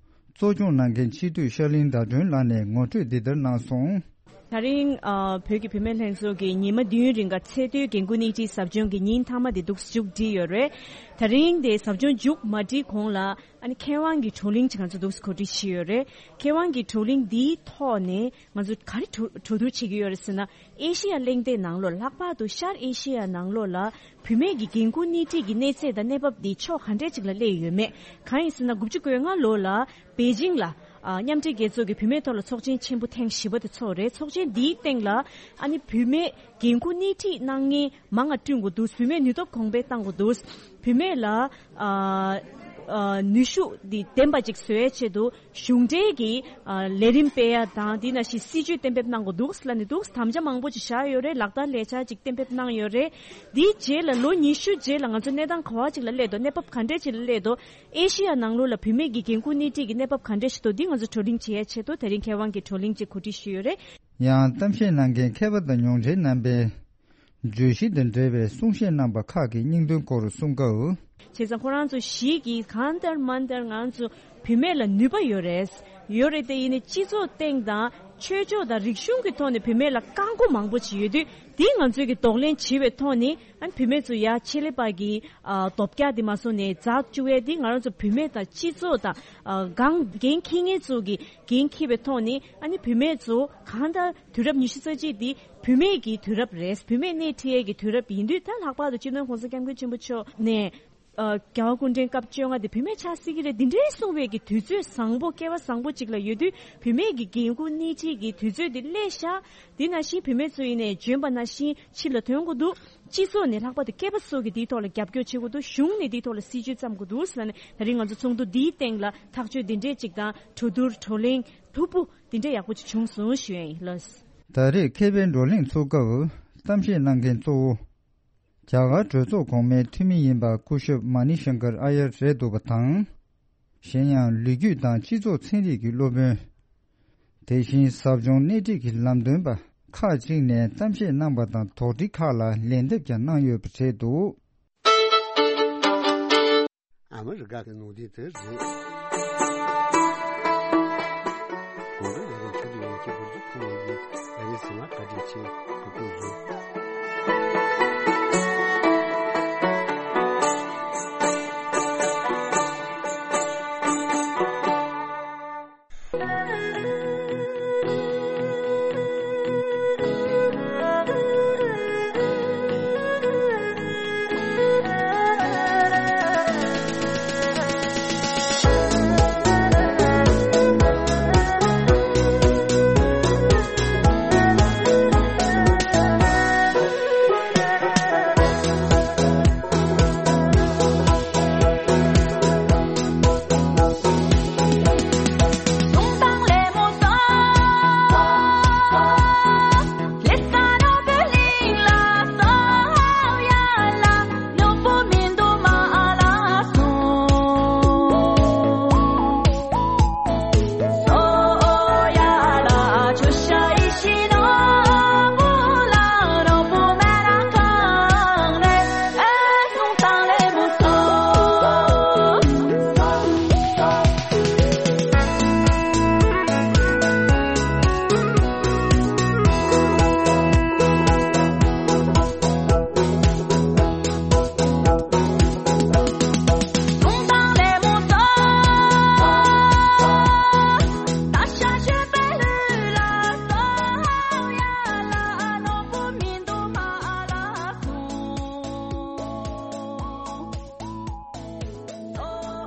གཙོ་སྐྱོང་གནང་མཁན་སྤྱི་འཐུས་ཤར་གླིང་ཟླ་སྒྲོན་ལགས་ནས་ངོ་སྤྲོད་འདི་ལྟར་གནང་སོང་། ད་རིང་ཨ་བོད་ཀྱི་བུད་མེད་ལྷན་ཚོགས་ཀྱིས་ཉི་མ་བདུན་རིང་ག་ཚད་མཐོའི་འགན་འཁུར་སྣེ་ཁྲིད་ཟབ་སྦྱོང་གི་ཉིན་མཐའ་མ་དེ་འདུག་སེ་མཇུག་བསྒྲིལ་ཡོད་རེད། ད་རིང་དེ་ཟབ་སྦྱོང་མཇུག་མ་སྒྲིལ་གོང་ལ་ཨ་ནི་མཁས་དབང་གི་བགྲོ་གླེང་ཅིག་ང་ཚོ་འདུག་སེ་གོ་སྒྲིག་བྱས་ཡོད་རེད། མཁས་དབང་གི་བགྲོ་གླེང་འདིའི་ཐོག་ནས་ང་ཚོ་ག་རེ་གྲོས་གྲོས་བསྡུར་བྱེད་ཀྱི་ཡོད་རེད་ཟེར་ན། ཨེ་ཤེ་ཡ་གླེང་སྟེགས་ནང་ལོགས། ལྷག་པར་དུ་ཤར་ཨེ་ཤེ་ཡ་ནང་ལོགས་ལ་བུད་མེད་ཀྱི་འགན་འཁུར་སྣེ་ཁྲིད་ཀྱི་གནས་ཚད་དང་གནས་བབ་འདི་ཕྱོགས་ག་འདྲས་ཅིག་ལ་སླེབས་ཡོད་མེད། གང་ཡིན་ཟེར་ན། དགུ་བཅུ་གོ་ལྔ་ལོ་ལ་པེ་ཅིང་ལ་ཨ་མཉམ་འབྲེལ་རྒྱལ་ཚོགས་ཀྱི་བུད་མེད་ཐོག་ལ་ཚོགས་ཆེན་ཆེན་པོ་ཐེངས་བཞི་པ་དེ་ཚོགས་རེད། ཚོགས་ཆེན་འདིའི་སྟེང་ལ་ཨ་ནི་བུད་མེད་འགན་འཁུར་སྣེ་ཁྲིད་གནང་མཁན་མང་ང་བསྐྲུན་དགོས་འདུག། བུད་མེད་ནུས་སྟོབས་གོང་འཕེལ་གཏང་དགོས་འདུག། བུད་མེད་ལ་ཨ་ཨ་ནུས་ཤུགས་འདི་ལྡན་པ་ཅིག་བཟོ་ཡའི་ཆེད་དུ། གཞུང་འབྲེལ་གྱི་ཨ་ལས་རིམ་སྤེལ་ཡ་དང་། དེ་ནང་བཞིན་སྲིད་ཇུས་གཏན་འབེབས་གནང་དགོས་འདུག་ལབ་ནས་འདུག། དམ་བཅའ་མང་པོ་ཅིག་བཞག་ཡོད་རེད། ལག་བསྟར་ལས་འཆར་ཅིག་གཏན་འབེབས་གནང་ཡོད་རེད། དེའི་རྗེས་ལ་ལོ་ཉི་ཤུ་རྗེས་ལ་ང་ཚོ་གནས་སྟངས་ག་བ་ཅིག་ལ་སླེབས་འདུག། གནས་བབ་ག་འདྲས་ཅིག་ལ་སླེབས་འདུག། ཨེ་ཤེ་ཡ་ནང་ལོགས་ལ་བུད་མེད་ཀྱི་འགན་འཁུར་སྣེ་ཁྲིད་ཀྱི་གནས་བབ་ག་འདྲས་ཞིག་འདུག། འདི་ང་ཚོ་བགྲོ་གླེང་བྱེད་ཡའི་ཆེད་དུ་དེ་རིང་མཁས་དབང་གི་བགྲོ་གླེང་ཅིག་གོ་སྒྲིག་ཞུས་ཡོད་རེད། ཡང་གཏམ་བཤད་གནང་མཁན་མཁས་པ་དང་མྱོང་འབྲེལ་རྣམ་པས། བརྗོད་གཞི་དང་འབྲེལ་བའི་གསུང་བཤད་གནང་པ་ཁག་གི་སྙིང་དོན་སྐོར་གསུང་སྐབས། བྱས་ཙང་ཁོ་རང་ཚོ་ཞིག་གིས་གང་ལྟར་མ་ལྟར་ང་ཚོ་བུད་མེད་ལ་ནུས་པ་ཡོད་རེད། ཡོད་རེད་དེ། ཡིན་ནའི་སྤྱི་ཚོགས་སྟེང་དང་ཆོས་ཕྱོགས་དང་རིག་གཞུང་གི་ཐོག་ནས་བུད་མེད་ལ་བཀག་འགོག་མང་པོ་ཅིག་ཡོད་དུས། དེ་ང་ཚོས་ཀྱི་གདོང་ལེན་བྱེད་པའི་ཐོག་ནས། ཨ་ནི་བུད་མེད་ཚོ་ཡ་ཆེད་ལས་པ་གི་ཨ་རྡོ་བཀྱག་དེ་མ་སོང་ནས་འཛག་བཅུག་ཡས་དེ། ང་རང་ཚོ་བུད་མེད་དང་སྤྱི་ཚོགས་དང་ཨ་འགན་འཁྱེར་མཁན་ཚོ་གི་འགན་འཁྱེར་བའི་ཐོག་ནས། ཨ་ནི་བུད་མེད་ཚོ་གང་ལྟར་དུས་རབས་ཉི་ཤུ་རྩ་གཅིག་འདི་བུད་མེད་ཀྱི་དུས་རབས་རེད། བུད་མེད་སྣེ་ཁྲིད་ཡས་ཀྱི་དུས་རབས་ཡིན་དུས། ད་ལྷག་པར་དུ་སྤྱི་ནོར་༸གོང་ས་༸སྐྱབས་མགོན་ཆེན་པོ་མཆོག་ནས་ཨ་རྒྱལ་བ་སྐུ་ཕྲེང་སྐབས་བཅོ་ལྔ་འདི་བུད་མེད་ཆགས་སྲིད་ཀྱི་རེད། འདི་འདྲའི་གསུངས་པའི་གི་དུས་ཚོད་བཟང་པོ། སྐལ་བ་བཟང་པོ་ཅིག་ལ་ཡོད་དུས། བུད་མེད་ཀྱི་འགན་འཁུར་སྣེ་ཁྲིད་ཀྱི་དུས་ཚོད་འདི་སླེབས་ཤག། འདི་ནང་བཞིན་བུད་མེད་ཚོ་ཡིན་ནའི་འཇོན་པ་ནང་བཞིན་ཕྱི་ལ་ཐོན་དགོས་འདུག། སྤྱི་ཚོགས་ནས་ལྷག་པར་དུ་སྐྱེས་པ་ཚོ་གིས་འདིའི་ཐོག་ལ་རྒྱབ་སྐྱོར་བྱེད་དགོས་འདུག། གཞུང་ནས་འདིའི་ཐོག་ལ་སྲིད་ཇུས་བརྩམ་དགོས་འདུག་ཟེར་ནས། ད་རིང་ང་ཚོ་ཚོགས་འདུ་འདིའི་སྟེང་ལ་ཐག་གཅོད་འདི་འདྲས་ཅིག་དང་། གྲོས་བསྡུར་བགྲོ་གླེང་ལྷུག་པོ་འདི་འདྲས་ཡག་པོ་ཅིག་བྱུང་སོང་ཞུ་ཡ་ཡིན། ལགས། ད་རེས་མཁས་པའི་བགྲོ་གླེང་ཚུགས་སྐབས་གཏམ་བཤད་གནང་མཁན་གཙོ་བོ། རྒྱ་གར་གྲོས་ཚོགས་གོང་མའི་འཐུས་མི་ཡིན་པ་སྐུ་ཞབས་མ་ནི་ཤང་ཀར་ཨ་ཡར་རེད་འདུག་པ་དང་། གཞན་ཡང་ལོ་རྒྱུས་དང་སྤྱི་ཚོགས་ཚན་རིག་གི་སློབ་དཔོན། དེ་བཞིན་ཟབ་སྦྱོང་སྣེ་ཁྲིད་ཀྱི་ལམ་སྟོན་པ་ཁག་ཅིག་ནས་གཏམ་བཤད་གནང་པ་དང་། དོགས་འདྲི་ཁག་ལ་ལན་འདེབས་ཀྱང་གནང་ཡོད་པ་རེད་འདུག། ཨ་མི་རི་ཀ་གི་ནང་དོན་དེ་རེད། གོང་དུ་ལས་རིམ་ཆུ་ཚོད་ཡན་གྱི་འགོ་འཛུགས་ཁུངས་ཡིན་པའི་ཨ་རིའི་ཟིན་མ་བཀའ་དྲིན་ཆེ། ཐུགས་རྗེ་ཆེ།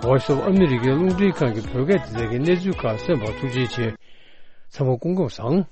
Voice of America རླུང་འཕྲིན་ཁང་གི་བོད་སྐད་སྡེ་ཚན་གྱི་གནས་ཚུལ་ཁག་གསན་པར་ཐུགས་རྗེ་ཆེ། ཚང་མ་སྐུ་ཁམས་བཟང་།